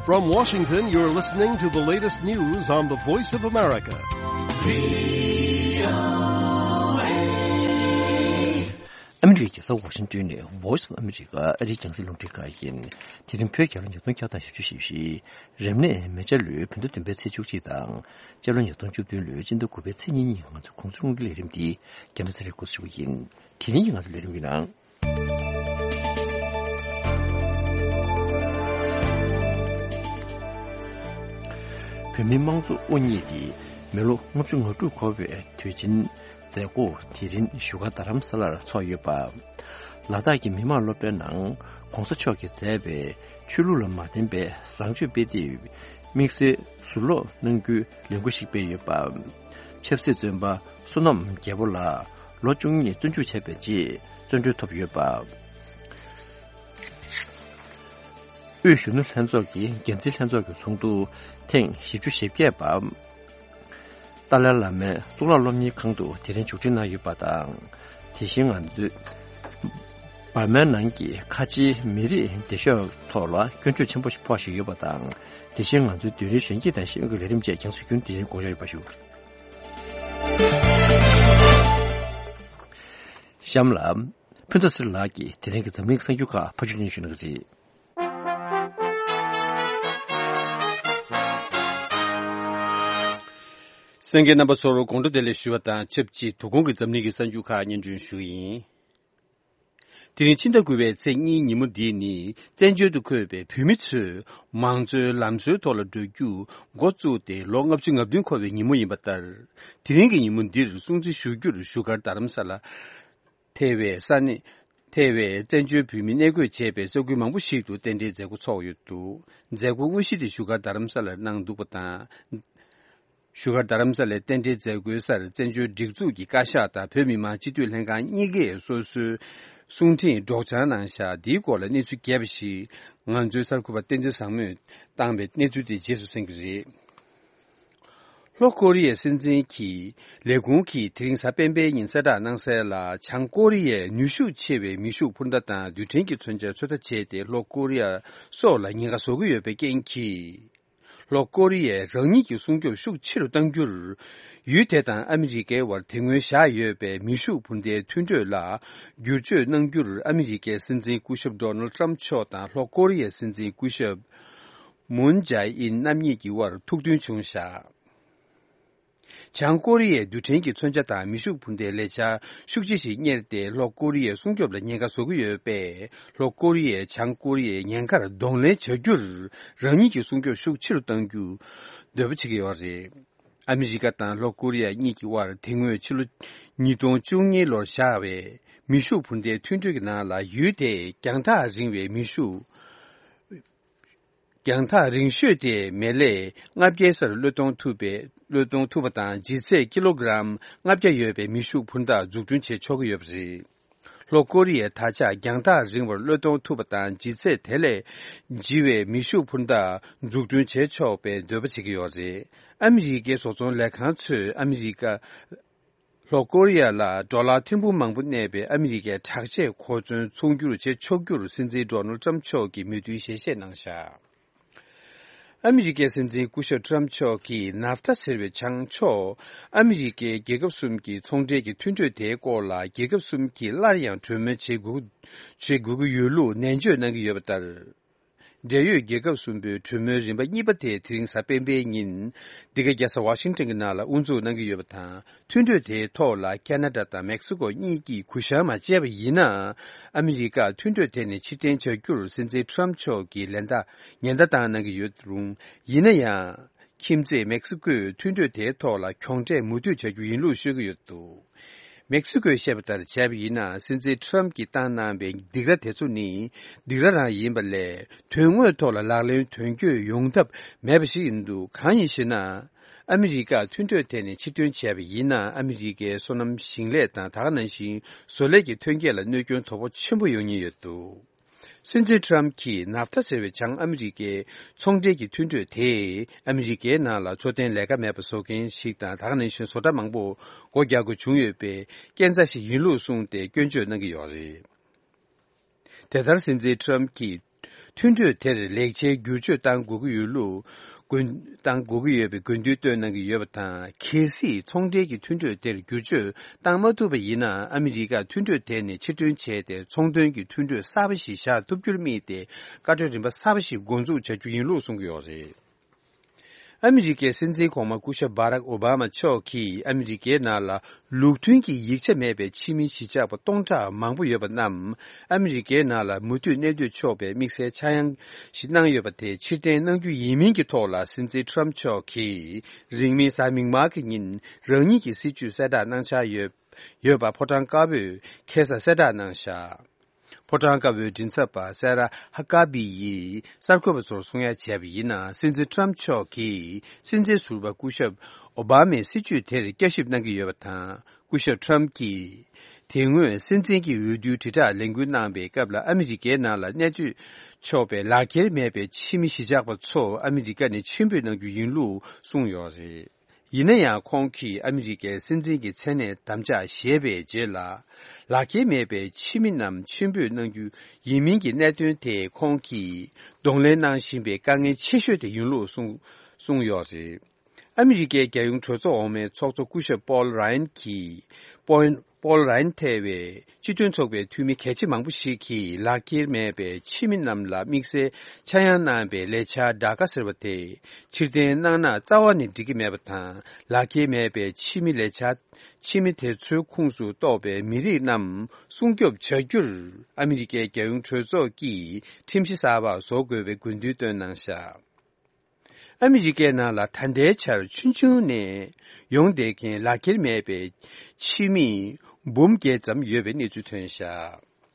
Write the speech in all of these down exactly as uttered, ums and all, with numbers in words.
From Washington, you're listening to the latest news on the Voice of America. ཨ་མི་རི་ཀའི་རྒྱལ་ས་ཝ་ཤིང་ཏོན་ནས་Voice of America ཨ་རིའི་རྒྱང་སྲིང་རླུང་འཕྲིན་ཁང་ཡིན། དེ་རིང་བོད་རྒྱལ་ལོ་ཉིས་སྟོང་བརྒྱ་དང་བཞི་བཅུ་ཞེ་བཞི། རབ་གནས་མེ་བྱ་ལོའི་བོད་ཟླ་བདུན་པའི་ཚེས་བཅུ་གཅིག་དང་། སྤྱི་ལོ་ཉིས་སྟོང་བཅུ་བདུན་ལོའི་སྤྱི་ཟླ་དགུ་པའི་ཚེས་གཉིས་ཉིན་ང་ཚོའི་གོང་ས་ལྷུན་གྱི་ལས་རིམ་འདི་རྒྱང་བསྒྲགས་ཚར་རེ་འགོ་ཚུགས་ཡིན། དེ་རིང་གི་ང་ཚོའི་ལས་རིམ་གྱི་ནང་། བོད་མིའི་དམངས་གཙོ་དབུ་བརྙེས་ཏེ་མི་ལོ་ལྔ་བཅུ་ང་དྲུག་འཁོར་བའི་དུས་ཆེན་མཛད་སྒོ་དེ་རིང་བཞུགས་སྒར་རྡ་རམ་ས་ལར་ཚོགས་ཡོད་པ། ལ་དྭགས་ཀྱི་མི་དམངས་སློབ་གྲྭའི་ནང་གོང་ས་མཆོག་གིས་མཛད་པའི་ཆོས་ལུགས་ལ་མ་བརྟེན་པའི་བཟང་སྤྱོད་དཔེ་དེབ་དམིགས་བསལ་ཟུར་ཀློག་གནང་རྒྱུའི་ལས་འགུལ་ཞིག་སྤེལ་ཡོད་པ། ཆབ་སྲིད་བཙོན་པ་བསོད་ནམས་རྒྱལ་པོ་ལགས་ལོ་བཅུ་གཉིས་བཙོན་འཇུག་བྱས་པའི་རྗེས་བཙོན་གྲོལ་ཐོབ་ཡོད་པ། དབུས་གཞོན་ནུ་ལྷན་ཚོགས་ཀྱི་འགན་འཛིན་ལྷན་ཚོགས་ཀྱི་ཚོགས་འདུ་ཐེངས་བཞི་བཅུ་ཞེ་བརྒྱད་པ། ཏཱ་ལའི་བླ་མའི་གཙུག་ལག་སློབ་གཉེར་ཁང་དུ་དེ་རིང་མཇུག་སྒྲིལ་གནང་ཡོད་པ་དང་། དེ་བཞིན་ང་ཚོས་འབར་མའི་ནང་གི་ཁ་ཆེའི་མི་རིགས་སྡེ་ཤོག་ཐོག་ལ་སྐྱོན་བརྗོད་ཆེན་པོ་ཞིག་ཕོག་བཞིན་ཡོད་པ་དང་། དེ་བཞིན་ང་ཚོའི་བདུན་རེའི་གཞོན་སྐྱེས་དང་ཤེས་ཡོན་གྱི་ལས་རིམ་བཅས་རྒྱང་སྲིང་རྒྱུན་དེ་རིང་དགོངས་འཇགས་ཡོད་པ་ཞུ། གཤམ་ལ། ཕུན་ཚོགས་ཚེ་རིང་ལགས་ཀྱིས་དེ་རིང་གི་འཛམ་གླིང་གི་གསར་འགྱུར་ཁག་ཕབ་སྒྱུར་སྙན་ཞུ་གནང་གི་རེད། གསན་མཁན་རྣམ་པ་ཚོར་དགོང་དྲོ་བདེ་ལེགས་ཞུ་བ་དང་ཆབས་ཅིག་དོ་དགོང་གི་འཛམ་གླིང་གི་གསར་འགྱུར་ཁག་སྙན་སྒྲོན་ཞུ་གི་ཡིན། དེ་རིང་ཕྱི་ཟླ་དགུ་པའི་ཚེས་གཉིས་ཉིན་མོ་འདི་ནི་བཙན་བྱོལ་དུ་འཁོད་པའི་བོད་མི་ཚོས་མང་གཙོའི་ལམ་སྲོལ་ཐོག་ལ་བགྲོད་རྒྱུ་འགོ་བཙུགས་ཏེ་ལོ་ལྔ་བཅུ་ང་བདུན་འཁོར་བའི་ཉིན་མོ་ཡིན་པ་ལྟར། དེ་རིང་གི་ཉིན་མོ་འདིར་སྲུང་བརྩི་ཞུ་རྒྱུར་བཞུགས་སྒར་རྡ་རམ་ས་ལ་ཐེ་བའི་ས་གནས། ཐེ་བའི་བཙན་བྱོལ་བོད་མི་གནས་འཁོད་བྱས་པའི་ས་ཁུལ་མང་པོ་ཞིག་ཏུ་རྟེན་འབྲེལ་མཛད་སྒོ་ཚོགས་ཡོད་འདུག་མཛད་སྒོ་དངོས་གཞི་དེ་བཞུགས་སྒར་རྡ་རམ་ས་ལར་གནང་འདུག་པ་དང་། བཞུགས་སྒར་རྡ་རམ་ས་ལའི་རྟེན་འབྲེལ་མཛད་སྒོའི་སར་བཙན་བྱོལ་སྒྲིག་འཛུགས་ཀྱི་བཀའ་ཤག་དང་བོད་མི་མང་སྤྱི་འཐུས་ལྷན་ཁང་གཉིས་ཀས་སོ་སོའི་གསུང་འཕྲིན་སྒྲོག་སྦྱང་གནང་བཞག་འདིའི་སྐོར་ལ་གནས་ཚུལ་རྒྱས་པ་ཞིག་ང་ཚོའི་གསར་འགོད་པ་བསྟན་འཛིན་བཟང་མོས་བཏང་བའི་གནས་ཚུལ་དེ་རྗེས་སུ་གསན་གྱི་རེད། ལྷོ་ཀོ་རི་ཡའི་སྲིད་འཛིན་གྱི་ལས་ཁུངས་ཀྱིས་དེ་རིང་གཟའ་སྤེན་པའི་ཉིན་གསལ་བསྒྲགས་གནང་གསལ་ལ། བྱང་ཀོ་རི་ཡས་ནུས་ཤུགས་ཆེ་བའི་མེ་ཤུགས་འཕུར་མདའ་དང་རྡུལ་ཕྲན་གྱི་མཚོན་ཆ་ཚོད་ལྟ་བྱས་ཏེ་ལྷོ་ཀོ་རི་ཡ་སོགས་ལ་ཉེན་ཁ་བཟོ་གི་ཡོད་པའི་རྐྱེན་གྱིས། ལྷོ་ཀོ་རི་ཡས་རང་ཉིད་ཀྱི་སྲུང་སྐྱོབ་ཤུགས་ཆེ་རུ་གཏང་རྒྱུར། ཡུལ་དེ་དང་ཨ་མི་རི་ཀའི་དབར་དེ་སྔོན་བཞག་ཡོད་པའི་མེ་ཤུགས་འཕུར་མདའི་མཐུན་གྲོས་ལ་བསྒྱུར་བཅོས་གནང་རྒྱུར་ཨ་མི་རི་ཀའི་སྲིད་འཛིན་སྐུ་ཞབས་ཌོ་ནལ་ཏྲམ་མཆོག་དང་ལྷོ་ཀོ་རི་ཡའི་སྲིད་འཛིན་སྐུ་ཞབས་མུན་ཇའེ་ཨིན་རྣམ་གཉིས་ཀྱི་དབར་ཐུགས་མཐུན་བྱུང་བཞག་བྱང་ཀོ་རི་ཡས་རྡུལ་ཕྲན་གྱི་མཚོན་ཆ་དང་མེ་ཤུགས་འཕུར་མདའི་ལས་འཆར་ཤུགས་ཆེ་ཞིག་གཉེར་ཏེ་ལྷོ་ཀོ་རི་ཡའི་སྲུང་སྐྱོབ་ལ་ཉེན་ཁ་བཟོ་གི་ཡོད་པས། ལྷོ་ཀོ་རི་ཡས་བྱང་ཀོ་རི་ཡའི་ཉེན་ཁར་གདོང་ལེན་བྱ་རྒྱུར་རང་ཉིད་ཀྱི་སྲུང་སྐྱོབ་ཤུགས་ཆེ་རུ་གཏང་རྒྱུ་འདོད་པ་བྱེད་ཀྱི་ཡོད་རེད། ཨ་མི་རི་ཀ་དང་ལྷོ་ཀོ་རི་ཡ་གཉིས་ཀྱི་དབར་དེ་སྔོན་ཕྱི་ལོ་ཉིས་སྟོང་བཅུ་གཉིས་ལོར་བཞག་པའི་མེ་ཤུགས་འཕུར་མདའི་མཐུན་གྲོས་ཀྱི་ནང་ལ་ཡུལ་དེས་རྒྱང་ཐག་རིང་བའི་མེ་ཤུགས། རྒྱང་ཐག་རིང་ཤོས་དེ་མེ་ལེ་ལྔ་བརྒྱའི་སར་གློད་གཏོང་ཐུབ་པའི་གློད་གཏོང་ཐུབ་པ་དང་ལྗིད་ཚད་ཀི་ལོ་གི་རམ་ལྔ་བརྒྱ་ཡོད་པའི་མེ་ཤུགས་འཕུར་མདའ་འཛུགས་སྐྲུན་བྱེད་ཆོག་གི་ཡོད་པ་རེད། ལྷོ་ཀོ་རི་ཡས་ད་ཆ་རྒྱང་ཐག་རིང་བར་གློད་གཏོང་ཐུབ་པ་དང་ལྗིད་ཚད་དེ་ལས་ལྗི་བའི་མེ་ཤུགས་འཕུར་མདའ་འཛུགས་སྐྲུན་བྱེད་ཆོག་པའི་འདོད་པ་བྱེད་ཀྱི་ཡོད་རེད། ཨ་མི་རི་ཀའི་བཟོ་ཚོང་ལས་ཁང་ཚོས་ཨ་མི་རི་ཀ་ལྷོ་ཀོ་རི་ཡ་ལ་ཌོ་ལར་ཐེར་འབུམ་མང་པོ་གནས་པའི་ཨ་མི་རི་ཀའི་དྲག་ཆས་མཁོ་ཚོན་ཚོང་སྒྱུར་བྱེད་ཆོག་རྒྱུར་སྲིད་འཛིན་ཌོ་ནལ་ཏྲམ་མཆོག་གིས་མོས་མཐུན་ཞལ་བཞེས་གནང་བཞག་ཨ་མི་རི་ཀའི་སྲིད་འཛིན་སྐུ་ཞབས་ཏྲམ་མཆོག་གིས་ནཱབ་ཐ་ཟེར་བའི་བྱང་ཕྱོགས་ཨ་མི་རི་ཀའི་རྒྱལ་ཁབ་གསུམ་གྱི་ཚོང་འབྲེལ་གྱི་མཐུན་གྲོས་དེའི་སྐོར་ལ་རྒྱལ་ཁབ་གསུམ་གྱིས་སླར་ཡང་གྲོས་མོལ་བྱེད་དགོས་བྱེད་དགོས་ཀྱི་ཡོད་ལུགས་ནན་བརྗོད་གནང་གི་ཡོད་པ་ལྟར། འབྲེལ་ཡོད་རྒྱལ་ཁབ་གསུམ་པོའི་གྲོས་མོལ་རིམ་པ་གཉིས་པ་དེ་དེ་རིང་གཟའ་སྤེན་པའི་ཉིན་འདི་ག་རྒྱལ་ས་ཝ་ཤིང་ཊོན་གྱི་ནང་ལ་དབུ་འཛུགས་གནང་གི་ཡོད་པ་དང་། མཐུན་གྲོས་དེའི་ཐོག་ལ་ཁ་ན་ཌ་དང་མེག་སི་ཀོ་གཉིས་ཀྱིས་གུ་བཤངས་མ་བྱས་པ་ཡིན་ན། ཨ་མི་རི་ཀ་མཐུན་གྲོས་དེ་ནས་ཕྱིར་འཐེན་བྱ་རྒྱུར་སྲིད་འཛིན་ཏྲམ་མཆོག་གིས་ལན་བརྡ་ཉེན་བརྡ་བཏང་གནང་གི་ཡོད་རུང་། ཡིན་ན་ཡང་། ཁྱིམ་མཚེས་མེག་སི་ཀོས་མཐུན་གྲོས་དེའི་ཐོག་ལ་གྱོང་ཁྲལ་མུ་མཐུད་བྱ་རྒྱུ་ཡིན་ལུགས་ཤོད་ཀྱི་ཡོད་འདུག་མེག་སི་ཀོས་བཤད་པ་ལྟར་བྱས་པ་ཡིན་ན། སྲིད་འཛིན་ཏྲམ་གྱིས་བཏང་གནང་བའི་སྡིགས་ར་དེ་ཚོ་ནི་སྡིགས་ར་རང་ཡིན་པ་ལས། དོན་དངོས་ཐོག་ལ་ལག་ལེན་དོན་འཁྱོལ་ཡོང་ཐབས་མེད་པ་ཞིག་ཡིན་འདུག་གང་ཡིན་ཞེ་ན། ཨ་མི་རི་ཀ་མཐུན་གྲོས་དེ་ནས་ཕྱིར་ཐོན་བྱས་པ་ཡིན་ན། ཨ་མི་རི་ཀའི་སོ་ནམ་ཞིང་ལས་དང་། ད་ག་ནང་བཞིན་བཟོ་ལས་ཀྱི་ཐོན་སྐྱེད་ལ་གནོད་སྐྱོན་དོ་ཕོག་ཆེན་པོ་ཡོང་ཉེན་ཡོད་འདུག་སྲིད་འཛིན་ཏྲམ་གྱིས་ནཱབ་ཐ་ཟེར་བའི་བྱང་ཨ་མི་རི་ཀའི་ཚོང་འབྲེལ་གྱི་མཐུན་གྲོས་དེས་ཨ་མི་རི་ཀའི་ནང་ལ་འཚོ་རྟེན་ལས་ཀ་མེད་པ་བཟོ་མཁན་ཞིག་དང་། ད་ག་ནང་བཞིན་བཟོ་གྲྭ་མང་པོ་སྒོ་རྒྱག་དགོས་བྱུང་ཡོད་པའི་རྐྱེན་རྩ་ཞིག་ཡིན་ལུགས་གསུངས་ཏེ་སྐྱོན་བརྗོད་གནང་གི་ཡོད་རེད། དེ་ལྟར་སྲིད་འཛིན་ཏྲམ་གྱིས་ མཐུན་གྲོས་དེར་ལེགས་ཆའི་བསྒྱུར་བཅོས་གཏང་དགོས་ཀྱི་ཡོད་ལུགས་དགོས་གཏང་དགོས་ཀྱི་ཡོད་པའི་དགོས་འདུན་བཏོན་གནང་གི་ཡོད་པ་དང་། གལ་སྲིད་ཚོང་འབྲེལ་གྱི་མཐུན་གྲོས་དེར་བསྒྱུར་བཅོས་བཏང་མ་ཐུབ་པ་ཡིན་ན། ཨ་མི་རི་ཀ་མཐུན་གྲོས་དེ་ནས་ཕྱིར་འདོན་བྱས་ཏེ། ཚོང་དོན་གྱི་མཐུན་གྲོས་གསར་པ་ཞིག་བཞག་ཐུབ་རྒྱུར་དམིགས་ཏེ། བཀའ་འཁྲོལ་རིམ་པ་གསར་པ་ཞིག་འགོ་འཛུགས་བྱ་རྒྱུ་ཡིན་ལུགས་གསུང་གི་ཡོད་རེད། ཨ་མི་རི་ཀའི་སྲིད་འཛིན་གོང་མ་སྐུ་ཞབས་བྷ་རག་ཨོ་བྷ་མ་མཆོག་གིས། ཨ་མི་རི་ཀའི་ནང་ལ་ལུགས་མཐུན་གྱི་ཡིག་ཆ་མེད་པའི་ཕྱི་མི་གཞིས་ཆགས་པ་སྟོང་ཕྲག་མང་པོ་ཡོད་པ་རྣམས། ཨ་མི་རི་ཀའི་ནང་ལ་མུ་མཐུད་གནས་སྡོད་ཆོག་པའི་དམིགས་བསལ་ཆག་ཡང་ཞིག་གནང་ཡོད་པ་དེ་ཕྱིར་འཐེན་གནང་རྒྱུ་ཡིན་མིན་གྱི་ཐོག་ལ། སྲིད་འཛིན་ཊམ་མཆོག་གིས་རིང་མིན་གཟའ་མིག་དམར་གྱི་ཉིན་རང་ཉིད་ཀྱི་སྲིད་བྱུས་གསལ་བསྒྲགས་གནང་འཆར་ཡོད་ཡོད་པ་ཕོ་བྲང་དཀར་པོས་ཁ་སང་གསལ་བསྒྲགས་གནང་བཞག་ཕོ་བྲང་དཀར་པོའི་མགྲིན་ཚབ་པ་སེ་ར་ཧ་ཀ་བི་ཡིས་གསར་འགོད་པ་ཚོར་གསུང་ཡ་བྱས་པ་ཡིན་ན། སྲིད་འཛིན་ཊམ་མཆོག་གིས་སྲིད་འཛིན་ཟུར་པ་སྐུ་ཞབས་ཨོ་བྷ་མའི་སྲིད་བྱུས་དེར་བསྐྱར་ཞིབ་གནང་གི་ཡོད་པ་དང་། སྐུ་ཞབས་ཊམ་གྱིས་དེ་སྔོན་སྲིད་འཛིན་གྱི་འོས་བསྡུའི་དྲིལ་བསྒྲགས་ལས་འགུལ་གནང་པའི་སྐབས་ལ། ཨ་མི་རི་ཀའི་ནང་ལ་གནས་སྡོད་ཆོག་པའི་ལག་འཁྱེར་མེད་པའི་ཕྱི་མི་གཞིས་ཆགས་པ་ཚོ་ཨ་མི་རི་ཀ་ནས་ཕྱིར་འབུད་གནང་རྒྱུ་ཡིན་ལུགས་གསུངས་ཡོད་རེད། ཡིན་ན་ཡང་། ཁོང་གིས་ཨ་མི་རི་ཀའི་སྲིད་འཛིན་གྱི་མཚན་གནས་དམ་བཅའ་བཞེས་པའི་རྗེས་ལ། ལག་འཁྱེར་མེད་པའི་ཕྱི་མི་རྣམས་ཕྱིར་འབུད་གནང་རྒྱུ་ཡིན་མིན་གྱི་གནད་དོན་དེ། ཁོང་གིས་གདོང་ལེན་གནང་བཞིན་པའི་དཀའ་ངལ་ཆེ་ཤོས་དེ་ཡིན་ལུགས་གསུངས་གསུངས་ཡོད་རེད། ཨ་མི་རི་ཀའི་རྒྱལ་ཡོངས་གྲོས་ཚོགས་འོག་མའི་ཚོགས་གཙོ་སྐུ་ཞབས་པོལ་རཱ་ཡན་གྱིས། པོལ་པོལ་རཱ་ཡན་ཐེ་བའི་སྤྱི་མཐུན་ཚོགས་པའི་འཐུས་མི་གལ་ཆེ་མང་པོ་ཞིག་གིས། ལག་འཁྱེར་མེད་པའི་ཕྱི་མི་རྣམས་ལ་དམིགས་བསལ་ཆག་ཡང་གནང་པའི་ལས་འཆར་ཌ་ཀ་ཟེར་བ་དེ་ཕྱིར་འཐེན་གནང་ན་རྩ་བ་ནས་འགྲིག་གི་མེད་པ་དང་། ལག་འཁྱེར་མེད་པའི་ཕྱི་མི་ལས་འཆར་ཕྱི་མི་དེ་ཚོའི་ཁོངས་སུ་གཏོགས་པའི་མི་རིགས་རྣམས་སྲུང་སྐྱོབ་བྱ་རྒྱུར། ཨ་མི་རི་ཀའི་རྒྱལ་ཡོངས་གྲོས་ཚོགས་ཀྱིས་ཁྲིམས་གཞི་གསར་པ་བཟོ་དགོས་པའི་དགོས་འདུན་བཏོན་གནང་བཞག་ཨ་མི་རི་ཀའི་ནང་ལ་ད་ལྟའི་ཆར་ཆུང་ཆུང་ནས་ཡོང་བསྡད་མཁན་ལག་འཁྱེར་མེད་པའི་ཕྱི་མི་འབུམ་བརྒྱད་ཙམ་ཡོད་པའི་གནས་ཚུལ་ཐོན་བཞག་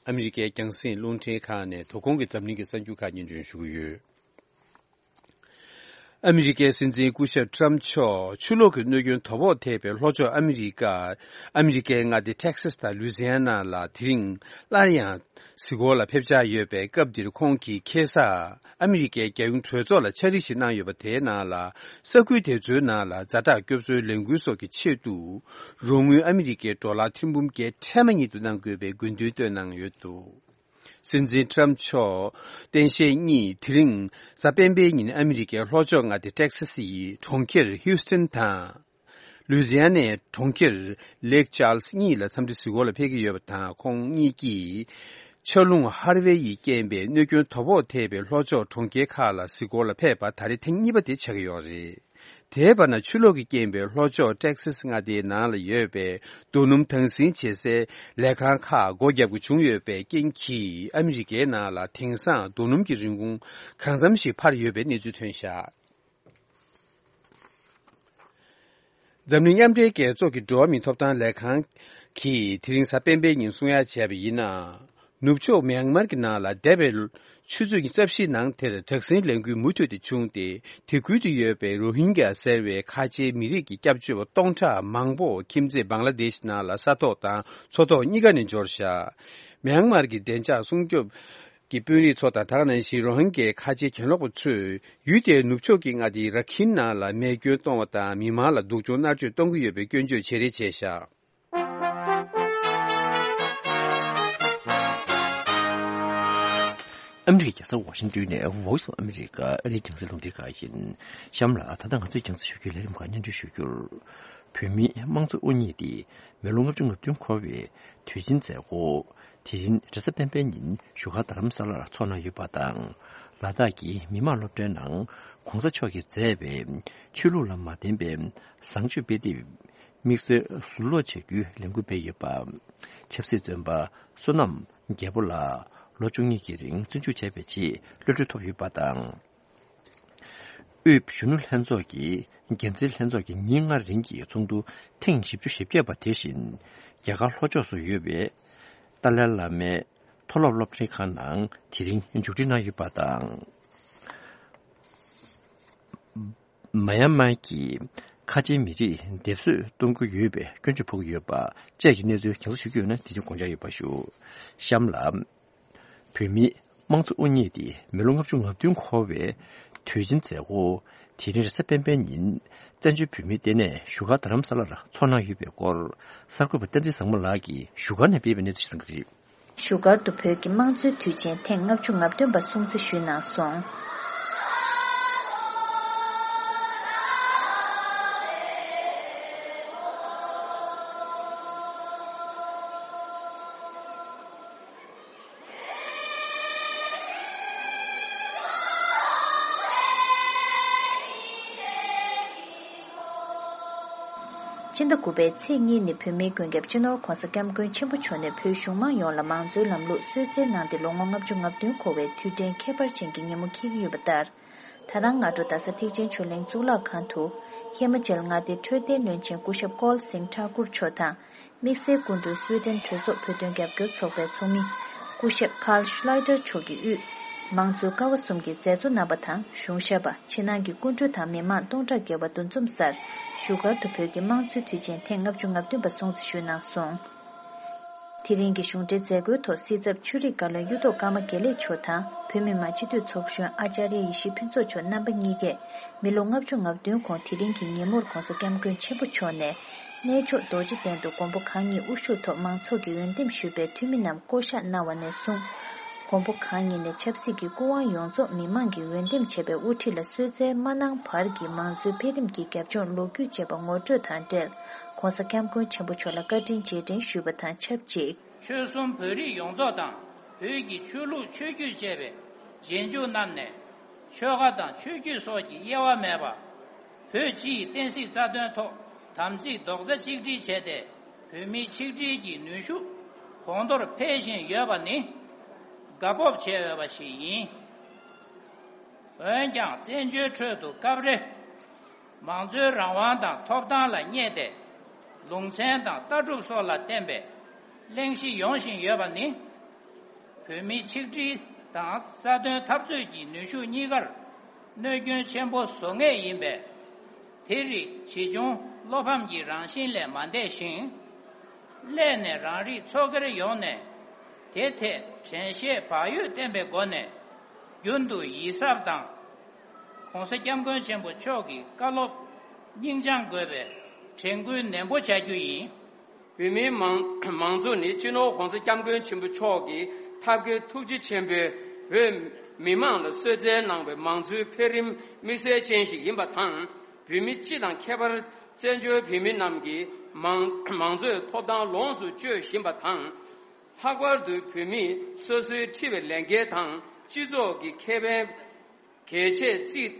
ཨ་མི་རི་ཀའི་རྒྱང་སྲིང་རླུང་འཕྲིན་ཁང་ནས་དོ་དགོང་གི་འཛམ་གླིང་གི་གསར་འགྱུར་ཁག་སྙན་སྒྲོན་ཞུ་གི་ཡོད། ཨ་མི་རི་ཀའི་སྲིད་འཛིན་སྐུ་ཞབས་ཊམ་མཆོག་ཆུ་ལོག་གི་གནོད་སྐྱོན་དོ་ཕོག་ཐེབས་པའི་ལྷོ་ཕྱོགས་ཨ་མི་རི་ཀ་ཨ་མི་རི་ཀའི་མངའ་སྡེ་ཊེག་སཱས་དང་ལུའི་ཛི་ཡ་ན་ལ་དེ་རིང་སླར་ཡང་གཟིགས་སྐོར་ལ་ཕེབས་འཆར་ཡོད་པའི་སྐབས་འདིར། ཁོང་གིས་ཁ་སང་ཨ་མི་རི་ཀའི་རྒྱལ་ཡོངས་གྲོས་ཚོགས་ལ་ཕྱག་བྲིས་ཤིག་གནང་ཡོད་པ། དེའི་ནང་ལ་ས་ཁུལ་དེ་ཚོའི་ནང་ལ་ཛ་དྲག་སྐྱོབ་གསོའི་ལས་འགུལ་སོགས་ཀྱི་ཆེད་དུ་རོགས་དངུལ་ཨ་མི་རི་ཀའི་ཌོ་ལར་ཐེར་འབུམ་བརྒྱད་ཁྲི་མ་ཉིད་དུ་གནང་དགོས་པའི་དགོས་འདུན་བཏོན་གནང་ཡོད་འདུག་སྲིད་འཛིན་ཊམ་མཆོག་སྟངས་དཔྱལ་གཉིས་དེ་རིང་གཟའ་སྤེན་པའི་ཉིན་ཨ་མི་རི་ཀའི་ལྷོ་ཕྱོགས་མངའ་སྡེ་ཊེག་སཱས་ཡི་གྲོང་ཁྱེར་ཧིའུ་སྟན་དང་། ལུའི་ཛི་ཡ་ནའི་གྲོང་ཁྱེར་ལེག་ཅཱལ་སི་གཉིས་ལ་འཚམས་འདྲི་གཟིགས་སྐོར་ལ་ཕེབས་ཀྱི་ཡོད་པ་དང་། ཁོང་གཉིས་ཀྱིས་ཆར་རླུང་ཧར་ཝེ་ཡིས་རྐྱེན་པས་གནོད་སྐྱོན་དོ་ཕོག་ཐེབས་པའི་ལྷོ་ཕྱོགས་གྲོང་ཁྱེར་ཁག་ལ་གཟིགས་སྐོར་ལ་ཕེབས་པ་ད་རེས་ཐེངས་གཉིས་པ་དེ་ཆགས་ཀྱི་ཡོད་རེད། དེའི་བར་ན། ཆུ་ལོག་གི་རྐྱེན་པས་ལྷོ་ཕྱོགས་ཊེག་སཱས་མངའ་སྡེའི་ནང་ལ་ཡོད་པའི་རྡོ་སྣུམ་དྭངས་སིལ་བྱེད་སའི་ལས་ཁང་ཁག་སྒོ་བརྒྱབ་དགོས་བྱུང་ཡོད་པའི་རྐྱེན་གྱིས། ཨ་མི་རི་ཀའི་ནང་ལ་དེང་སང་རྡོ་སྣུམ་གྱི་རིན་གོང་གང་འཚམ་ཞིག་འཕར་ཡོད་པའི་གནས་ཚུལ་ཐོན་བཞག་འཛམ་གླིང་མཉམ་འབྲེལ་རྒྱལ་ཚོགས་ཀྱི་འགྲོ་བ་མིའི་ཐོབ་ཐང་ལས་ཁང་གིས་དེ་རིང་གཟའ་སྤེན་པའི་ཉིན་གསུང་ཡ་བྱས་པ་ཡིན་ན། ནུབ་ཕྱོགས་མྱན་མར་གྱི་ནང་ལ་འདས་པའི་ཆུ་ཚོད་ཉི་ཤུ་རྩ་བཞིའི་ནང་དེར་དྲག་ཟིང་ལས་འགུལ་མུ་མཐུད་དེ་བྱུང་སྟེ། དེ་ཁུལ་དུ་ཡོད་པའི་རོ་ཧིན་གྱ་ཟེར་བའི་ཁ་ཆེའི་མི་རིགས་ཀྱི་སྐྱབས་བཅོལ་བ་སྟོང་ཕྲག་མང་པོ་ཁྱིམ་མཚེས་བང་ལ་དེཤ་ནང་ལ་ས་ཐོག་དང་མཚོ་ཐོག་གཉིས་ཀ་ནས་འབྱོར་བཞག་མྱན་མར་གྱི་བདེ་འཇགས་སྲུང་སྐྱོབ་ཀྱི་དཔོན་རིགས་ཚོ་དང་། ད་ག་ནང་བཞིན་རོ་ཧིན་གྱའི་ཁ་ཆེའི་གྱེན་ལོག་པ་ཚོས་ཡུལ་དེའི་ནུབ་ཕྱོགས་ཀྱི་མངའ་སྡེ་ར་ཁིན་ནང་ལ་རྨས་སྐྱོན་གཏོང་བ་དང་། མི་མང་ལ་སྡུག་སྦྱོང་མནར་གཅོད་གཏོང་གི་ཡོད་པའི་སྐྱོན་བརྗོད་བྱེད་རེས་བྱས་བཞག་ཨ་མི་རི་ཀའི་རྒྱལ་ས་ཝ་ཤིང་ཏོན་ནས་Voice of America ཨ་རིའི་རྒྱང་སྲིང་རླུང་འཕྲིན་ཁང་ཡིན། གཤམ་ལ་ད་ལྟ་ང་ཚོའི་རྒྱང་སྲིང་ཞབས་ཀྱི་ལས་རིམ་ཁག་སྙན་སྒྲོན་ཞུ་རྒྱུར། བོད་མིའི་དམངས་གཙོ་དབུ་བརྙེས་ཏེ་མི་ལོ་ལྔ་བཅུ་ང་བདུན་འཁོར་བའི་དུས་ཆེན་མཛད་སྒོ་དེ་རིང་རེས་གཟའ་སྤེན་པའི་ཉིན་བཞུགས་སྒར་རྡ་རམ་ས་ལར་འཚོགས་གནང་ཡོད་པ་དང་། ལ་དྭགས་ཀྱི་མི་དམངས་སློབ་གྲྭའི་ནང་གོང་ས་མཆོག་གིས་མཛད་པའི་ཆོས་ལུགས་ལ་མ་བརྟེན་པའི་བཟང་སྤྱོད་དཔེ་དེབ་དམིགས་བསལ་ཟུར་ཀློག་བྱ་རྒྱུའི་ལས་འགུལ་སྤེལ་ཡོད་པ། ཆབ་སྲིད་བཙོན་པ་བསོད་ནམས་རྒྱལ་པོ་ལགས་ལོ་བཅུ་གཉིས་ཀྱི་རིང་བཙོན་འཇུག་བྱས་པའི་རྗེས་གློད་གྲོལ་ཐོབ་ཡོད་པ་དང་། དབུས་གཞོན་ནུ་ལྷན་ཚོགས་ཀྱི་འགན་འཛིན་ལྷན་ཚོགས་ཀྱི་ཉིན་ལྔ་རིང་གི་ཚོགས་འདུ་ཐེངས་བཞི་བཅུ་ཞེ་བརྒྱད་པ་དེ་བཞིན་རྒྱ་གར་ལྷོ་ཕྱོགས་སུ་ཡོད་པའི་ཏཱ་ལའི་བླ་མའི་མཐོ་སློབ་སློབ་གྲྭའི་ཁང་ནང་དེ་རིང་མཇུག་སྒྲིལ་གནང་ཡོད་པ་དང་། མ་ཡན་མར་གྱི་ཁ་ཆེའི་མི་རིགས་སྡེབ་གསོད་གཏོང་གི་ཡོད་པའི་སྐྱོན་བརྗོད་ཕོག་གི་ཡོད་པ་བཅས་ཀྱི་གནས་ཚུལ་རྒྱང་སྲིང་ཞུ་རྒྱུ་ཡོད་ན་དེ་རིང་དགོངས་འཇགས་ཡོད་པ་ཞུ། གཤམ་ལ། བོད་མིའི་དམངས་གཙོ་དབུ་བརྙེས་ཏེ་མི་ལོ་ལྔ་བཅུ་ང་བདུན་འཁོར་བའི་དུས་ཆེན་མཛད་སྒོ་དེ་རིང་རེས་གཟའ་སྤེན་པའི་ཉིན་བཙན་བྱོལ་བོད་མིའི་ལྟེ་གནས་བཞུགས་སྒར་རྡ་རམ་ས་ལར་འཚོགས་གནང་ཡོད་པའི་སྐོར་གསར་འགོད་པ་བསྟན་འཛིན་བཟང་མོ་ལགས་ཀྱིས་བཞུགས་སྒར་ནས་སྤེལ་བའི་གནས་ཚུལ་ཞིག་གསན་གྱི་རེད། བཞུགས་སྒར་དུ་བོད་ཀྱི་དམངས་གཙོའི་དུས་ཆེན་ཐེངས་ལྔ་བཅུ་ང་བདུན་པ་སྲུང་བརྩི་ཞུས་གནང་སོང་། སྤྱི་ཟླ་དགུ་པའི་ཚེས་གཉིས་ནི་བོད་མིའི་མགོན་སྐྱབས་སྤྱི་ནོར་༧གོང་ས་༧སྐྱབས་མགོན་ཆེན་པོ་མཆོག་ནས་བོད་གཞུང་མང་ཡོངས་ལ་མང་གཙོའི་ལམ་ལུགས་གསོལ་སྩལ་གནང་སྟེ་ལོ་ངོ་ལྔ་བཅུ་ང་བདུན་འཁོར་བའི་དུས་དྲན་ཁྱད་པར་ཅན་གྱི་ཉིན་མོ་འཁེལ་གྱི་ཡོད་པ་ལྟར། ད་རང་སྔ་དྲོ་རྡ་ས་ཐེག་ཆེན་ཆོས་གླིང་གཙུག་ལག་ཁང་དུ། ཧི་མ་ཅལ་མངའ་སྡེའི་འཕྲོད་བསྟེན་བློན་ཆེན་སྐུ་ཞབས་ཀོལ་སིང་ཐཱ་ཀུར་མཆོག་དང་། དམིགས་བསལ་སྐུ་མགྲོན་སུའེ་ཏེན་གྲོས་ཚོགས་བོད་དོན་རྒྱབ་སྐྱོར་ཚོགས་པའི་ཚོགས་མི། སྐུ་ཞབས་ཀཱལ་ཤུ་ལའི་ཏར་མཆོག་གིས་དབུས། མང་གཙོའི་ཀ་བ་གསུམ་གྱི་མཛད་གཙོ་རྣམ་པ་དང་གཞུང་ཞབས་པ། ཕྱི་ནང་གི་སྐུ་མགྲོན་དང་མི་མང་སྟོང་ཕྲག་བརྒལ་བ་འདུ་འཛོམས་སར། བཞུགས་སྒར་དུ་བོད་ཀྱི་དམངས་གཙོའི་དུས་ཆེན་ཐེངས་ལྔ་བཅུ་ང་བདུན་པ་སྲུང་བརྩི་ཞུས་གནང་སོང་། དེ་རིང་གི་གཞུང་འབྲེལ་མཛད་སྒོའི་ཐོག་སྲིད་ཚབ་ཆོས་རིག་བཀའ་བློན་གཡུ་ཐོག་ཀརྨ་དགེ་ལེགས་མཆོག་དང་བོད་མི་མང་སྤྱི་འཐུས་ཚོགས་གཞོན་ཨཱ་ཙཱརྱ་ཡེ་ཤེས་ཕུན་ཚོགས་མཆོག་རྣམ་པ་གཉིས་ཀས་མི་ལོ་ལྔ་བཅུ་ང་བདུན་གོང་དེ་རིང་གི་ཉིན་མོར་༧གོང་ས་༧སྐྱབས་མགོན་ཆེན་པོ་མཆོག་ནས་གནས་མཆོག་རྡོ་རྗེ་གདན་དུ་མགོན་པོ་གང་ཉིད་དབུ་བཞུགས་ཐོག་མང་ཚོགས་ཀྱིས་འོས་འདེམས་ཞུས་པའི་འཐུས་མི་རྣམས་བསྐོ་གཞག་གནང་བ་ནས་བཟུང་། མགོན་པོ་གང་ཉིད་ནས་ཆབ་སྲིད་ཀྱི་སྐུ་དབང་ཡོངས་རྫོགས་མི་མང་གིས་འོས་འདེམས་བྱས་པའི་དབུ་ཁྲིད་ལ་གསོལ་སྩལ་མ་གནང་བར་གྱི་མང་གཙོའི་འཕེལ་རིམ་གྱི་རྒྱབ་ལྗོངས་ལོ་རྒྱུས་ཅེས་པ་ངོ་སྤྲོད་དང་འབྲེལ། ༧གོང་ས་༧སྐྱབས་མགོན་ཆེན་པོ་མཆོག་ལ་བཀའ་དྲིན་རྗེས་དྲན་ཞུས་པ་དང་ཆབས་ཅིག་ཆོལ་གསུམ་བོད་རིགས་ཡོངས་རྫོགས་དང་བོད་ཀྱི་ཆོས་ལུགས་ཆོས་བརྒྱུད་བཅས་པའི་རྗེས་འཇུག་རྣམས་ནས་ཆོལ་ཁ་དང་ཆོས་བརྒྱུད་སོགས་ཀྱི་དབྱེ་བ་མེད་པར། བོད་སྤྱིའི་བསྟན་སྲིད་རྩ་དོན་ཐོག་དམ་ཚིག་རྡོག་རྩ་གཅིག་སྒྲིལ་བྱས་ཏེ་བོད་མིའི་ཆིག་སྒྲིལ་གྱི་ནུས་ཤུགས་གོང་མཐོར་འཕེལ་བཞིན་ཡོད་པ་ནི་དགའ་སྤོབས་བྱེད་འོས་པ་ཞིག་ཡིན། འོན་ཀྱང་བཙན་བྱོལ་ཁྲོད་དུ་སྐབས་རེ་མང་གཙོའི་རང་དབང་དང་ཐོབ་ཐང་ལ་བསྙད་དེ་ལུང་ཚན་དང་ལྟ་གྲུབ་སོགས་ལ་བརྟེན་པའི་གླེང་གཞི་ཡོང་བཞིན་ཡོད་པ་ནི། བོད་མིའི་ཆིག་སྒྲིལ་དང་རྩ་དོན་འཐབ་རྩོད་ཀྱི་ནུས་ཤུགས་གཉིས་ཀར་གནོད་སྐྱོན་ཆེན་པོ་བཟོ་ངེས་ཡིན་པས། དེ་རིགས་ཇི་བྱུང་བློ་ཕམ་གྱི་རང་བཞིན་ལས་མ་འདས་ཤིང་། སླད་ནས་རང་རིགས་ཚོགས་སྒེར་ཡོངས་ནས་དེ་ཐད་དྲན་ཤེས་བག་ཡོད་བསྟེན་པའི་སྒོ་ནས་རྒྱུན་དུ་ཡིད་གཟབ་དང་། ༸གོང་ས་༸སྐྱབས་མགོན་ཆེན་པོ་མཆོག་གི་བཀའ་སློབ་སྙིང་བཅངས་དགོས་པའི་དྲན་སྐུལ་ནན་པོ་བྱ་རྒྱུ་ཡིན། བོད་མིའི་མང་མང་གཙོ་ནི་སྤྱི་ནོར་༸གོང་ས་༸སྐྱབས་མགོན་ཆེན་པོ་མཆོག་གི་ཐབས་མཁས་ཐུགས་རྗེ་ཆེན་པོས་བོད་མི་མང་ལ་གསོལ་སྩལ་གནང་བའི་མང་གཙོའི་འཕེལ་རིམ་དམིགས་བསལ་ཅན་ཞིག་ཡིན་པ་དང་། བོད་མི་སྤྱི་དང་ཁྱད་པར་བཙན་བྱོལ་བོད་མི་རྣམས་ཀྱིས་མང་མང་གཙོའི་ཐོབ་ཐང་ལོངས་སུ་སྤྱོད་བཞིན་པ་དང་། ལྷག་པར་དུ་བོད་མིས་སོ་སོའི་འཁྲི་བའི་ལས་འགན་དང་སྤྱི་ཚོགས་ཀྱི་ཁེ་ཕན་གལ་ཆེར་བརྩིས་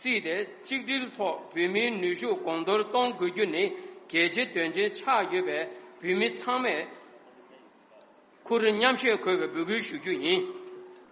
བརྩིས་ཏེ་གཅིག་སྒྲིལ་ཐོག་བོད་མིའི་ནུས་ཤུགས་གོང་མཐོར་གཏོང་དགོས་རྒྱུ་ནི་གལ་ཆེ་དོན་ཆེན་ཆགས་ཡོད་པས། བོད་མི་ཚང་མས་ཁུར་མཉམ་བཞེས་དགོས་པའི་འབོད་སྐུལ་ཞུ་རྒྱུ་ཡིན།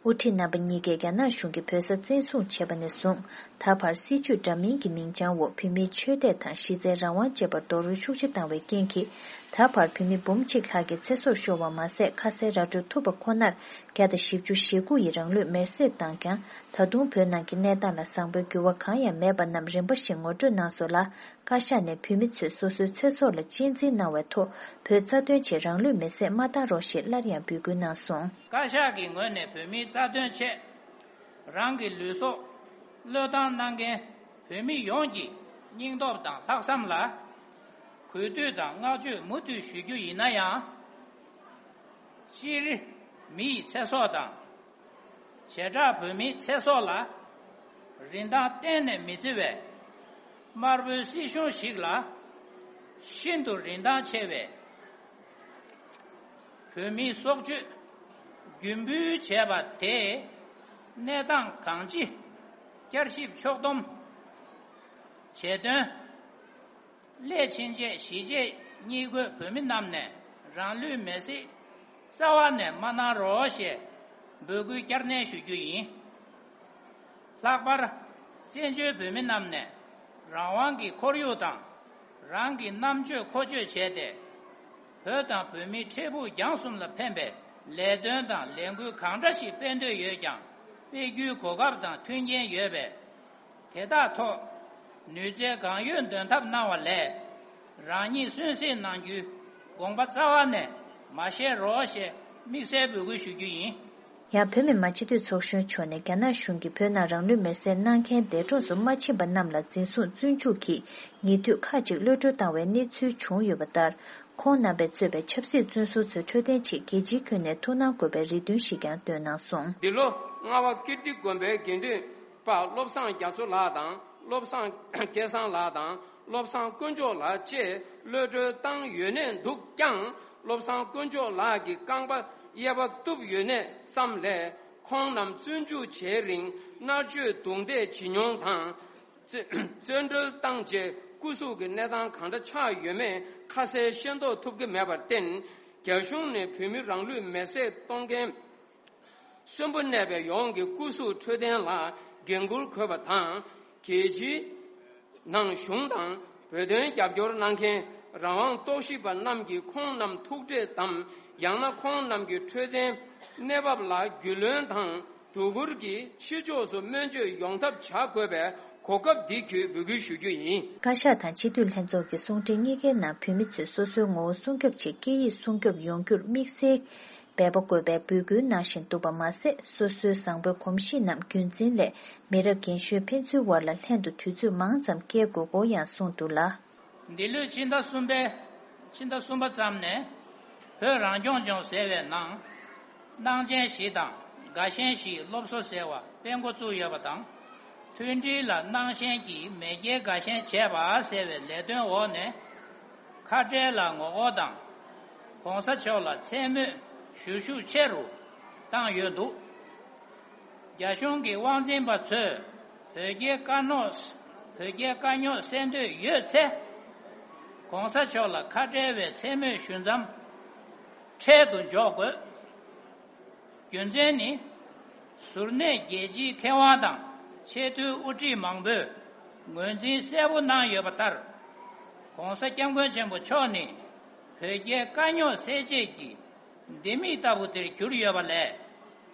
དབུ་ཁྲིད་རྣམ་པ་གཉིས་ཀས་རྒྱ་ནག་གཞུང་གིས་བོད་ས་བཙན་བཟུང་བྱས་པ་ནས་བཟུང་། ད་བར་སྲིད་བྱུས་འདྲ་མིན་གྱི་མིང་བྱང་འོག་བོད་མིའི་ཆོས་དད་དང་གཞི་རྩའི་རང་དབང་བཅས་པར་རྡོག་རོལ་ཤུགས་ཆེ་བཏང་བའི་རྐྱེན་གྱིས། ད་བར་བོད་མི་འབུམ་གཅིག་ལྷག་གི་ཚེ་སྲོག་ཤོར་བ་མ་ཟད། ཁ་གསལ་ར་སྤྲོད་ཐུབ་པ་ཁོ་ནར་བརྒྱ་དང་བཞི་བཅུ་ཞེ་དགུ་ཡིས་རང་ལུས་མེར་སྲེག་བཏང་ཀྱང་། ད་དུང་བོད་ནང་གི་གནས་སྟངས་ལ་བཟང་པོའི་འགྱུར་བ་གང་ཡང་མེད་པ་རྣམས་རིམ་པ་བཞིན་ངོ་སྤྲོད་གནང་སོང་ལ། བཀའ་ཤག་ནས་བོད་མི་ཚོས་སོ་སོའི་ཚེ་སྲོག་ལ་གཅེས་འཛིན་གནང་བའི་ཐོག་བོད་རྩ་དོན་ཆེད་རང་ལུས་མེར་སྲེག་མ་བཏང་རོགས་ཞེས་སླར་ཡང་འབོད་སྐུལ་གནང་སོང་། བཀའ་ཤག་གི་ངོས་ནས་བོད་མིའི་རྩ་དོན་ཆེད་རང་གི་ལུས་སྲོག་བློས་བཏང་གནང་མཁན་བོད་མི་ཡོངས་ཀྱི་སྙིང་སྟོབས་དང་ལྷག་བསམ་ལ་གུས་འདུད་དང་བསྔགས་བརྗོད་མུ་མཐུད་ཞུ་རྒྱུ་ཡིན་ན་ཡང་། སྤྱིར་མི་ཡི་ཚེ་སྲོག་དང་། བྱེ་བྲག་བོད་མིའི་ཚེ་སྲོག་ལ་རིན་ཐང་གཏན་ནས་མི་བརྩི་བའི་དམར་པོའི་སྲིད་གཞུང་ཞིག་ལ་ཤིན་ཏུ་རིན་ཐང་ཆེ་བའི་བོད་མིའི་སྲོག་གཅོད་རྒྱུ་འབུལ་བྱས་པ་དེས་གནས་སྟངས་གང་ཅི་བསྐྱར་ཞིབ་ཕྱོགས་བསྡོམས་བྱེད་དོན། སླད་ཕྱིན་ཆད་གཞིས་བྱེས་གཉིས་བགོས་བོད་མི་རྣམས་ནས་རང་ལུས་མེར་སྲེག་རྩ་བ་ནས་མ་གནང་རོགས་ཞེས་འབོད་སྐུལ་བསྐྱར་ནན་ཞུ་རྒྱུ་ཡིན། ལྷག་པར་བཙན་བྱོལ་བོད་མི་རྣམས་ནས་རང་དབང་གི་ཁོར་ཡུག་དང་རང་གི་རྣམ་དཔྱོད་མཁོ་སྤྱོད་བྱས་ཏེ། བོད་དང་བོད་མིའི་འཕྲལ་ཕུགས་རྒྱང་གསུམ་ལ་ཕན་པའི་ལས་དོན་དང་ལས་འགུལ་གང་འདྲ་ཞིག་སྤེལ་འདོད་ཡོད་ཀྱང་སྤེལ་རྒྱུའི་གོ་སྐབས་དང་མཐུན་རྐྱེན་ཡོད་པས། དེ་དག་ཐོག་ནུས་རྩལ་གང་ཡོད་འདོན་ཐབས་གནང་བ་ལས། རང་ཉིད་གསོན་བསྲེགས་གནང་རྒྱུའི་དགོངས་པ་རྩ་བ་ནས་མ་བཞེས་རོགས་ཞེས་དམིགས་བསལ་འབོད་སྐུལ་ཞུ་རྒྱུ་ཡིན། ཡང་བོད་མི་མང་སྤྱི་འཐུས་ཚོགས་གཞོན་མཆོག་ནས་རྒྱ་ནག་གཞུང་གིས་བོད་ནང་རང་ལུས་མེར་སྲེག་གནང་མཁན་འདས་གྲོངས་སུ་མ་ཕྱིན་པ་རྣམས་ལ་འཛིན་བཟུང་བཙོན་འཇུག་གིས་ཉེ་དུས་ཁག་ཅིག་གློད་གྲོལ་བཏང་བའི་གནས་ཚུལ་བྱུང་ཡོད་པ་ལྟར། ཁོང་རྣམ་པས་གཙོས་པའི་ཆབ་སྲིད་བཙོན་ཟུར་ཚོས་འཕྲོད་བསྟེན་ཆེད་རྒྱལ་སྤྱིའི་ཁྱོན་ནས་ཐུགས་སྣང་དགོས་པའི་རེ་འདུན་ཞིག་ཀྱང་བཏོན་གནང་སོང་། འདི་ལོ་རྔ་བ་ཀིརྟི་དགོན་པའི་དགེ་འདུན་པ་བློ་བཟང་རྒྱ་མཚོ་ལགས་དང་། བློ་བཟང་སྐལ་བཟང་ལགས་དང་། བློ་བཟང་དཀོན་མཆོག་ལགས་བཅས་གློད་གྲོལ་བཏང་ཡོད་གནས་འདུག་ཀྱང་། བློ་བཟང་དཀོན་མཆོག་ལགས་ཀྱི་རྐང་པ་གཡས་པ་གཏུབ་ཡོད་གནས་ཙམ་ལས། ཁོང་རྣམས་བཙོན་འཇུག་བྱེད་རིང་མནར་གཅོད་རྡུང་རྡེག་བྱེད་མྱོང་དང་། བཙོན་བཙོན་གྲོལ་བཏང་རྗེས་སྐུ་གཟུགས་ཀྱི་གནས་སྟངས་གང་འདྲ་ཆགས་ཡོད་མེད་ཁ་གསལ་ཤེས་རྟོགས་ཐུབ་ཀྱི་མེད་པར་བརྟེན། རྒྱ་གཞུང་ནས་བོད་མི་རང་ལུས་མེར་སྲེག་གཏོང་མཁན་གསོན་པོ་གནས་པའི་ཡོངས་ཀྱི་སྐུ་གཟུགས་འཕྲོད་བསྟེན་ལ་འགན་འཁུར་དགོས་པ་དང་། རྒྱལ་སྤྱིའི་ནང་གཞུང་དང་བོད་དོན་རྒྱབ་སྐྱོར་གནང་མཁན་རང་དབང་རྟོག་ཞིབ་པ་རྣམས་ཀྱིས་ཁོང་རྣམས་ཐུག་འཕྲད་དམ། ཡང་ན་ཁོང་རྣམས་ཀྱི་འཕྲོད་བསྟེན་གནས་བབ་ལ་རྒྱུས་ལོན་དང་། དོ་ཁུར་གྱིས་ཕྱི་ཕྱོགས་སུ་སྨན་བཅོས་ཡོང་ཐབས་བྱ་དགོས་པའི་གོ་སྐབས་འདི་བརྒྱུད་འབོད་སྐུལ་ཞུ་རྒྱུ་ཡིན། བཀའ་ཤག་དང་སྤྱི་འཐུས་ལྷན་ཚོགས་ཀྱི་གསུང་འཕྲིན་གཉིས་ཀའི་ནང་བོད་མི་ཚོས་སོ་སོའི་ངོ་བོ་སྲུང་སྐྱོབ་ཆེད་སྐད་ཡིག་སྲུང་སྐྱོབ་ཡོང་རྒྱུར་དམིགས་བསལ་འབད་པ་དགོས་པའི་འབོད་སྐུལ་གནང་བཞིན་འདུག་པ་མ་ཟད། སོ་སོའི་བཟང་པོའི་གོམས་གཤིས་རྣམས་རྒྱུན་འཛིན་སླད་མི་རབས་རྒན་གཞོན་ཕན་ཚུན་དབར་ལ་ལྷན་དུ་དུས་ཚོད་མང་ཙམ་བསྐྱལ་དགོས་སྐོར་ཡང་གསུངས་འདུག་ལ། འདི་ལོའི་ཕྱི་ཟླ་གསུམ་པའི་ཕྱི་ཟླ་གསུམ་པ་ཙམ་ནས་བོད་རང་སྐྱོང་ལྗོངས་ཟེར་བའི་ནང་། སྣང་ཆེན་བཞི་དང་དགའ་ཞེན་བཞིའི་སློབ་གསོ་ཟེར་བ་སྤེལ་འགོ་བཙུགས་ཡོད་པ་དང་། མཐུན་སྒྲིལ་ལ་སྣང་ཞེན་གྱིས་མེས་རྒྱལ་དགའ་ཞེན་བྱེད་པ་ཟེར་བའི་ལས་དོན་འོག་ནས། ཁ་བྲལ་ལ་ངོ་རྒོལ་དང་། ༸གོང་ས་མཆོག་ལ་མཚན་སྨོད་ཞུ་ཤུགས་ཆེ་རུ་བཏང་ཡོད་འདུག་རྒྱ་གཞུང་གི་དབང་འཛིན་པ་ཚོས་བོད་རྒྱའི་དཀའ་རྙོག་བོད་རྒྱའི་དཀའ་རྙོག་སེལ་འདོད་ཡོད་ཚེ། ༸གོང་ས་མཆོག་ལ་ཁ་བྲལ་བའི་མཚན་སྨོད་ཞུ་མཚམས་འཕྲལ་དུ་འཇོག་དགོས། རྒྱུ་མཚན་ནི། གཟུར་གནས་རྒྱལ་སྤྱིའི་མཁས་དབང་དང་ཆེས་མཐོའི་དབུ་ཁྲིད་མང་པོས་ངོས་འཛིན་གསལ་པོ་གནང་ཡོད་པ་ལྟར། ༸གོང་ས་༸སྐྱབས་མགོན་ཆེན་པོ་མཆོག་ནི་བོད་རྒྱའི་དཀའ་རྙོག་སེལ་ཆེད་ཀྱི་ལྡེ་མིག་ལྟ་བུ་དེར་གྱུར་ཡོད་པ་ལས།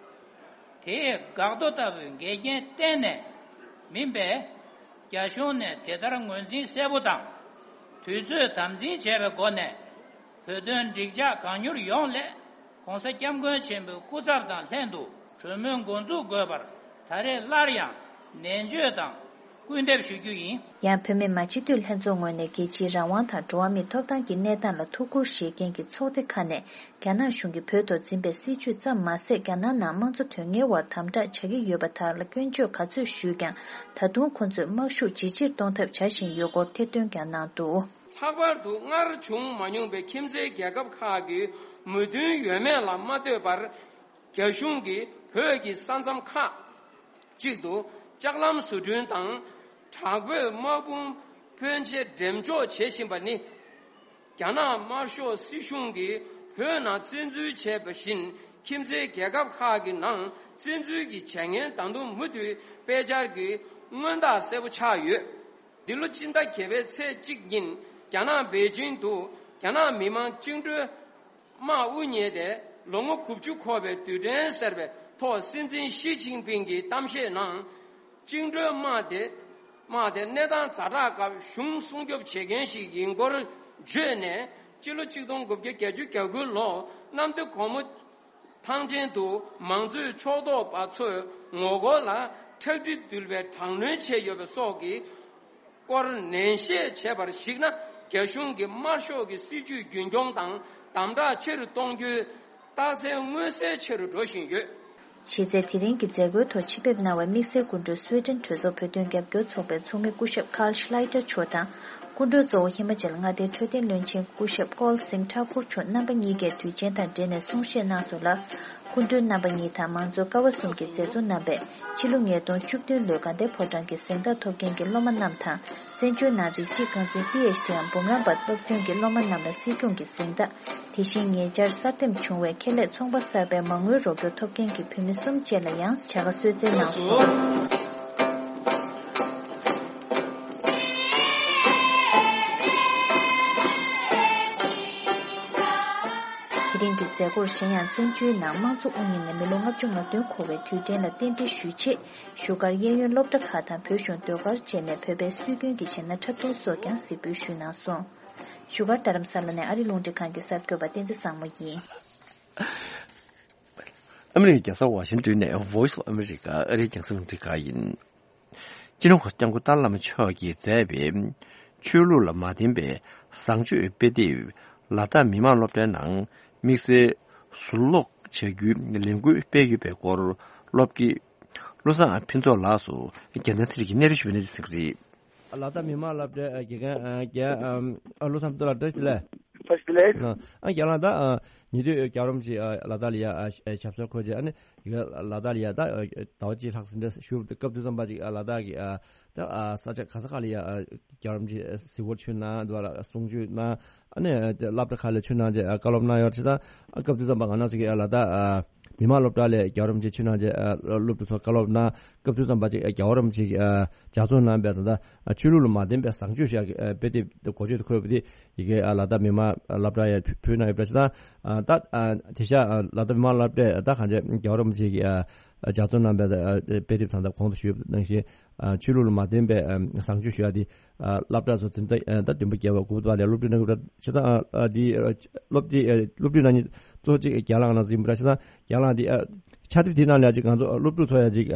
དེས་འགག་རྡོ་ལྟ་བུའི་འགལ་རྐྱེན་གཏན་ནས་མིན་པས། རྒྱ་གཞུང་ནས་དེ་ལྟར་ངོས་འཛིན་གསལ་པོ་དང་། དུས་ཚོད་དམ་འཛིན་བྱས་པའི་སྒོ་ནས། བོད་དོན་འགྲིག་འཇགས་གང་མྱུར་ཡོང་སླད། ༸གོང་ས་༸སྐྱབས་མགོན་ཆེན་པོའི་སྐུ་ཚབ་དང་ལྷན་དུ་གྲོས་མོལ་འགོ་འཛུགས་དགོས་པར་ད་རེས་སླར་ཡང་ནན་བརྗོད་དང་སྐུལ་འདེབས་ཞུ་རྒྱུ་ཡིན། ཡང་བོད་མི་མང་སྤྱི་འཐུས་ལྷན་ཚོགས་ངོས་ནས་རྒྱལ་སྤྱིའི་རང་དབང་དང་འགྲོ་བ་མིའི་ཐོབ་ཐང་གི་གནས་སྟངས་ལ་ཐུགས་ཁུར་བཞེས་མཁན་གྱི་ཚོགས་སྡེ་ཁག་ནས། རྒྱ་ནག་གཞུང་གིས་བོད་ཐོག་འཛིན་པའི་སྲིད་བྱུས་ཙམ་མ་ཟད། རྒྱ་ནག་ནང་དམངས་གཙོ་དོན་གཉེར་བར་དམ་དྲག་བྱ་གི་ཡོད་པ་དག་ལ་སྐྱོན་བརྗོད་ག་ཚོད་ཞུས་ཀྱང་། ད་དུང་ཁོ་ཚོས་དམག་ཤུགས་ཇེ་ཆེར་གཏོང་ཐབས་བྱ་བཞིན་ཡོད་སྐོར་ཐེར་འདོན་ཀྱང་གནང་འདུག་ལྷག་པར་དུ་སྔར་བྱུང་མ་མྱོང་པའི་ཁྱིམ་མཚེས་རྒྱལ་ཁབ་ཁག་གི་མོས་མཐུན་ཡོད་མེད་ལ་མ་ལྟོས་པར། རྒྱ་གཞུང་གིས་བོད་ཀྱི་ས་མཚམས་ཁག་ཅིག་ཏུ་ལྕགས་ལམ་བཟོ་སྐྲུན་དང་། དྲག་པོའི་དམག་དཔུང་ཕོན་ཆེ་འགྲེམས་འཇོག་བྱེད་བཞིན་པ་ནི། རྒྱ་ནག་དམར་ཤོག་སྲིད་གཞུང་གིས་བོད་ནང་བཙན་འཛུལ་བྱས་པ་བཞིན། ཁྱིམ་མཚེས་རྒྱལ་ཁབ་ཁག་གི་ནང་བཙན་འཛུལ་གྱི་བྱས་ངན་ད་དུང་མུ་མཐུད་སྤེལ་འཆར་གྱི་མངོན་རྟགས་གསལ་པོ་ཆགས་ཡོད། འདི་ལོ་སྤྱི་ཟླ་བརྒྱད་པའི་ཚེས་གཅིག་ཉིན། རྒྱ་ནག་པེ་ཅིང་དུ་རྒྱ་ནག་མི་དམངས་བཅིངས་འགྲོལ་དམག་དབུ་བརྙེས་ཏེ་ལོ་ངོ་དགུ་བཅུ་འཁོར་བའི་དུས་དྲན་ཟེར་བའི་ཐོག་སྲིད་འཛིན་ཞི་ཅིན་ཕིང་གི་གཏམ་བཤད་ནང་། བཅིངས་འགྲོལ་དམག་དེ་དམག་དེ་གནས་སྟངས་ཛ་དྲག་སྐབས་གཞུང་སྲུང་སྐྱོབ་བྱེད་མཁན་ཞིག་ཡིན་སྐོར་བརྗོད་ནས། སྤྱི་ལོ་གཅིག་སྟོང་དགུ་བརྒྱ་བརྒྱད་ཅུ་གྱ་དགུ་ལོ་གནམ་བདེ་སྒོ་མོ་ཐང་ཆེན་དུ་མང་གཙོའི་ཕྱོགས་གཏོགས་པ་ཚོས་ངོ་རྒོལ་ལ་ཁྲག་དྲི་འདུལ་བའི་དྲག་གནོན་བྱས་ཡོད་པ་སོགས་ཀྱི་སྐོར་ནན་བཤད་བྱས་པར་གཞིགས་ན། རྒྱ་གཞུང་གིས་དམར་ཤོག་གི་སྲིད་བྱུས་རྒྱུན་འཁྱོངས་དང་དམ་དྲག་ཆེ་རུ་གཏོང་རྒྱུའི་རྟགས་མཚན་མངོན་གསལ་ཆེ་རུ་འགྲོ་བཞིན་ཡོད། གཞི་རྩའི་དེ་རིང་གི་མཛད་སྒོའི་ཐོག་ཆེད་ཕེབས་གནང་བའི་དམིགས་བསལ་སྐུ་མགྲོན་སུའེ་ཏེན་གྲོས་ཚོགས་བོད་དོན་རྒྱབ་སྐྱོར་ཚོགས་པའི་ཚོགས་མི་སྐུ་ཞབས་ཀཱལ་ཤི་ལའི་ཏར་མཆོག་དང་། སྐུ་མགྲོན་གཙོ་བོ་ཧི་མ་ཅལ་མངའ་སྡེའི་འཕྲོད་བསྟེན་བློན་ཆེན་སྐུ་ཞབས་ཀོལ་སིང་ཐཱ་ཀུར་མཆོག་རྣམ་པ་གཉིས་ཀས་དུས་ཆེན་དང་འབྲེལ་ནས་གསུང་བཤད་གནང་སོང་ལ། སྐུ་མགྲོན་རྣམ་པ་གཉིས་དང་མང་གཙོ་ཀ་བ་གསུམ་གྱི་མཛད་གཙོ་རྣམ་པས་ཕྱི་ལོ་ཉིས་སྟོང་བཅུ་བདུན་ལོའི་དགའ་ལྡན་ཕོ་བྲང་གི་གཟེངས་རྟགས་ཐོབ་མཁན་གྱི་སློབ་མ་རྣམས་དང་། བཙན་བྱོལ་ནང་རིགས་གཅིག་རྐང་འཛིན་པི་ཨེཆ་ཌི་འམ་འབུམ་རམས་པ་སློབ་ཐོན་གྱི་སློབ་མ་རྣམས་ལ་སྲིད་སྐྱོང་གི་གཟེངས་རྟགས། དེ་བཞིན་ཉེ་ཆར་གསར་འདེམས་བྱུང་བའི་ཁེ་ལས་ཚོང་པ་གསར་པའི་མ་དངུལ་རོགས་སྐྱོར་ཐོབ་མཁན་གྱི་བུད་མེད་གསུམ་བཅས་ལ་ཡང་བྱ་དགའ་གསོལ་སྩལ་གནང་སོང་། དེ་རིང་གི་མཛད་སྒོར་གཞན་ཡང་བཙན་བྱོལ་ནང་དམངས་གཙོ་དབུ་བརྙེས་ནས་མི་ལོ་ལྔ་བཅུ་ང་བདུན་འཁོར་བའི་དུས་དྲན་ལ་རྟེན་འབྲེལ་ཞུ་ཆེད། བཞུགས་སྒར་གཡས་གཡོན་སློབ་གྲྭ་ཁག་དང་བོད་གཞུང་ཟློས་གར་བཅས་ནས་བོད་པའི་སྲོལ་རྒྱུན་གྱི་གཞས་སྣ་འཁྲབ་སྟོན་སོགས་ཀྱང་གཟིགས་འབུལ་ཞུས་གནང་སོང་། བཞུགས་སྒར་རྡ་རམ་ས་ལ་ནས་ཨ་རི་རླུང་འཕྲིན་ཁང་གི་གསར་འགོད་པ་བསྟན་འཛིན་བཟང་མོ་ཡིན། ཨ་མི་རི་ཀའི་རྒྱལ་ས་ཝ་ཤིང་ཏོན་ནས་Voice of America ཨ་རིའི་རྒྱང་སྲིང་རླུང་འཕྲིན་ཁང་ཡིན། སྤྱི་ནོར་༧གོང་ས་༧སྐྱབས་མགོན་ཏཱ་ལའི་བླ་མ་མཆོག་གིས་མཛད་པའི་ཆོས་ལུགས་ལ་མ་བརྟེན་པའི་བཟང་སྤྱོད་དཔེ་དེབ་ལ་དྭགས་མི་དམངས་སློབ་གྲྭའི་ནང་དམིགས་བསལ་ཟུར་ཀློག་བྱ་རྒྱུའི་ལས་འགུལ་སྤེལ་ཡོད་པའི་སྐོར་སློབ་དགེ་བློ་བཟང་ཕུན་ཚོགས་ལགས་སུ་རྒྱལ་མཚན་ཚེ་རིང་གིས་གནས་རི་ཞུ་བའི་གནས་ཚུལ་གསན་གྱི་རེད། ལ་དྭགས་མི་དམངས་སློབ་གྲྭའི་དགེ་རྒན་རྒན་བློ་བཟང་ཕུན་ཚོགས་ལགས་བཀྲ་ཤིས་བདེ་ལེགས། བཀྲ་ཤིས་བདེ་ལེགས། ཨ་རྒན་ལགས་ད་ཉེ་དུས་རྒྱལ་བ་རིན་པོ་ཆེ་ལ་དྭགས་ལ་ཡ་ཞབས་སོར་འཁོད་རྗེས་ཨ་ནི་ཡ་ལ་དྭགས་ལ་ཡ་ད་ཟླ་བ་གཅིག་ལྷག་ཙམ་འདྲ་བཞུགས་སྐབས་དུས་ཙམ་པ་ཅིག་ལ་དྭགས་ཀྱི་ད་ས་ཆ་ག་ས་ག་ལ་ཡ་རྒྱལ་བ་རིན་པོ་ཆེ་གཟིགས་སྐོར་ཚུར་གནང་འདུག་ལ་གསུང་ཆོས་གནང་ཨ་ནི་སློབ་གྲྭ་ཁག་ལ་ཚུར་གནང་རྗེས་བཀའ་སློབ་གནང་ཡོད་རེད། བྱས་ཙང་སྐབས་དུས་ཙམ་པ་ང་རང་ཚོ་གི་ལ་དྭགས་མི་དམངས་སློབ་གྲྭ་ལ་རྒྱལ་བ་རིན་པོ་ཆེ་ཚུར་གནང་རྗེས་སློབ་ཕྲུག་ཚོར་བཀའ་སློབ་གནང་སྐབས་དུས་ཙམ་པ་ཅིག་རྒྱལ་བ་རིན་པོ་ཆེ་གི་ལྗགས་རྩོམ་གནང་བའི་ད་ལྟ་ཆོས་ལུགས་ལ་མ་བརྟེན་པའི་བཟང་སྤྱོད་ཞེས་པའི་དེབ་འགོ་བརྗོད་དུ་འཁོད་པ་དེ་ཡི་གེ་ལ་དྭགས་མི་དམངས་སློབ་གྲྭ་ཡར་ཕུལ་གནང་ཡོད་པ་ཞིག་དང་། ད་དེ་ཤ་ལ་དྭགས་མི་དམངས་སློབ་གྲྭས་ད་གང་ཅི་རྒྱལ་བ་རིན་པོ་ཆེ་གི་ལྗགས་རྩོམ་གནང་བའི་དཔེ་དེབ་དང་ད་གོང་དུ་ཞུས་པ་ནང་བཞིན་ཆོས་ལུགས་ལ་མ་བརྟེན་པའི་བཟང་སྤྱོད་ཞུ་ཡ་དེ་སློབ་གྲྭ་ཚོ་འཛིན་གྲྭ་ད་བདུན་པ་བརྒྱད་པ་དགུ་པ་ལ་སློབ་ཕྲུག་གནང་གི་ཞིག་དང་དེ་སློབ་དེ་སློབ་ཕྲུག་ནང་གི་གཙོ་ཆེ་རྒན་ལགས་ནང་ཚོ་ཡིན་པ་ཞིག་དང་རྒན་ལགས་དེ་ཕྱག་དེབ་དེ་ནང་ལ་ཅིག་ང་ཚོ་སློབ་ཕྲུག་ཚོ་ཡ་ཅིག་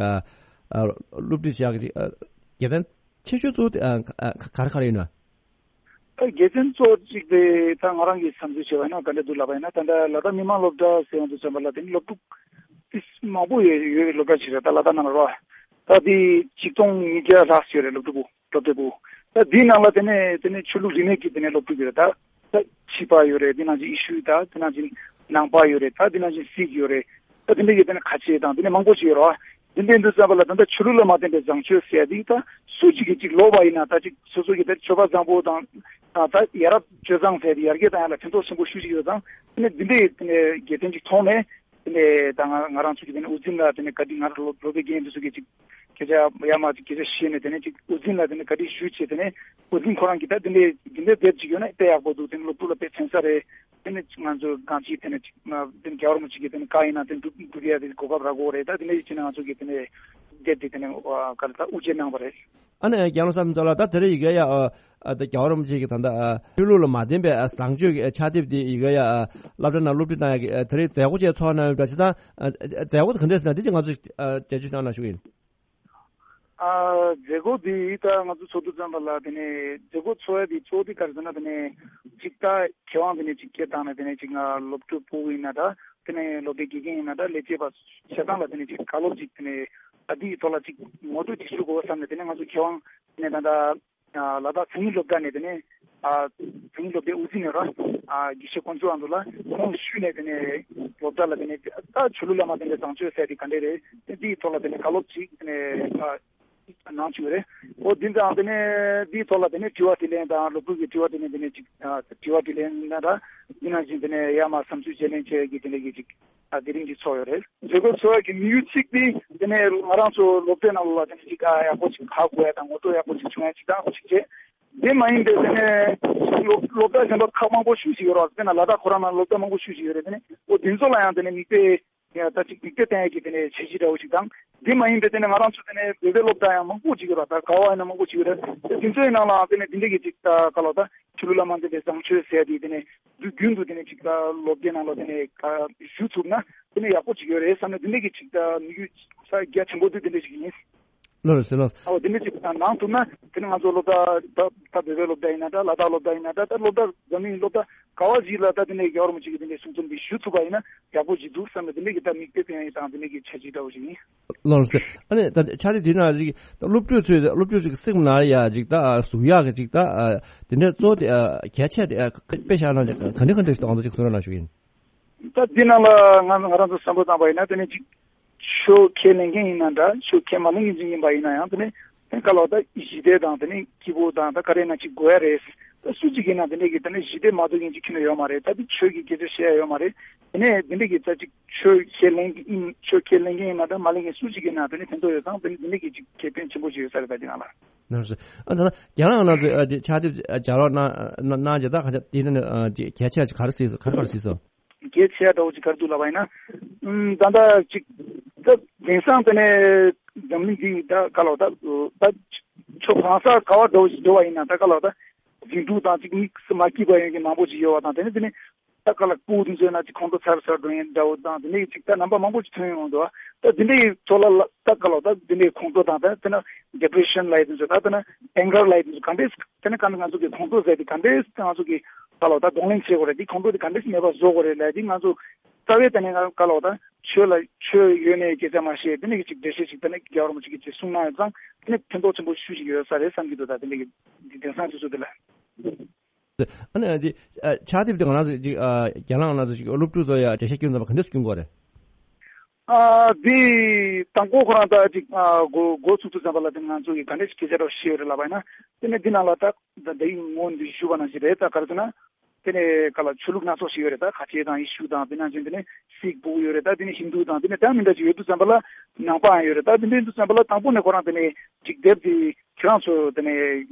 སློབ་ཁྲིད་བྱ་གི་ཅིག་དགེ་མཚན་ཆེ་ཤོས་གཙོ་བོ་དེ་ག་རེ་ག་རེ་ཡིན་ན། ད་དགེ་མཚན་གཙོ་བོ་གཅིག་དེ་ད་ང་རང་གིས་བསམ་ཚུལ་བྱས་པ་ཡིན་ན་ག་འདྲ་འདུག་ལབ་པ་ཡིན་ན། ད་ལྟ་ལ་དྭགས་མི་དམངས་སློབ་གྲྭ་ཟེར་ཡོང་དུས་ཙམ་པ་ལ་དེ་ནི་སློབ་ཕྲུག་དེ་མང་པོ་ཡོད་ཡོད་པའི་སློབ་གྲྭ་ཞིག་རེད། ད་ལ་དྭགས་ནང་ལ་རོ། ད་དེ་ཆིག་སྟོང་ཉིས་བརྒྱ་ལྷག་ཡོད་རེད་སློབ་ཕྲུག་པོ་སློབ་གྲྭ་པོ། ད་དེའི་ནང་ལ་དེ་ནས་དེ་ནས་ཆོས་ལུགས་རིས་མེད་ཀྱི་དེ་ནས་སློབ་ཕྲུག་ཡོད་རེད། ད་ད་ཕྱི་པ་ཡོད་རེད། དེ་ནང་བཞིན་ཡེ་ཤུ་ད་དེ་ནང་བཞིན་ནང་པ་ཡོད་རེད། ད་དེ་ནང་བཞིན་སིག་ཡོད་རེད། ད་དེ་འདྲ་ཡོད་དེ་ནས་ཁ་ཆེ་དང་དེ་ནས་མང་པོ་ཞིག་ཡོད་རེད་བ། དེ་འདྲ་ཡིན་དུས་ཙམ་པ་ལ་ད་ལྟ་ཆོས་ལུགས་ལ་མ་བརྟེན་པའི་བཟང་སྤྱོད་ཟེར་ཡ་དེ་ད་སུ་གཅིག་གིས་གཅིག་ལོབས་པ་ཡིན་ན་ད་གཅིག་སོ་སོ་གི་ད་ཆོས་པ་བཟང་པོ་དང་ད་ཡ་རབས་སྤྱོད་བཟང་ཟེར་ཡ་དེ་ཡར་རྒྱས་བཏང་ཡ་ལ་ཕན་ཐོགས་ཆེན་པོ་ཞེ་པོ་ཅིག་ཡོད་ཙང་དེ་ནས་འདི་འདྲའི་དེ་ནས་དགེ་མཚན་ཅིག་མཐོང་ནས་དེ་ནས་ད་ང་ང་རང་ཚོ་གི་དེ་ནས་དབུ་འཛིན་ལ་དེ་ནས་བཀའ་དྲིན། ང་རང་སློབ་སློབ་དཔོན་རྒན་འདི་ཚོ་གི་ཅིག་སྐད་ཆ་ཡར་མར་ཅིག་སྐད་ཆ་བཤད་ནས་དེ་ནས་ཅིག་དབུ་འཛིན་ལ་དེ་ནས་བཀའ་དྲིན་ཞུས་བྱས་དེ་ནས་དབུ་འཛིན་ཁོ་རང་གིས་ད་དེ་འདྲའི་དེ་འདྲའི་དེབ་ཅིག་ཡོད་ན་དཔེ་ཡག་པོ་འདུག་དེ་ནས་སློབ་ཕྲུག་ལ་དཔེ་ཕན་ས་རེད། དེ་ནས་ང་ཚོ་གང་ཅིའི་དེ་ནས་ཅིག་དེ་ནས་རྒྱལ་བ་རིན་པོ་ཆེ་གི་དེ་ནས་བཀའ་ཡིན་ན་དེ་འདུག་འདུག་ཡ་དེ་གོ་སྐབས་རག་གོ་རེད། ད་དེ་ནས་ཡིན་ན་ང་ཚོ་གི་དེ་ནས་དེབ་དེ་དེ་ནས་ག་རེ་ད་དབུ་འབྱེད་གནང་བ་རེད། ཨ་ནི་རྒྱལ་བ་བསམ་ཚོགས་ལ་ད་དེ་རིང་ཡི་གེ་ཡ་ཨ་ད་རྒྱལ་བ་རིན་པོ་ཆེ་གི་ད་ད་ཆོས་ལུགས་ལ་མ་བརྟེན་པའི་བཟང་སྤྱོད་ཀྱི་ཕྱག་དེབ་དེ་ཡི་གེ་ཡ་སློབ་གྲྭ་ནང་སློབ་ཁྲིད་གནང་ཡ་གི་དེ་རིང་མཛད་སྒོ་ཅིག་ཚོགས་གནང་ཡོད་པ་ཅི་ཙང་མཛད་སྒོ་དེ་ག་འདྲས་ཟེར་ན་དེ་ཅིག་ང་ཚོས་འགྲེལ་བརྗོད་གནང་ན་ཞུ་གི་ཡིན། ཨ་མཛད་སྒོ་འདི་ད་ང་ཚོ་ཚོགས་འདུ་ཚོགས་པ་ལ་དེ་ནས་མཛད་སྒོ་ཚོགས་ཡ་དེ་གཙོ་བོ་དེ་ག་རེ་ཟེར་ན་དེ་ནས་ཅིག་ད་མཁས་དབང་དེ་ནས་ཅིག་སྐད་བཏང་ནས་དེ་ནས་ཅིག་ང་སློབ་ཕྲུག་ཕྲུ་གུ་ཡིན་ན་འདྲ། དེ་ནས་སློབ་གྲྭའི་དགེ་རྒན་ཡིན་ན་འདྲ། ལས་བྱེད་པ་ཆ་ཚང་ལ་དེ་ནས་ཅིག་བཀའ་སློབ་ཅིག་དེ་ནས་ཨ་འདིའི་ཐོག་ལ་ཅིག་ངོ་སྤྲོད་ཅིག་ཞུ་དགོས་བསམ་ནས་དེ་ནས་ང་ཚོ་མཁས་དབང་དེ་ནས་ད་ལྟ་ལ་དྭགས་མཚན་ཉིད་སློབ་གྲྭ་ནས་དེ་ནས་མཚན་ཉིད་སློབ་གྲྭའི་དབུ་འཛིན་ཡོད་ར་དགེ་བཤེས་དཀོན་མཆོག་ཨ་མདོ་ལ་ཁོང་ཞུས་ནས་དེ་ནས་སློབ་གྲྭ་ལ་དེ་ནས་ད་ཆོས་ལུགས་ལ་མ་བརྟེན་པའི་བཟང་སྤྱོད་ཟེར་དེ་ག་འདྲས་རེད། དེ་འདིའི་ཐོག་ལ་དེ་ནས་བཀའ་སློབ་ཅིག་དེ་ནས་གནང་བཅུག་རེད། འོ་འདི་ཙང་དེ་ནས་འདིའི་ཐོག་ལ་དེ་ནས་དྲི་བ་དྲིས་ལན་དང་སློབ་ཕྲུག་གི་དྲི་བ་དྲིས་ལན་དེ་ནས་ཅིག་དྲི་བ་དྲིས་ལན་ན་ར་འདི་ནང་བཞིན་དེ་ནས་ཡར་མར་བསམ་ཚུལ་བརྗེ་ལེན་བྱེད་ཀྱི་དེ་འདྲ་གི་ཅིག་དེ་རིང་གི་ཚོགས་ཡོད་རེད། མཛད་སྒོ་ཚོགས་ཀྱི་དམིགས་ཡུལ་གཅིག་དེ་དེ་ནས་ང་རང་ཚོ་སློབ་གྲྭའི་ནང་ལ་དེ་ནས་ཅིག་ཡག་པོ་ཅིག་ཧ་གོ་ཡ་དང་ངོ་སྤྲོད་ཡག་པོ་ཅིག་བྱུང་ཡ་ཅིག་དང་ཅིག་བྱས། དེ་མ་ཡིན་པའི་དེ་ནས་སློབ་སློབ་གྲྭ་གཞན་པ་ཁག་མང་པོ་ཞིག་ཅིག་ཡོད་རེད། དཔེར་ན་ལ་དྭགས་ཁོ་རང་ནང་སློབ་གྲྭ་མང་པོ་ཞིག་ཅིག་ཡོད་རེད། དེ་ནས་འོ་དེ་ཚོ་ལ་ཡང་དེ་ནས་མིག་དཔེ་ཡ་ད་ཅིག་མིག་དཔེ་བསྟན་ཡ་གི་དེ་ནས་བྱས་རྗེས་འདྲ་བོ་ཞིག་དང་། དེ་མ་ཡིན་པའི་དེ་ནས་ང་རང་ཚོ་དེ་ནས་བོད་པའི་སློབ་གྲྭ་ཡང་མང་པོ་ཅིག་ཡོད་རེད། ད་ག་བ་ཡིན་ན་མང་པོ་ཅིག་ཡོད་རེད། དེ་དེ་ཚོའི་ནང་ལའང་དེ་ནས་དེ་འདྲ་གི་ཅིག་ད་ག་ལ་ད་ཆོས་ལུགས་ལ་མ་བརྟེན་པའི་བཟང་སྤྱོད་ཟེར་ཡ་དེ་དེ་ནས་དུས་རྒྱུན་དུ་དེ་ནས་ཅིག་ད་སློབ་གྲྭའི་ནང་ལ་དེ་ནས་ག་ཞུ་ཐུབ་ན་དེ་ནས་ཡག་པོ་ཅིག་ཡོད་རེད་བསམ་ནས་དེ་འདྲ་གི་ཅིག་ད་དམིགས་ཡུལ་ས་རྒྱ་ཆེན་པོ་དེ་དེ་འདྲ་ཞིག་ཡིན། ལགས་རེད་ཟེར་ལགས། ཨོ་དེ་འདྲ་ཅིག་གནང་ཐུབ་ན་དེ་ནི་ང་ཚོ་སློབ་གྲྭ་ད་ད་བོད་པའི་སློབ་གྲྭ་ཡིན་ན་འདྲ། ལ་དྭགས་སློབ་གྲྭ་ཡིན་ན་འདྲ། ད་སློབ་གྲྭ་འཛམ་གླིང་སློབ་གྲྭ་ག་བ་ཞིག་ལ་ད་དེ་འདྲའི་རྒྱལ་བ་རིན་པོ་ཆེ་གི་དེ་འདྲའི་གསུང་རྩོམ་འདི་ཞུ་ཐུབ་པ་ཡིན་ན་ཡག་པོ་ཞིག་འདུག་བསམ་ནས་དེ་འདྲའི་གི་ད་མིག་དཔེ་བསྟན་ཡ་དང་དེ་འདྲའི་གི་བྱས་རྗེས་འདྲ་བོ་ཞིག་ཡིན། ལགས་རེད་ཟེར། ཨ་ནི་ད་ཆ་དེ་དེ་ན་ཅིག་ད་སློབ་ཕྲུག་ཚོས་སློབ་ཕྲུག་ཚོའི་སེམས་ནང་ཡ་ཅིག་ད་ཟུག་ཡག་གི་ཅིག་ད་དེ་འདྲའི་གཙོ་བོ་དེ་གལ་ཆེ་དེ་དཔེ་བཞག་ན་ཅིག་ག་འདྲ་ག་འདྲ་ཞིག་ང་ཚོ་ཅིག་གསུང་རོགས་གནང་ཞུ་ཡིན། ད་འདི་ནང་ལ་ང་ང་རང་ཚོ་བསམ་བློ་བཏང་པ་ཡིན་ན་དེ་ནི་ཅིག་ཆོས་ཁས་ལེན་མཁན་ཡིན་ན་འདྲ། ཆོས་ཁས་མ་ལེན་མཁན་ཅིག་ཡིན་པ་ཡིན་ན་ཡང་དེ་ནི་དེ་ག་ལ་ད་ཞི་བདེ་དང་དེ་ནི་སྐྱིད་པོ་དང་ད་ག་རེ་ན་ཅིག་དགོས་ཡ་རེད། ད་སུ་ཅིག་ཡིན་ན་དེ་འདྲ་གི་དེ་ནི་ཞི་བདེ་མ་ཐོབ་མཁན་ཅིག་ཁྱོན་ནས་ཡོད་མ་རེད། ད་དེ་ཆོས་ཀྱི་སྐད་ཆ་བཤད་ཡ་ཡོད་མ་རེད། དེ་ནས་དེ་འདྲ་གི་ད་ཅིག་ཆོས་ཁས་ལེན་གི་ཡིན། ཆོས་ཁས་ལེན་མཁན་ཡིན་ན་འདྲ། མ་ལེན་མཁན་སུ་ཅིག་ཡིན་ན་དེ་ནི་ཕན་ཐོགས་ཡོད་ཙང་དེ་ནི་དེ་འདྲ་གི་ཅིག་ཁེ་ཕན་ཆེན་པོ་ཞིག་ཡོད་ས་རེད། ད་འདི་ནང་ལ། ནར་སོང་། ཨ་ད་ལྟ་རྒན་ལགས་ནང་དུ་ཨ་དེ་ཕྱག་དེབ་ལྗགས་ཀློག་གནང་གནང་རྗེས་ད་ག་ཚོད་དེ་ནི་ཨ་དེ་གལ་ཆེ་ཆེ་ག་རེ་གཟིགས་སོང་། ག་རེ་ག་རེ་གཟིགས་སོང་། གལ་ཆེ་འདྲ་བོ་ཅིག་ག་རེ་འདུག་ལབ་པ་ཡིན་ན། ཨུམ་ད་ལྟ་ཅིག་ད་དེང་སང་དེ་ནས་འཛམ་གླིང་འདི་ད་ག་ལ་ད་ད་ཕྱོགས་གང་ས་ག་བ་འགྲོ་འགྲོ་བ་ཡིན་ན་ད་ག་ལ་ད་རྫུན་དྲུག་དང་ཅིག་མིག་སུ་མ་སྐྱིད་པ་ཡོང་གི་མང་པོ་ཅིག་ཡོད་པ་དང་། དེ་ནས་དེ་ནས་ ད་ག་ལ་སྤུ་གུ་དེ་ཚོ་ན་ཅིག་ཁོང་ཁྲོ་ཚ་རུ་ཚ་རུ་འགྲོ་ཡིན་འདྲ་བོ་དང་དེ་འདྲའི་ཅིག་ད་རྣམ་པ་མང་པོ་ཅིག་ཐོན་ཡོང་འདུག་ད་དེ་འདྲའི་ཚོ་ལ་ལ་ད་ག་ལ་ད་དེ་འདྲའི་ཁོང་ཁྲོ་དང་ད་དེ་ན་ཌི་པི་རེ་ཤན་ལབ་ཡ་དེ་ཚོ་ད་དེ་ན་ཨེང་གར་ལབ་ཡ་དེ་ཚོ་ག་འདྲས་དེ་ན་ག་འདྲ་ང་ཚོ་གི་ཁོང་ཁྲོ་ཟེར་དེ་ག་འདྲས་ང་ཚོ་གི་ག་ལ་ད་གདོང་ལེན་བྱེད་དགོས་རེད། དེ་ཁོང་ཁྲོ་དེ་ག་འདྲས་མེད་པ་བཟོ་དགོས་རེད་ལབ་དེ་ང་ཚོ་རྩ་བའི་དེ་ནས་ང་ག་ལ་ད་ཆོས་ལ་ཆོས་ཡོད་ནས་སྐད་ཆ་མ་བཤད་དེ་ནས་གི་ཅིག་འགྲེལ་བཤད་ཅིག་དེ་ནས་རྒྱལ་བ་རིན་པོ་ཆེ་གི་ཅིག་གསུང་གནང་ཡོད་ཙང་དེ་ནས་ཕན་ཐོགས་ཆེན་པོ་ཤུགས་ཤིག་ཡོད་ས་རེད་བསམ་གྱི་འདུག་ད་དེ་འདྲ་གི་དེང་སང་དུས་ཚོད་འདི་ལ། ཨ་ནི་ཨ་འདི་ཨ་ཕྱག་དེབ་འདི་ང་རང་ཚོ་ཅིག་ཨ་རྒྱ་ནག་ནང་ཚོ་ཅིག་སློབ་ཕྲུག་ཚོ་ཡ་འགྲེལ་བཤད་སྐྱོན་ཙམ་པ་ག་འདྲས་སྐྱོན་དགོས་རེད། ཨ་འདི་དང་པོ་ཁོ་རང་ད་ཅིག་ཨ་འགོ་འགོ་ཚུགས་དུས་ཙམ་པ་ལ་དེ་ང་ཚོ་གི་ག་འདྲས་ཅིག་སྐད་ཆ་རོགས་ཤེས་ཡོད་རེད་ལབ་པ་ཡིན་ན་དེ་ནས་འདི་ནང་ལ་ད་ད་ད་ཡིག་ངོ་འདི་ཞུ་བ་ནང་བཞིན་རེད། ད་ག་རེ་ཟེར་ན་དེ་ནས་ག་ལ་ཆོས་ལུགས་སྣ་ཚོགས་ཤིག་ཡོད་རེད། ད་ཁ་ཆེ་དང་ཡེ་ཤུ་དང་དེ་ནང་བཞིན་དེ་ནས་སིག་ཕྲུ་གུ་ཡོད་རེད། ད་དེ་ནས་ཧིན་དུ་དང་དེ་ནས་ད་མི་འདྲ་ཅིག་ཡོད་དུས་ཙམ་པ་ལ་ནང་པའང་ཡོད་རེད། ད་དེ་འདྲ་ཡིན་དུས་ཙམ་པ་ལ་དང་པོ་ནས་ཁོ་རང་དེ་ནས་ཅིག་དེབ་དེ་ཁྱེད་རང་ཚོ་དེ་ནས་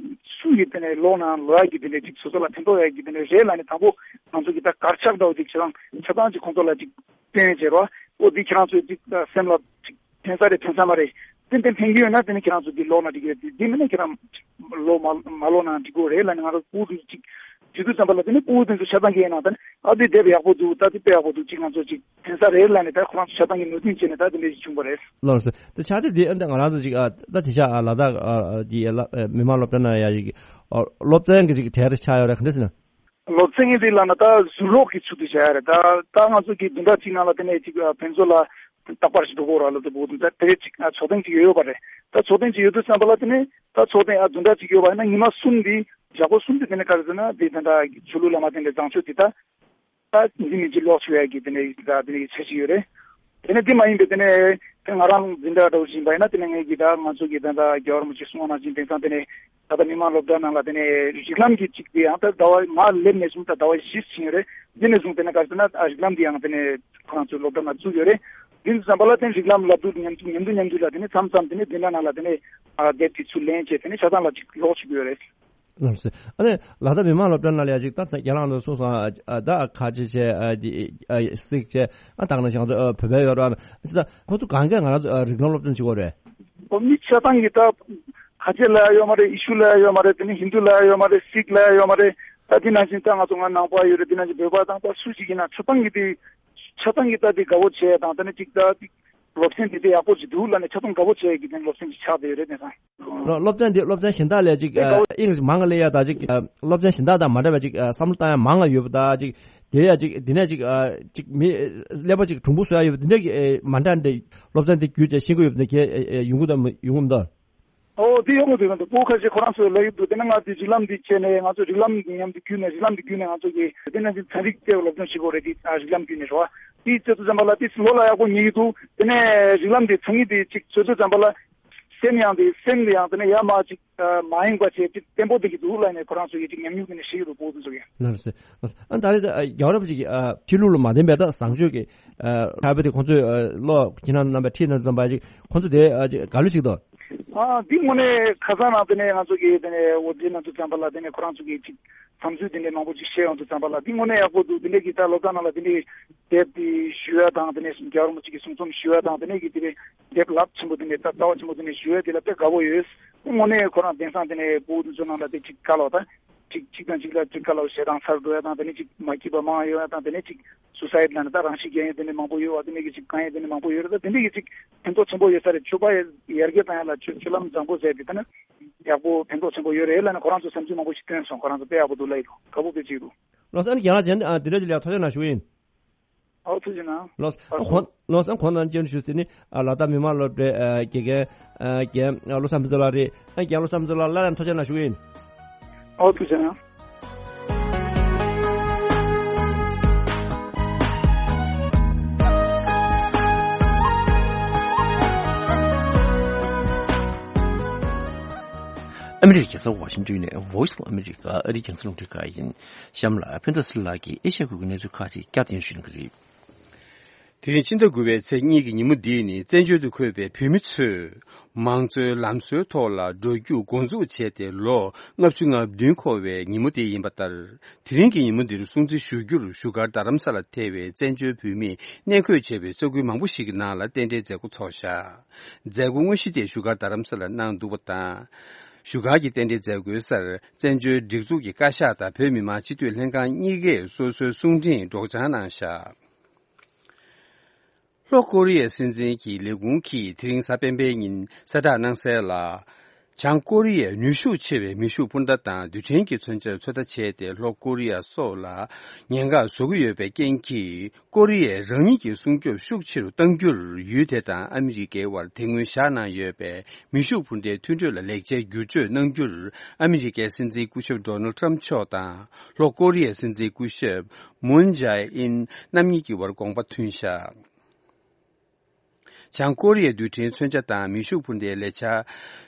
སུ་ཡིས་དེ་ནས་ཀློག་ན་ཀློག་ཡག་གི་དེ་ནས་ཅིག་སོ་སོ་ལ་ཕན་ཐོགས་ཡག་གི་དེ་ནས་རེད་ལབ་ནས་དང་པོ་ང་ཚོ་གི་ད་གར་ཆག་འདྲ་བོ་ཅིག་ཁྱེད་རང་ཆ་ཚང་ཅིག་ཁོང་ཚོ་ལ་ཅིག་སྟོན་བྱས་རོགས། ཨོ་འདི་ཁྱེད་རང་ཚོས་ཅིག་སེམས་ལ་ཅིག་ཕན་ས་རེད་ཕན་ས་མ་རེད། ཏན་ཏན་ཕན་གྱི་ཡོད་ན་དེ་ནི་ཁྱེད་རང་ཚོ་འདི་ཀློག་ན་འགྲིག་གི་རེད། འདི་མིན་ན་ཁྱེད་རང་ཀློག་མ་མ་ཀློག་ན་འགྲིག་གི་རེད་ལབ་ནས་ང་རང་ཕྲུ་གུ་ཅིག་དུས་ཚོད་ཙམ་པ་ལ་དེ་ནི་ཕྲུ་གུ་དེ་ཚོ་ཆ་ཚང་གི་ཡིན་ན་ད་ནི་ཨ་འདི་དེབ་ཡག་པོ་འདུག་ད་འདི་དཔེ་ཡག་པོ་འདུག་ཅིག་ང་ཚོ་ཅིག་ཕན་ས་རེད་ལབ་ནས་ད་ཁོ་རང་ཚོ་ཆ་ཚང་གི་ནུས་ལྡན་བྱས་ནས་ད་དེ་འདྲ་ཞིག་བྱུང་བ་རེད། ལགས་སོ། ད་ཕྱག་དེབ་འདི་ཨ་ད་ང་རང་ཚོ་ཅིག་ཨ་ད་དེ་ཤ་ཨ་ལ་དྭགས་ཨ་ཨ་འདི་ཨ་ལ་ཨ་མི་མང་སློབ་གྲྭ་ནང་ཡ་ཅིག་ཨ་སློབ་ཚན་གྱི་ཅིག་གྲས་རེ་ཆགས་ཡོད་རེད། ག་འདྲ་ཟེར་ན། སློབ་ཚན་གྱི་འདི་ལབ་ན་ད་ཟུར་ཀློག་གི་ཚུལ་དུ་བྱ་ཡ་རེད། ད་ད་ང་ཚོ་གི་བདུན་ཕྲག་གཅིག་ནང་ལ་དེ་ནས་ཅིག་ཨ་ཕན་ཚུན་ལ་རྟག་པར་ཞིག་འགྲོ་དགོས་ར་ལ་དེ་བོ་དེ་དེ་ཅིག་ཨ་ཚོགས་ཐེངས་ཅིག་ཡོད་ཡོད་པ་རེད། ད་ཚོགས་ཐེངས་ཅིག་ཡོད་དུས་ཙམ་པ་ལ་དེ་ནས་ད་ཚོགས་ཐེངས་ཨ་བདུན་ཕྲག་གཅིག་ཡོད་པ་ཡིན་ན་ཉི་མ་གསུམ་འདི་ཞག་པོ་གསུམ་འདི་དེ་ནས་ག་རེ་ཟེར་ན་འདི་ད་ད་ཆོས་ལུགས་བླ་མ་དེ་འདྲ་བཟང་སྤྱོད་འདི་ད། ད་འདི་མི་གཅིག་ལོག་ཆུ་ཡ་གི་དེ་ནས་ད་དེ་ནས་ཆ་ཞིག་ཡོད་རེད། དེ་ནས་འདི་མ་ཡིན་པའི་དེ་ནས་དེ་ང་རང་འཛིན་གྲྭ་འགྲོ་བཞིན་པ་ཡིན་ན་དེ་ནས་ངས་ཀྱི་ད་ང་ཚོ་གི་ད་ད་རྒྱལ་བ་རིན་པོ་ཆེ་གསུང་བ་ནང་བཞིན་དེང་སང་དེ་ནས་ད་ལྟ་མི་མང་སློབ་གྲྭ་ནང་ལ་དེ་ནས་རིགས་ལམ་གྱི་གཅིག་དེ་ཡང་ད་ཟླ་བ་མ་སླེབས་ནས་བཟུང་ད་ཟླ་བ་བཞི་ཕྱིན་ཡོད་རེད། འདི་ནས་བཟུང་དེ་ནས་ག་རེ་ཟེར་ན་ཨ་རིགས་ལམ་འདི་ཡང་དེ་ནས་ཁོ་རང་ཚོའི་སློབ་གྲྭ་ནང་བཙུགས་ཡོད་རེད། འདི་ཚོ་ཙམ་པ་ལ་དེ་རིགས་ལམ་བསླབ་དུས་མཉམ་དུ་མཉམ་དུ་མཉམ་དུ་ལ་དེ་ནས་མཚམས་མཚམས་དེ་ནས་འཛིན་གྲྭ་ནང་ལ་དེ་ནས་ཨ་དེབ་དེ་ཚུར་ལེན་བྱས་དེ་ནས་ཆ་ཚང་ལ་གཅིག་ལོག་བཅུག་གི་ཡོད་རེད། ལགས་སོ། ཨ་ནི་ལ་དྭགས་མི་མང་སློབ་གྲྭ་ནང་ལ་ཡ་ཅིག་ད་རྒྱ་ནག་ནང་གསུངས་སོང་ཨ་ད་ཁ་ཆེ་ཆེ་ཨ་དེ་ཨ་སིག་ཆེ་ཨ་ད་ག་ནང་བཞིན་ང་ཚོ་ཨ་བོད་པ་ཡོད་ར་ཅི་ད་ཁོ་ཚོ་གང་གས་ང་རང་ཚོ་ཨ་རིགས་ལམ་སློབ་སྦྱོང་བྱེད་དགོས་རེད། ཨོ་མི་ཆ་ཚང་གི་ད་ཁ་ཆེ་ལ་ཡ་ཡོད་མ་རེད། ཡེ་ཤུ་ལ་ཡ་ཡོད་མ་རེད། དེ་ནི་ཧིན་དུ་ལ་ཡ་ཡོད་མ་རེད། སིག་ལ་ཡ་ཡོད་མ་རེད། ད་དེ་ནང་བཞིན་ད་ང་ཚོ་ང་ནང་པ་ཡོད་རེད། དེ་ནང་བཞིན་བོད་པ་དང་ད་སུ་ཞིག་ཡིན་ན་ཆ་ཚང་གི་དེ་ཆ་ཚང་གི་ད་དེ་དགའ་བོ་བྱས་དང་ད་ནི་ཅིག་ད་ཅིག་སློབ་ཚན་དེ་དེ་ཡག་པོ་ཞིག་འདུག་ལ་ནི་ཆ་ཚང་དགའ་བོ་བྱས་ཀྱི་དེ་སློབ་ཚན་ཞིག་ཆགས་བསྡད་ཡོད་རེད། དེང་སང་། སློབ་ཚན་འདི་སློབ་ཚན་གཞན་དག་ལས་ཅིག་ཨེ་ཨིན་ཇི་མང་ང་སླེབས་ཡ་ད་ཅིག་སློབ་ཚན་གཞན་དག་དང་མ་འདྲ་བ་ཅིག་བསམ་བློ་བཏང་ཡ་མང་ང་ཡོད་པ་ད་ཅིག་དེ་ཡ་ཅིག་འདི་ནས་ཅིག་ཅིག་མི་ཀླད་པ་ཅིག་གྲུང་པོ་བཟོ་ཡ་ཡོད་པ་འདི་འདྲ་གི་མ་འདྲ་འདྲ་སློབ་ཚན་འདི་བརྒྱུད་བྱས་ཤེས་ཀྱི་ཡོད་པ་འདི་གས་ཡོང་གི་དང་ཡོང་གི་མི་འདུག་ཨོ་དེ་ཡོང་གི་འདུག་ག་འདུག་པོ་ཁ་ཤས་ཁོ་རང་ཚོས་ལབ་ཡོད་འདུག་དེ་ནས་ང་ཚོས་རིགས་ལམ་འདི་བྱས་ནས་ང་ཚོ་རིགས་ལམ་མཉམ་དུ་བརྒྱུད་ནས་རིགས་ལམ་འདི་བརྒྱུད་ནས་ང་ཚོ་གི་དེ་ནས་ཚན་རིག་ལྟེ་བ་སློབ་སྦྱོང་བྱེད་དགོས་རེད། དེ་རིགས་ལམ་བརྒྱུད་ནས་རེད་བ། དེ་བྱེད་དུས་ཙམ་པ་ལ་དེ་བློ་ལ་ཡག་པོ་ངེས་ཀྱི་འདུག་དེ་ནས་རིགས་ལམ་འདི་ཚང་གི་དེ་གཅིག་བྱེད་དུས་ཙམ་པ་ལ། སེམས་ཡང་དེ་སེམས་དེ་ཡང་དེ་ནས་ཡར་མར་ཅིག་ཨ་མ་ཡེངས་པ་བྱས་ཅིག་བརྟན་པོ་བསྡད་ཀྱི་འདུག་ལབ་ནས་ཁོ་རང་ཚོ་ཡིས་ཅིག་ཉམས་མྱོང་གི་ནས་ཤེས་ཀྱི་འདུག་པོ་དེ་ཚོ་གིས། ལགས་སོ། ལགས་སོ། ཨ་ད་རེས་ཨ་རྒྱལ་བ་རིན་པོ་ཆེ་གིས་ཨ་ཕྱི་ལུགས་ལ་མ་བརྟེན་པའི་ད་བཟང་སྤྱོད་ཀྱི་ཨ་ཁ་བའི་དེ་ཁོང་ཚོས་ཨ་ལོ་ཁྱེད་རང་རྣམ་པ་ཁྲིད་གནང་དུས་ཙམ་པ་ཅིག་ཁོང་ཚོ་དེ་ཨ་ཅིག་ག་ལུགས་ཤིག་འདུག་ཨ་འདི་དངོས་གནས་ཁ་སང་ནང་དེ་ནས་ང་ཚོ་གིས་དེ་ནས་འོ་དེ་གནང་དུས་ཙམ་པ་ལ་དེ་ནས་ཁོ་རང་ཚོ་གིས་ཅིག་བསམ་ཚུལ་དེ་འདྲའི་མང་པོ་ཅིག་བཤད་ཡོང་དུས་ཙམ་པ་ལ་འདི་དངོས་གནས་ཡག་པོ་འདུག་དེ་འདྲའི་གི་ད་སློབ་གྲྭ་ནང་ལ་དེ་འདྲའི་དེབ་དེ་ཞུ་ཡ་དང་དེ་ནས་རྒྱལ་བ་རིན་པོ་ཆེ་གི་གསུང་རྩོམ་ཞུ་ཡ་དང་དེ་འདྲའི་གི་དེ་འདྲའི་དེབ་རླབས་ཆེན་པོ་དེ་འདྲའི་ད་རྩ་བ་ཆེན་པོ་དེ་འདྲའི་ཞུ་ཡ་དེ་ལ་དཔེ་དགའ་པོ་ཡོད། དངོས་གནས་ཁོ་རང་དེང་སང་དེ་ནས་བོད་དེ་ཚོ་ནང་ལ་དེ་གཅིག་བཀའ་སློབ་དང་གཅིག་གཅིག་དང་གཅིག་ལ་གཅིག་བཀའ་སློབ་བྱེད་སྟངས་གསར་འགྲོ་ཡ་དང་དེ་ནས་གཅིག་མ་སྐྱིད་པ་མང་ཡོད་ཡ་དང་དེ་ནས་གཅིག་སུ་སའིཌ་ལ་ནི་ད་རང་ཤི་རྒྱག་ཡ་དེ་འདྲའི་མང་པོ་ཡོད་བ། དེ་འདྲའི་གི་གཅིག་ཕན་ཐོགས་ཆེན་པོ་ཡོད་ས་རེད་བསམ་གྱི་འདུག་ད་དེ་འདྲའི་གི་གཅིག་ཕན་ཐོགས་ཆེན་པོ་ཡོད་ས་རེད། ཆོས་པ་ཡར་རྒྱས་བཏང་ཡ་ལ་ཆོས་ཆོས་ལམ་བཟང་པོ་ཟེར་དེ་ད་ནི། ཡག་པོ་ཕན་ཐོགས་ཆེན་པོ་ཡོད་རེད་ལབ་ནས་ཁོ་རང་ཚོ་བསམ་ཚུལ་མང་པོ་ཞིག་བཏོན་སོང་། ཁོ་རང་ཚོ་དཔེ་ཡག་པོ་འདུག་ལབ་ཡོད། དགའ་པོ་དཔེ་ཅིག་འདུག་ལགས་སོ། ཨ་ནི་རྒན་ལགས་གཞན་ཨ་དེ་འདྲ་ཅིག་ལ་ཐུགས་རྗེ་གནང་ཞུ་གི་ཡིན། ཨོ་ཐུགས་རྗེ་གནང་། ལགས་སོ། ཨ་ཁོང་ལགས་སོ། ཨ་ཁོང་རྣམས་བཅར་ཞུ་ཟེར་ནི་ཨ་ལ་དྭགས་མི་མང་སློབ་གྲྭའི་ཨ་དགེ་རྒན་ཨ་རྒན་ཨ་བློ་བཟང་ཕུན་ཚོགས་ལགས་རེད། ཨ་རྒན་བློ་བཟང་ཕུན་ཚོགས་ལགས་སླར་ཡང་ཐུགས་རྗེ་གནང་ཞུ་གི་ཡིན། ཨོ་ཐུགས་རྗེ་གནང་། ཨ་མི་རི་ཀའི་རྒྱལ་ས་ཝ་ཤིང་ཏོན་ནས་Voice of America ཨ་རིའི་རྒྱང་སྲིང་རླུང་འཕྲིན་ཁང་ཡིན། གཤམ་ལ་ཕུན་ཚོགས་ཚེ་རིང་ལགས་ཀྱིས་ཨེ་ཤ་ཡ་ཁུལ་གྱི་གནས་ཚུལ་ཁག་ཅིག་བསྐྱར་ཟློས་ཞུ་གནང་གི་རེད། དེ་རིང་ཕྱི་ཟླ་དགུ་པའི་ཚེས་གཉིས་ཀྱི་ཉིན་མོ་འདི་ནི་བཙན་བྱོལ་དུ་འཁོད་པའི་བོད་མི་ཚོས་མང་གཙོའི་ལམ་སྲོལ་ཐོག་ལ་འགྲོ་རྒྱུགས་འགོ་འཛུགས་བྱས་ཏེ་ལོ་ལྔ་བཅུ་ང་བདུན་འཁོར་བའི་ཉིན་མོ་དེ་ཡིན་པ་ལྟར། དེ་རིང་གི་ཉིན་མོ་འདིར་སྲུང་བརྩི་ཞུ་རྒྱུར་བཞུགས་སྒར་རྡ་རམ་ས་ལ་ཐེ་བའི་བཙན་བྱོལ་བོད་མིས་གནས་འཁོད་བྱས་པའི་ས་ཁུལ་མང་པོ་ཞིག་གི་ནང་ལ་རྟེན་འབྲེལ་མཛད་སྒོ་ཚོགས་བཞག་མཛད་སྒོ་དངོས་གཞི་དེ་བཞུགས་སྒར་རྡ་རམ་ས་ལར་གནང་འདུག་པ་དང་། བཞུགས་སྒར་གྱི་རྟེན་འབྲེལ་མཛད་སྒོའི་སར་བཙན་བྱོལ་སྒྲིག་འཛུགས་ཀྱི་བཀའ་ཤག་དང་བོད་མི་མང་སྤྱི་འཐུས་ལྷན་ཁང་གཉིས་ཀས་སོ་སོའི་གསུང་འཕྲིན་སྒྲོག་སྦྱང་གནང་བཞག་ལྷོ་ཀོ་རི་ཡའི་སྲིད་འཛིན་གྱི་ལས་ཁུངས་ཀྱིས་དེ་རིང་གཟའ་སྤེན་པའི་ཉིན་གསལ་བསྒྲགས་གནང་གསལ་ལ། བྱང་ཀོ་རི་ཡས་ནུས་ཤུགས་ཆེ་བའི་མེ་ཤུགས་འཕུར་མདའ་དང་རྡུལ་ཕྲན་གྱི་མཚོན་ཆར་ཚོད་ལྟ་བྱས་ཏེ། ལྷོ་ཀོ་རི་ཡ་སོགས་ལ་ཉེན་ཁ་བཟོ་གི་ཡོད་པའི་རྐྱེན་གྱིས། ཀོ་རི་ཡས་རང་ཉིད་ཀྱི་སྲུང་སྐྱོབ་ཤུགས་ཆེ་རུ་གཏང་རྒྱུར་ཡུལ་དེ་དང་ཨ་མི་རི་ཀའི་དབར་དེ་སྔོན་བཞག་གནང་ཡོད་པའི་མེ་ཤུགས་འཕུར་མདའི་མཐུན་གྲོས་ལ་ལེགས་ཆའི་བསྒྱུར་བཅོས་གནང་རྒྱུར་ཨ་མི་རི་ཀའི་སྲིད་འཛིན་སྐུ་ཞབས་ཌོ་ནལ་ཊམ་མཆོག་དང་ལྷོ་ཀོ་རི་ཡའི་སྲིད་འཛིན་སྐུ་ཞབས་མུན་ཇའེ་ཨིན་རྣམ་གཉིས་ཀྱི་དབར་དགོངས་པ་མཐུན་བཞག་བྱང་ཀོ་རི་ཡའི་རྡུལ་ཕྲན་མཚོན་ཆ་དང་མེ་ཤུགས་འཕུར་མདའི་ལས་འཆར་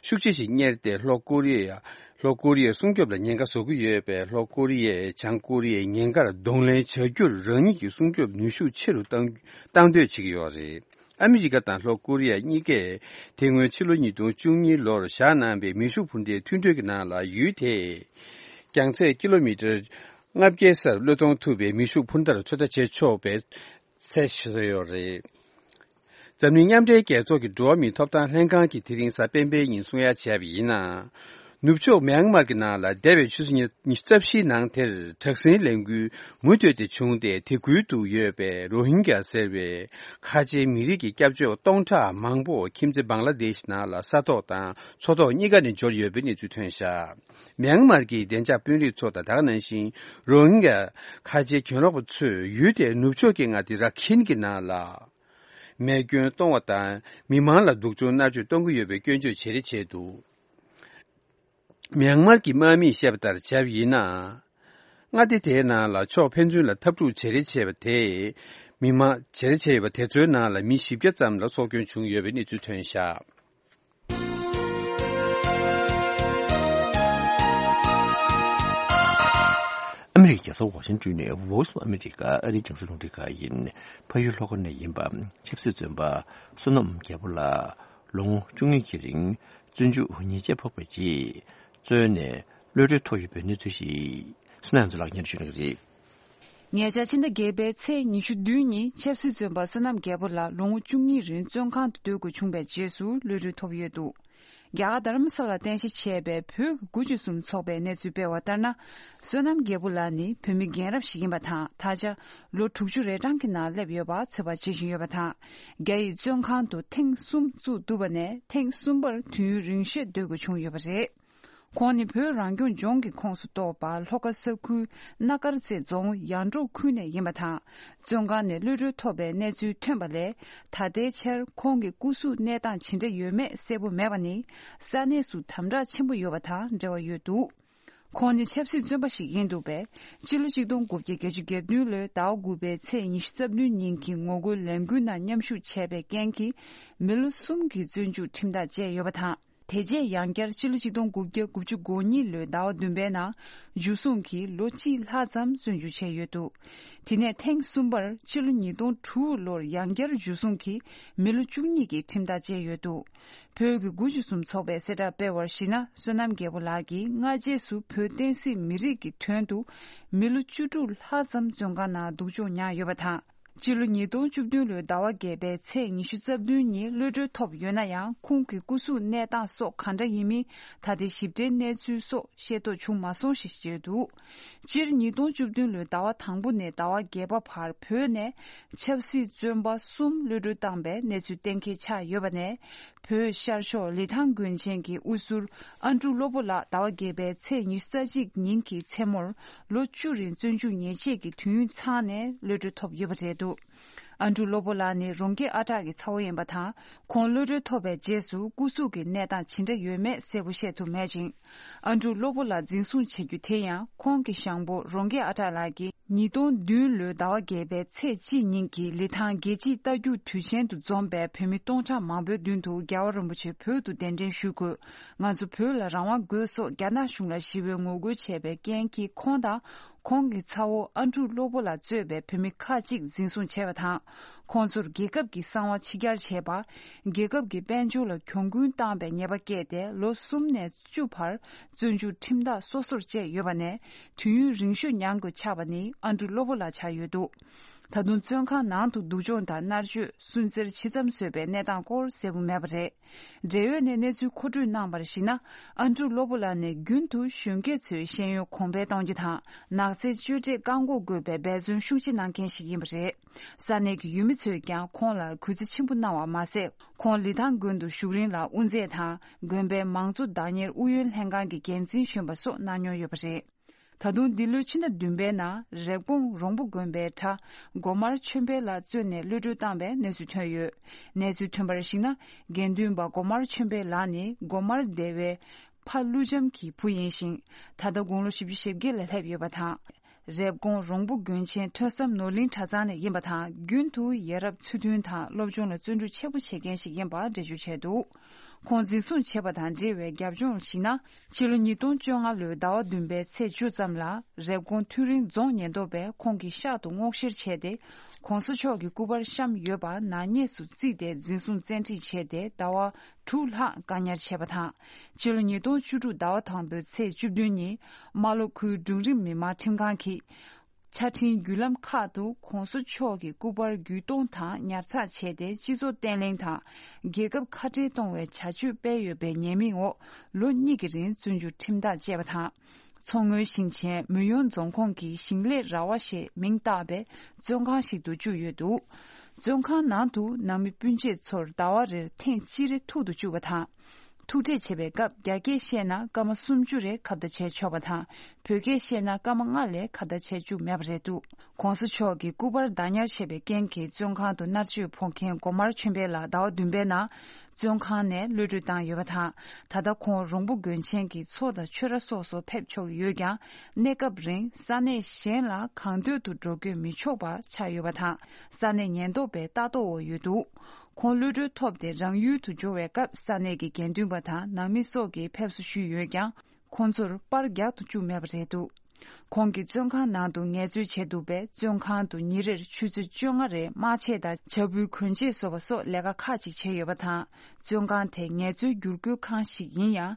ཤུགས་ཆེ་ཞིག་གཉེར་ཏེ། ལྷོ་ཀོ་རི་ཡ། ལྷོ་ཀོ་རི་ཡའི་སྲུང་སྐྱོབ་ལ་ཉེན་ཁ་བཟོ་གི་ཡོད་པས། ལྷོ་ཀོ་རི་ཡས་བྱང་ཀོ་རི་ཡའི་ཉེན་ཁར་གདོང་ལེན་བྱ་རྒྱུར་རང་ཉིད་ཀྱི་སྲུང་སྐྱོབ་ནུས་ཤུགས་ཆེ་རུ་བཏང་། བཏང་འདོད་བྱེད་ཀྱི་ཡོད་རེད། ཨ་མི་རི་ཀ་དང་ལྷོ་ཀོ་རི་ཡ་གཉིས་ཀས་དེ་སྔོན་ཕྱི་ལོ་ཉིས་སྟོང་བཅུ་གཉིས་ལོར་བཞག་གནང་པའི་མེ་ཤུགས་འཕུར་མདའི་མཐུན་གྲོས་ཀྱི་ནང་ལ། ཡུལ་དེས་རྒྱང་ཚད་ཀི་ལོ་མི་ཊར་ལྔ་བརྒྱའི་སར་གློད་གཏོང་ཐུབ་པའི་མེ་ཤུགས་འཕུར་མདའ་ཚོད་ལྟ་བྱེད་ཆོག་པའི་ཚད་བཟོས་ཡོད་རེད། འཛམ་གླིང་མཉམ་འབྲེལ་རྒྱལ་ཚོགས་ཀྱི་འགྲོ་བ་མིའི་ཐོབ་ཐང་ལྷན་ཁང་གིས་དེ་རིང་གཟའ་སྤེན་པའི་ཉིན་གསུང་ཡ་བྱས་པ་ཡིན་ན། ནུབ་ཕྱོགས་མྱན་མར་གྱི་ནང་ལ་འདས་པའི་ཆུ་ཚོད་ཉི་ཉི་ཤུ་རྩ་བཞིའི་ནང་དེར་དྲག་ཟིང་ལས་འགུལ་མུ་མཐུད་དེ་བྱུང་སྟེ། དེ་ཁུལ་དུ་ཡོད་པའི་རོ་ཧིན་གྱ་ཟེར་བའི་ཁ་ཆེའི་མི་རིགས་ཀྱི་སྐྱབས་བཅོལ་སྟོང་ཕྲག་མང་པོ་ཁྱིམ་མཚེས་བང་ལ་དེཤ་ནང་ལ་ས་ཐོག་དང་མཚོ་ཐོག་གཉིས་ཀ་ནས་འབྱོར་ཡོད་པའི་གནས་ཚུལ་ཐོན་བཞག་མྱན་མར་གྱི་བདེ་འཇགས་དཔོན་རིགས་ཚོ་དང་། ད་ག་ནང་བཞིན་རོ་ཧིན་གྱ་ཁ་ཆེའི་གྱེན་ལོག་པ་ཚོས་ཡུལ་དེའི་ནུབ་ཕྱོགས་ཀྱི་མངའ་སྡེ་ར་ཁིན་གྱི་ནང་ལ་རྨས་སྐྱོན་གཏོང་བ་དང་། མི་མང་ལ་སྡུག་སྦྱོང་མནར་གཅོད་གཏོང་གི་ཡོད་པའི་སྐྱོན་བརྗོད་ཇེ་ཆེར་བྱས་འདུག་མྱན་མར་གྱི་དམག་མིས་བཤད་པ་ལྟར་བྱས་པ་ཡིན་ན། མངའ་སྡེ་དེའི་ནང་ལ་ཕྱོགས་ཕན་ཚུན་ལ་འཐབ་འཁྲུག་ཇེ་རེ་ཆེ་བ་དེས། མི་མང་ཇེ་རེ་ཆེ་བ་དེ་ཚོའི་ནང་ལ་མི་བཞི་བརྒྱ་ཙམ་ལ་སྲོག་སྐྱོན་བྱུང་ཡོད་པའི་གནས་ཚུལ་ཐོན་བཞག་ཨ་མི་རི་ཀའི་རྒྱལ་ས་ཝ་ཤིང་ཏོན་ནས་Voice of America ཨ་རིའི་རྒྱང་སྲིང་རླུང་འཕྲིན་ཁང་ཡིན། ཕ་ཡུལ་ལྷོ་ཁ་ནས་ཡིན་པ་ཆབ་སྲིད་བཙོན་པ་བསོད་ནམས་རྒྱལ་པོ་ལགས་ལོ་ངོ་བཅུ་གཉིས་ཀྱི་རིང་བཙོན་འཇུག་ཉེས་ཆད་ཕོག་པའི་རྗེས། བཙོན་ནས་གློད་གྲོལ་ཐོབ་ཡོད་པའི་གནས་ཚུལ་ཞིག་བསོད་ནམས་ལགས་སྙན་ཞུ་གནང་གི་རེད། ཉེ་ཆར་ཕྱི་ཟླ་བརྒྱད་པའི་ཚེས་ཉི་ཤུ་བདུན་ཉིན་ཆབ་སྲིད་བཙོན་པ་བསོད་ནམས་རྒྱལ་པོ་ལགས་ལོ་ངོ་བཅུ་གཉིས་རིང་བཙོན་ཁང་དུ་སྡོད་དགོས་བྱུང་བའི་རྗེས་སུ་གློད་གྲོལ་ཐོབ་ཡོད་འདུག་རྒྱ་གར་རྡ་རམ་ས་ལར་རྟེན་གཞི་བྱས་པའི་བོད་ཀྱི་དགུ་བཅུ་གསུམ་ཚོགས་པས་གནས་ཚུལ་སྤེལ་བ་ལྟར་ན། བསོད་ནམས་རྒྱལ་པོ་ལགས་ནི་བོད་མི་རྒན་རབས་ཤིག་ཡིན་པ་དང་། ད་ཆ་ལོ་དྲུག་ཅུ་རེ་གྲངས་ཀྱི་ནང་སླེབས་ཡོད་པ་ཚོད་དཔག་བྱེད་བཞིན་ཡོད་པ་དང་། རྒྱ་ཡི་བཙོན་ཁང་དུ་ཐེངས་གསུམ་བཙུགས་འདུག་པ་ནས། ཐེངས་གསུམ་པར་དུས་ཡུན་རིང་ཤོས་སྡོད་དགོས་བྱུང་ཡོད་པ་རེད། ཁོང་ནི་བོད་རང་སྐྱོང་ལྗོངས་ཀྱི་ཁོངས་སུ་གཏོགས་པ་ལྷོ་ཁ་ས་ཁུལ་སྣ་དཀར་རྩེ་རྫོང་ཡང་འབྲོག་ཁུལ་ནས་ཡིན་པ་དང་། བཙོན་ཁང་ནས་གློད་གྲོལ་ཐོབ་པའི་གནས་ཚུལ་ཐོན་པ་ལས། ད་ལྟའི་ཆར་ཁོང་གི་སྐུ་གཟུགས་གནས་སྟངས་ཇི་འདྲ་ཡོད་མེད་གསལ་པོ་མེད་པ་ནི། ས་གནས་སུ་དམ་དྲག་ཆེན་པོ་ཡོད་པ་དང་འབྲེལ་བ་ཡོད་འདུག་ཁོང་ནི་ཆབ་སྲིད་བཙོན་པ་ཞིག་ཡིན་འདུག་པས། སྤྱི་ལོ་ཆིག་སྟོང་དགུ་བརྒྱ་བརྒྱད་ཅུ་གྱ་བདུན་ལོའི་ཟླ་བ་དགུ་པའི་ཚེས་ཉི་ཤུ་རྩ་བདུན་ཉིན་གྱི་ངོ་རྒོལ་ལས་འགུལ་ནང་མཉམ་ཞུགས་བྱས་པའི་རྐྱེན་གྱིས། མི་ལོ་གསུམ་གྱི་བཙོན་འཇུག་ཁྲིམས་ཐག་བཅད་ཡོད་པ་དང་། དེ་རྗེས་ཡང་བསྐྱར་སྤྱི་ལོ་ཆིག་སྟོང་དགུ་བརྒྱ་དགུ་བཅུ་གོ་གཉིས་ལོའི་ཟླ་བ་བདུན་པའི་ནང་། འཇུ་བཟུང་གིས་ལོ་གཅིག་ལྷག་ཙམ་བཙོན་འཇུག་བྱས་ཡོད་འདུག་དེ་ནས་ཐེངས་གསུམ་པར་ཕྱི་ལོ་ཉིས་སྟོང་དྲུག་ལོར་ཡང་བསྐྱར་འཇུ་བཟུང་གིས་མི་ལོ་བཅུ་གཉིས་ཀྱི་ཁྲིམས་ཐག་བཅད་ཡོད་འདུག་བོད་ཀྱི་དགུ་བཅུ་གསུམ་ཚོགས་པས་གསལ་བསྒྲགས་སྤེལ་བར་གཞིགས་ན། བསོད་ནམས་རྒྱལ་པོ་ལགས་ཀྱིས་སྔ་རྗེས་སུ་བོད་བསྟན་སྲིད་མི་རིགས་ཀྱི་དོན་དུ་མི་ལོ་བཅུ་དྲུག་ལྷག་ཙམ་བཙོན་ཁང་ནང་སྡུག་སྦྱོང་མྱངས་ཡོད་པ་དང་། སྤྱི་ལོ་ཉིས་སྟོང་བཅུ་བདུན་ལོའི་ཟླ་བ་བརྒྱད་པའི་ཚེས་ཉི་ཤུ་རྩ་བདུན་ཉིན་གློད་གྲོལ་ཐོབ་ཡོད་ན་ཡང་། ཁོང་གི་སྐུ་གཟུགས་གནས་སྟངས་སོགས་གང་འདྲ་ཡིན་མིན་ད་ལྟའི་ཞིབ་ཕྲའི་གནས་ཚུལ་སོགས་ཤེས་རྟོགས་བྱུང་མ་སོང་ཞེས་བརྗོད་འདུག་སྤྱིར་ཉིས་སྟོང་བཅུ་བདུན་ལོའི་ཟླ་བ་དང་པོ་ནས་ཟླ་བ་བརྒྱད་པ་བར་བོད་ནས་ཆབ་སྲིད་བཙོན་པ་གསུམ་གློད་གྲོལ་བཏང་པའི་གནས་ཚུལ་གཏན་འཁེལ་ཆགས་ཡོད་པ་ནས། བོད་ཤར་ཕྱོགས་ལི་ཐང་དགོན་ཆེན་གྱི་དབུ་ཟུར་ཨ་འབྲུག་བློ་བོ་ལགས་ཟླ་བ་བརྒྱད་པའི་ཚེས་ཉི་ཤུ་རྩ་གཅིག་ཉིན་གྱི་མཚན་མོར་ལོ་བཅུ་རིང་བཙོན་འཇུག་ཉེས་ཆད་ཀྱི་དུས་ཡུན་ཚང་ནས་གློད་གྲོལ་ཐོབ་ཡོད་པ་རེད་འདུག་ཨ་འབྲུག་བློ་བོ་ལགས་ནི་རོང་སྐྱེས་ཨ་ཐག་གི་ཚ་བོ་ཡིན་པ་དང་། ཁོང་གློད་གྲོལ་ཐོབ་པའི་རྗེས་སུ་སྐུ་གཟུགས་ཀྱི་གནས་སྟངས་ཇི་འདྲ་ཡོད་མེད་གསལ་པོ་ཤེས་ཐུབ་མེད་ཅིང་། ཨ་འབྲུག་བློ་བོ་ལགས་འཛིན་བཟུང་བྱེད་རྒྱུ་དེ་ཡང་ཁོང་གི་ཞང་པོ་རོང་སྐྱེས་ཨ་ཐག་ལགས་ཀྱིས། ཉིས་སྟོང་བདུན་ལོའི་ཟླ་བ་བརྒྱད་པའི་ཚེས་གཅིག་ཉིན་གྱི་ལི་ཐང་རྒྱལ་སྤྱིའི་རྟ་རྒྱུག་དུས་ཆེན་དུ་འཛོམས་པའི་བོད་མི་སྟོང་ཕྲག་མང་པོའི་མདུན་དུ་རྒྱལ་བ་རིན་པོ་ཆེ་བོད་དུ་གདན་འདྲེན་ཞུས་དགོས། ང་ཚོ་བོད་ལ་རང་དབང་དགོས་སོགས་རྒྱ་ནག་གཞུང་ལ་ཞི་བའི་ངོ་རྒོལ་བྱས་པའི་རྐྱེན་གྱིས། ཁོང་དང་ཁོང་གི་ཚ་བོ་ཨ་འབྲུག་བློ་བོ་ལགས་གཙོས་པའི་བོད་མི་ཁག་ཅིག་འཛིན་བཟུང་བྱས་པ་དང་། ཁོང་ཚོར་རྒྱལ་ཁབ་ཀྱི་གསང་བ་ཕྱི་གྱར་བྱས་པ། རྒྱལ་ཁབ་ཀྱི་དཔལ་འབྱོར་ལ་གྱོང་གུན་བཏང་པའི་ཉེས་པ་བཀལ་ཏེ། ལོ་གསུམ་ནས་བཅུ་བར་བཙོན་འཇུག་ཁྲིམས་ཐག་སོ་སོར་བཅད་ཡོད་པ་ནས། དུས་ཡུན་རིང་ཤོས་མྱངས་དགོས་ཆགས་པ་ནི་ཨ་འབྲུག་བློ་བོ་ལགས་ཆགས་ཡོད་འདུག་ད་དུང་བཙོན་ཁང་ནང་དུ་སྡུག་སྦྱོང་དང་མནར་གཅོད། སུན་གཙེར་ཇི་ཙམ་བཟོས་པའི་གནས་སྟངས་སྐོར་གསལ་པོ་མེད་པ་རེད། འབྲེལ་ཡོད་ནས་གནས་ཚུལ་མཁོ་སྤྲོད་གནང་བར་གཞིགས་ན། ཨན་ཌྲུ་བློ་བུ་ལགས་ནས་རྒྱུན་དུ་གཞོན་སྐྱེས་ཚོའི་ཤེས་ཡོན་གོང་འཕེལ་གཏོང་རྒྱུ་དང་། ནགས་ཚལ་གཅོད་འབྲེག་བཀག་འགོག་དགོས་པའི་འབད་བརྩོན་ཤུགས་ཆེ་གནང་མཁན་ཞིག་ཡིན་པ་རེད། ས་གནས་ཀྱི་ཡུལ་མི་ཚོས་ཀྱང་ཁོང་ལ་གུས་བརྩི་ཆེན་པོ་གནང་བ་མ་ཟད། ཁོང་ལི་ཐང་དགོན་དུ་བཞུགས་རིང་ལ་དབུ་མཛད་དང་། དགོན་པའི་མང་གཙོ་བདག་གཉེར་ཨུ་ཡོན་ལྷན་ཁང་གི་འགན་འཛིན་གཞོན་པ་སོགས་གནང་མྱོང་ཡོད་པ་རེད། ད་དུང་འདི་ལོའི་ཕྱི་ཟླ་བདུན་པའི་ནང་རེབ་གོང་རོང་པོ་དགོན་པའི་གྲྭ་སྒོ་དམར་ཆོས་འཕེལ་ལགས་བཙོན་ནས་གློད་གྲོལ་བཏང་བའི་གནས་ཚུལ་ཐོན་ཡོད། གནས་ཚུལ་ཐོན་པར་གཞིགས་ན། དགེ་འདུན་པ་སྒོ་དམར་ཆོས་འཕེལ་ལགས་ནི་སྒོ་དམར་སྡེ་བའི་ཕ་ཀླུ་བྱམས་ཀྱི་བུ་ཡིན་ཞིང་། ད་ལྟ་དགུང་ལོ་བཞི་བཅུ་ཞེ་བརྒྱད་ལ་སླེབས་ཡོད་པ་དང་། རེབ་གོང་རོང་པོ་དགོན་ཆེན་ཐོས་བསམ་ནོར་གླིང་གྲྭ་ཚང་ནས་ཡིན་པ་དང་། རྒྱུན་དུ་ཡ་རབས་ཚུལ་མཐུན་དང་སློབ་སྦྱོང་ལ་བརྩོན་འགྲུས་ཆེན་པོ་བྱེད་མཁན་ཞིག་ཡིན་པ་འགྲེལ་བརྗོད་བྱས་འདུག་ཁོང་འཛིན་བཟུང་བྱས་པ་དང་འབྲེལ་བའི་རྒྱབ་ལྗོངས་ལ་གཞིགས་ན། ཕྱི་ལོ་ཉིས་སྟོང་བཅོ་ལྔ་ལོའི་ཟླ་བ་བདུན་པའི་ཚེས་བཅུ་ཙམ་ལ། རེབ་གོང་ཐུན་རིན་རྫོང་ཉེན་རྟོག་པས་ཁོང་གི་ཤག་ཏུ་སྔོག་བཤེར་བྱས་ཏེ། ྋགོང་ས་མཆོག་གི་སྐུ་པར་བཤམས་ཡོད་པ་ནག་ཉེས་སུ་བརྩིས་ཏེ། འཛིན་བཟུང་བཙན་ཁྲིད་བྱས་ཏེ་ཟླ་བ་དྲུག་ལྷག་བཀག་ཉར་བྱས་པ་དང་། ཕྱི་ལོ་ཉིས་སྟོང་བཅུ་དྲུག་ཟླ་བ་དང་པོའི་ཚེས་བཅུ་བདུན་ཉིན། རྨ་ལྷོ་ཁུལ་སྒྲུང་རིང་མི་མང་ཁྲིམས་ཁང་གིས། ཆ་འཕྲིན་བརྒྱུད་ལམ་ཁག་ཏུ་ྋགོང་ས་མཆོག་གི་སྐུ་པར་བརྒྱུད་གཏོང་དང་ཉར་ཚགས་བྱས་ཏེ། སྤྱི་ཚོགས་བརྟན་ལྷིང་དང་། རྒྱལ་ཁབ་ཁ་བྲལ་གཏོང་བའི་བྱ་སྤྱོད་སྤེལ་ཡོད་པའི་ཉེས་མིང་འོག་ལོ་གཉིས་ཀྱི་རིང་བཙོན་འཇུག་ཁྲིམས་ཐག་བཅད་པ་དང་། མཚོ་སྔོན་ཞིང་ཆེན་མུ་ཡོན་རྫོང་ཁོངས་ཀྱི་ཞིང་ལས་ར་བ་ཞེས་མིང་བཏགས་པའི་བཙོན་ཁང་ཞིག་ཏུ་བཅུག་ཡོད་འདུག་བཙོན་ཁང་ནང་དུ་ནང་མི་སྤུན་མཆེད་ཚོར་ཟླ་བ་རེར་ཐེངས་གཅིག་རེ་ཐུག་ཏུ་བཅུག་པ་དང་། ཐུག་འཕྲད་བྱེད་པའི་སྐབས། རྒྱ་སྐད་བཤད་ན་སྐར་མ་སུམ་ཅུ་རེ་ཁ་བརྡ་བྱས་ཆོག་པ་དང་། བོད་སྐད་བཤད་ན་སྐར་མ་ལྔ་ལས་ཁ་བརྡ་བྱས་བཅུག་མེད་པ་རེད་འདུག ྋགོང་ས་མཆོག་གི་སྐུ་པར་བདག་ཉར་བྱས་པའི་རྐྱེན་གྱིས། བཙོན་ཁང་དུ་མནར་གཅོད་ཕོག་མཁན་སྒོ་དམར་ཆོས་འཕེལ་ལགས་ཟླ་བ་བདུན་པའི་ནང་བཙོན་ཁང་ནས་གློད་གྲོལ་བཏང་ཡོད་པ་དང་། ད་ལྟ་ཁོང་རོང་པོ་དགོན་ཆེན་གྱི་མཚོ་དང་ཆོས་ར་སོགས་སུ་ཕེབས་ཆོག་ཡོད་ཀྱང་། གནས་སྐབས་རིང་ས་གནས་གཞན་ལ་གང་འདོད་དུ་འགྲོ་སྐྱོད་མི་ཆོག་པ་ཆགས་ཡོད་པ་དང་། ས་གནས་ཉེན་རྟོག་པའི་ལྟ་རྟོག་འོག་ཡོད་འདུག་ཁོང་གློད་གྲོལ་ཐོབ་སྟེ་རང་ཡུལ་དུ་འབྱོར་བའི་སྐབས། ས་གནས་ཀྱི་དགེ་འདུན་པ་དང་ནང་མི་སོགས་ཀྱིས་ཕེབས་བསུ་ཞུས་ཡོད་ཀྱང་། ཁོང་ཚོར་པར་རྒྱག་ཏུ་བཅུག་མེད་པ་རེད་འདུག་ཁོང་གིས་བཙོན་ཁང་ནང་དུ་ངལ་རྩོལ་བྱས་འདུག་པས། བཙོན་ཁང་དུ་ཉིན་རེར་ཆུ་ཚོད་བཅོ་ལྔ་རེ་དམག་ཆས་དང་བྱ་སྤུའི་གོན་ཆས་བཟོ་བ་སོགས་ལས་ཀ་ཁག་ཅིག་བྱས་ཡོད་པ་དང་། བཙོན་ཁང་དེ་ངལ་རྩོལ་བསྒྱུར་བཀོལ་ཁང་ཞིག་ཡིན་ཡང་།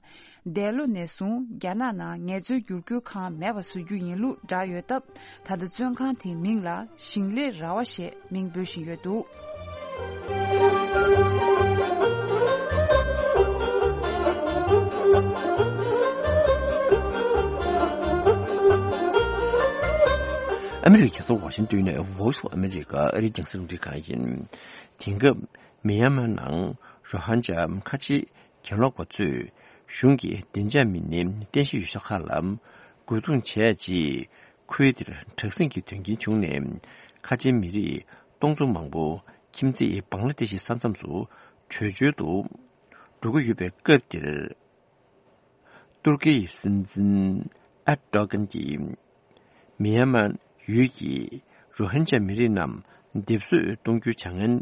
འདས་ལོ་ནས་བཟུང་རྒྱ་ནག་ནང་ངལ་རྩོལ་བསྒྱུར་བཀོལ་ཁང་མེད་པ་བཟོ་རྒྱུ་ཡིན་ལུགས་བསྒྲགས་ཡོད་སྟབས། ད་ལྟ་བཙོན་ཁང་དེའི་མིང་ལ་ཞིང་ལས་ར་བ་ཞེས་མིང་འབོད་བཞིན་ཡོད་འདུག་ཨ་མི་རི་ཀའི་རྒྱལ་ས་ཝ་ཤིང་ཏོན་ནས་Voice of America ཨ་རིའི་རྒྱང་སྲིང་རླུང་འཕྲིན་ཁང་ཡིན། དེང་སྐབས་མི་ཡན་མར་ནང་རོ་ཧན་ཇཱ་ཁ་ཆེ་གྱེན་ལོག་པ་ཚོས་གཞུང་གི་བདེ་འཇགས་མི་སྣའི་རྟེན་གཞི་ཡོད་ས་ཁག་ལ་རྒོལ་རྡུང་བྱས་རྗེས། ཁུལ་དེར་དྲག་ཟིང་གི་དོན་རྐྱེན་བྱུང་ནས། ཁ་ཆེའི་མི་རིགས་སྟོང་ཚོ་མང་པོ་ཁྱིམ་མཚེས་བང་ལ་དེ་ཤི་ས་མཚམས་སུ་བྲོས་བྱོལ་དུ་འགྲོ་གི་ཡོད་པའི་སྐབས་འདིར། ཏུར་ཀི་ཡི་སྲིད་འཛིན་ཨེར་ཏོ་གན་གྱིས། མི་ཡན་མར་ཡུལ་གྱི་རོ་ཧིན་ཇཱ་མི་རིགས་རྣམས་སྡེབ་གསོད་གཏོང་རྒྱུའི་བྱ་ངན་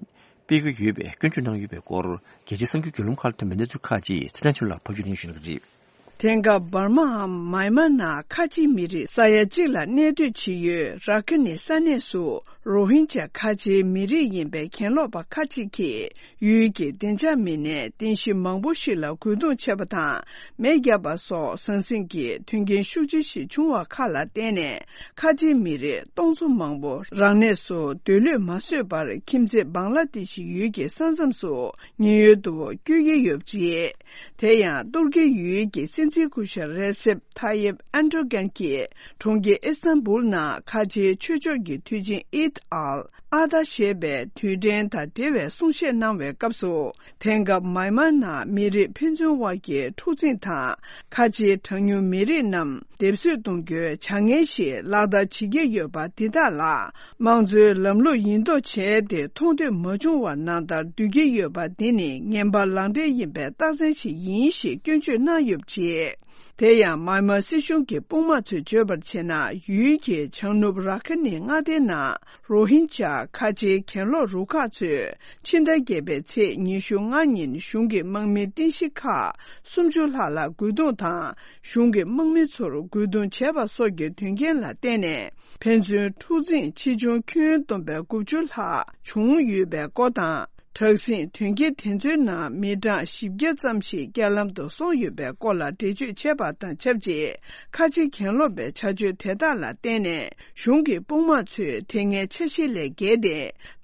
སྤེལ་གྱི་ཡོད་པའི་སྐྱོན་བརྗོད་གནང་ཡོད་པའི་སྐོར། རྒྱལ་སྤྱིའི་གསར་འགྱུར་བརྒྱུད་ལམ་ཁག་ལ་ཐོན་པའི་གནས་ཚུལ་ཁག་ཅིག་ཚེ་བརྟན་ཆོས་ལ་ཕབ་སྒྱུར་གནང་ཞུ་གནང་གི་རེད། དེང་སྐབས་འབར་མའམ་མཱི་མཱ་ནང་ཁ་ཆེའི་མི་རིགས་ས་ཡ་གཅིག་ལ་གནས་སྡོད་བྱེད་ཡུལ་ར་ཁི་ནི་ས་གནས་སུ། རོ་ཧིན་ཇཱ་ཁ་ཆེའི་མི་རིགས་ཡིན་པའི་གྱེན་ལོག་པ་ཁག་ཅིག་གིས། ཡུལ་གྱི་བདེ་འཇགས་མི་སྣའི་རྟེན་གཞི་མང་པོ་ཞིག་ལ་རྒོལ་རྡུང་བྱས་པ་དང་། མེ་བརྒྱབ་པ་སོགས་ཟང་ཟིང་གི་མཐུན་རྐྱེན་ཤུགས་ཆེ་ཞིག་བྱུང་བ་ཁག་ལ་བརྟེན་ནས། ཁ་ཆེའི་མི་རིགས་སྟོང་ཚོ་མང་པོ་རང་གནས་སུ་སྡོད་ལུས་མ་བཟོད་པར། ཁྱིམ་མཚེས་བང་ལ་དེ་ཤི་ཡུལ་གྱི་ས་མཚམས་སུ་ཉེན་གཡོལ་དུ་བསྐྱོད་ཀྱི་ཡོད་པ་རེད། དེ་ཡང་ཏུར་ཀི་ཡུལ་གྱི་སྲིད་འཛིན་སྐུ་ཞབས་རེ་སེབ་ཐ་ཡེབ་ཨན་ཏྲོ་གན་གྱིས་གྲོང་ཁྱེར་ཨི་སི་ཐན་བུལ་ནང་ཁ་ཆེའི་ཆོས་ཕྱོགས་ཀྱི་དུས་ཆེན་ཨིད་ཨལ་ཨ་ད་ཞེས་པའི་དུས་དྲན་དང་འབྲེལ་བའི་གསུང་བཤད་གནང་བའི་སྐབས་སུ། དེང་སྐབས་མཱི་མཱ་ནང་མི་རིགས་ཕན་ཚུན་དབར་གྱི་འཁྲུག་འཛིང་དང་། ཁ་ཆེའི་གྲངས་ཉུང་མི་རིགས་རྣམས་སྡེབ་གསོད་གཏོང་རྒྱུའི་བྱ་ངན་ཞིག་ལག་བསྟར་བྱེད་ཀྱི་ཡོད་པ་འདི་དག་ལ། དམངས་གཙོའི་ལམ་ལུགས་ཡིན་མདོག་བྱས་ཏེ་མཐོང་ཐོས་མ་བྱུང་བར་ནང་ལྟར་སྡོད་ཀྱི་ཡོད་པ་འདི་ནི་ངན་པ་ལག་འབྲེལ་ཡིན་པའི་རྟགས་མཚན་ཞིག་ཡིན་ཞེས་སྐྱོན་བརྗོད་གནང་ཡོད་པ་རེད། དེ་ཡང་མཱི་མཱ་སྲིད་གཞུང་གི་དཔུང་དམག་ཚོས་བརྗོད་པར་བྱས་ན། ཡུལ་གྱི་བྱང་ནུབ་ར་ཁི་ནི་མངའ་སྡེ་ནང་རོ་ཧིན་ཇཱ་ཁ་ཆེའི་གྱེན་ལོག་རུ་ཁག་ཚོས་ཕྱི་ཟླ་བརྒྱད་པའི་ཚེས་ཉི་ཤུ་ལྔ་ཉིན་གཞུང་གི་དམག་མིའི་རྟེན་གཞི་ཁག་སུམ་ཅུ་ལྷག་ལ་རྒོལ་རྡུང་དང་། གཞུང་གི་དམག་མི་ཚོར་རྒོལ་རྡུང་བྱས་པ་སོགས་ཀྱི་དོན་རྐྱེན་ལ་བརྟེན་ནས། ཕན་ཚུན་འཁྲུག་འཛིང་ཆེ་ཆུང་ཁྱོན་བསྡོམས་པའི་དགུ་བཅུ་ལྷག་བྱུང་ཡོད་པའི་སྐོར་དང་། དྲག་ཟིང་དོན་རྐྱེན་དེ་ཚོའི་ནང་མི་གྲངས་བཞི་བརྒྱ་ཙམ་ཞིག་རྐྱེན་ལམ་དུ་སོང་ཡོད་པའི་སྐོར་ལ་འགྲེལ་བརྗོད་བྱས་པ་དང་ཆབས་ཅིག་ཁ་ཆེ་གྱེན་ལོག་པའི་བྱ་སྤྱོད་དེ་དག་ལ་བརྟེན་ནས་གཞུང་གི་དཔུང་དམག་ཚོས་དེ་སྔའི་འཆར་གཞི་ལས་བརྒལ་ཏེ་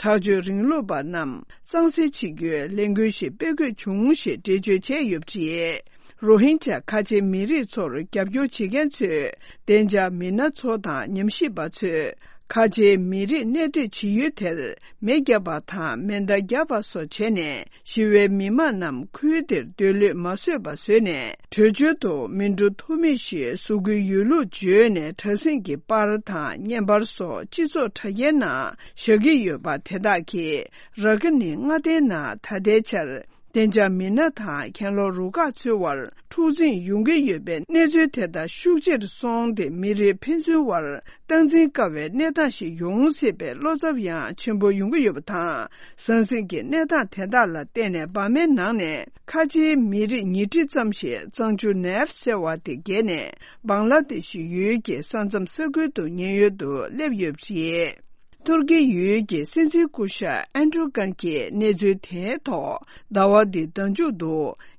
དྲག་སྤྱོད་རིང་ལུགས་པ་རྣམས་གཙང་སེལ་བྱེད་རྒྱུའི་ལས་འགུལ་ཞིག་སྤེལ་དགོས་བྱུང་ཞེས་འགྲེལ་བརྗོད་བྱས་ཡོད་པ་རེད། རོ་ཧིན་ཇཱ་ཁ་ཆེ་མི་རིགས་ཚོར་རྒྱབ་སྐྱོར་བྱེད་མཁན་ཚོས་བདེ་འཇགས་མི་སྣ་ཚོ་དང་ཉམས་ཞིབ་པ་ཚོས་ཁ་ཆེ་མི་རིགས་གནས་སྡོད་བྱེད་ཡུལ་དེར་མེ་བརྒྱབ་པ་དང་མེ་མདའ་བརྒྱབ་པ་སོགས་བྱས་ནས་ཞི་བའི་མི་མང་རྣམས་ཁུལ་དེར་སྡོད་ལུས་མ་བཟོད་པ་བཟོས་ནས་བྲོས་བྱོལ་དུ་མི་འགྲོ་ཐུབ་མིན་ཞེས་གཟུགས་སྐུའི་ཡོད་ལུགས་བརྗོད་ནས་དྲག་ཟིང་གི་པར་དང་བརྙན་པར་སོགས་སྤྱི་ཚོགས་དྲ་རྒྱའི་ནང་བཞག་གི་ཡོད་པ་དེ་དག་གིས་ར་ཁི་ནི་མངའ་སྡེའི་ནང་ད་ལྟའི་ཆར་བདེ་འཇགས་མི་སྣ་དང་གྱེན་ལོག་རུ་ཁག་ཚོའི་དབར་འཁྲུག་འཛིང་ཡོང་གི་ཡོད་པའི་གནས་ཚུལ་དེ་དག་ཤུགས་ཆེར་སོང་སྟེ་མི་རིགས་ཕན་ཚུན་དབར་སྟངས་འཛིན་དཀའ་བའི་གནས་སྟངས་ཤིག་ཡོང་སྲིད་པའི་བློ་འཚབ་ཡང་ཆེན་པོ་ཡོང་གི་ཡོད་པ་དང་། ཟང་ཟིང་གི་གནས་སྟངས་དེ་དག་ལ་བརྟེན་ནས་འབར་མའི་ནང་ནས་ཁ་ཆེའི་མི་རིགས་ཉིས་ཁྲི་ཙམ་ཞིག་གཙང་ཆུ་ནེལ་ཟེར་བ་དེ་བརྒལ་ནས་བང་ལ་དེ་ཤི་ཡུལ་གྱི་ས་མཚམས་ས་ཁུལ་དུ་ཉེན་གཡོལ་དུ་སླེབས་ཡོད་པ་རེད། ཏུར་ཀི་ཡུལ་གྱི་སྲིད་འཛིན་སྐུ་ཞབས་ཨན་ཏྲུ་ཀན་གྱིས་གནས་ཚུལ་དེའི་ཐོག་ཟླ་བ་འདིའི་ཟླ་མཇུག་ཏུ་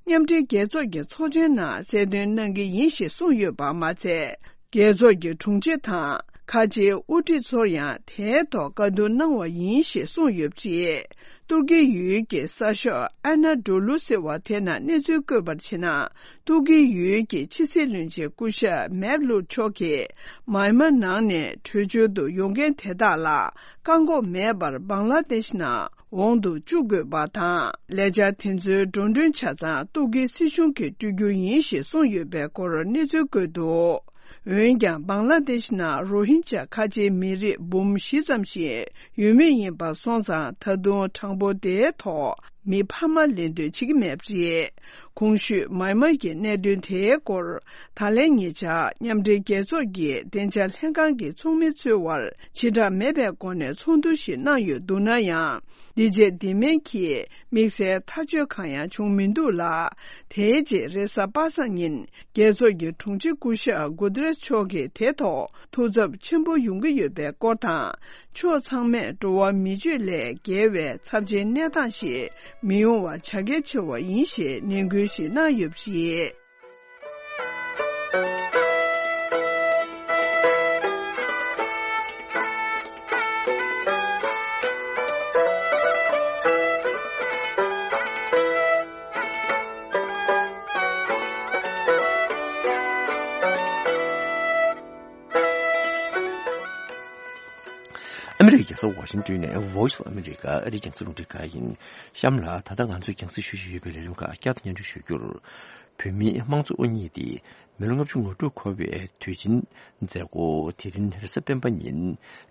མཉམ་འབྲེལ་རྒྱལ་ཚོགས་ཀྱི་ཚོགས་ཆེན་ནང་གསལ་སྟོན་གནང་གི་ཡིན་ཞེས་གསུངས་ཡོད་པ་མ་ཚད། རྒྱལ་ཚོགས་ཀྱི་དྲུང་ཆེ་དང་ཁ་ཆེའི་དབུ་ཁྲིད་ཚོར་ཡང་དེའི་ཐོག་བཀའ་བསྡུར་གནང་བ་ཡིན་ཞེས་གསུངས་ཡོད་པ་རེད། ཏུར་ཀི་ཡུལ་གྱི་གསར་ཤོག་ཨ་ན་ཌོ་ལུ་ཟེར་བ་དེ་ནང་གནས་ཚུལ་བཀོད་པར་བྱས་ན། ཏུར་ཀི་ཡུལ་གྱི་ཕྱི་སྲིད་བློན་ཆེན་སྐུ་ཞབས་མེབ་ལུ་མཆོག་གིས་མཱི་མཱ་ནང་ནས་བྲོས་བྱོལ་དུ་ཡོང་མཁན་དེ་དག་ལ་བཀག་འགོག་མེད་པར་བང་ལ་དེཤ་ནང་འོང་དུ་བཅུག་དགོས་པ་དང་། ལས་འཆར་དེ་ཚོའི་འགྲོ་གྲོན་ཆ་ཚང་ཏུར་ཀིའི་སྲིད་གཞུང་གིས་སྤྲོད་རྒྱུ་ཡིན་ཞེས་གསུངས་ཡོད་པའི་སྐོར་གནས་ཚུལ་བཀོད་འདུག་འོན་ཀྱང་། བང་ལ་དེཤ་ནང་རོ་ཧིན་ཇཱ་ཁ་ཆེའི་མི་རིགས་འབུམ་བཞི་ཙམ་ཞིག་ཡོད་མུས་ཡིན་པ་སོང་ཙང་། ད་དུང་གྲངས་འབོར་དེའི་ཐོག་མི་འཕར་མ་ལེན་འདོད་བྱེད་ཀྱི་མེད་པ་རེད། གོང་ཞུས་མཱི་མཱ་གི་གནད་དོན་དེའི་སྐོར་ད་ལན་ཉེ་ཆར་མཉམ་འབྲེལ་རྒྱལ་ཚོགས་ཀྱི་བདེ་འཇགས་ལྷན་ཁང་གི་ཚོགས་མི་ཚོའི་དབར་བྱེ་བྲག་མེད་པའི་སྒོ་ནས་ཚོགས་འདུ་ཞིག་གནང་ཡོད་འདུག་ན་ཡང་། འདི་རྗེས་འདི་མིན་གྱི་དམིགས་བསལ་ཐག་གཅོད་གང་ཡང་བྱུང་མི་འདུག་ལ། དེའི་རྗེས་རེས་གཟའ་པ་སངས་ཉིན་རྒྱལ་ཚོགས་ཀྱི་དྲུང་ཆེ་སྐུ་ཞབས་གུ་ཏེ་རེས་མཆོག་གིས་དེ་ཐོག་ཐུགས་འཚབ་ཆེན་པོ་ཡོང་གི་ཡོད་པའི་སྐོར་དང་། ཕྱོགས་ཚང་མས་འགྲོ་བ་མི་སྤྱོད་ལས་བརྒལ་བའི་ཚབས་ཆེའི་གནས་སྟངས་ཤིག་མི་ཡོང་བ་བྱ་གལ་ཆེ་བ་ཡིན་ཞེས་ནན་སྐུལ་ཞིག་གནང་ཡོད་པ་རེད། ཨ་མི་རི་ཀའི་རྒྱལ་ས་ཝ་ཤིང་ཏོན་ནས་Voice of America ཨ་རིའི་རྒྱང་སྲིང་རླུང་འཕྲིན་ཁང་ཡིན། གཤམ་ལ་ད་ལྟ་ང་ཚོས་རྒྱང་སྲིང་ཞུ་བཞིན་ཡོད་པའི་ལས་རིམ་ཁག་བསྐྱར་དུ་སྙན་སྒྲོན་ཞུ་རྒྱུར། བོད་མིའི་དམངས་གཙོ་དབུ་བརྙེས་ཏེ་མི་ལོ་ལྔ་བཅུ་ང་དྲུག་འཁོར་བའི་དུས་ཆེན་མཛད་སྒོ་དེ་རིང་རེས་གཟའ་སྤེན་པ་ཉིན་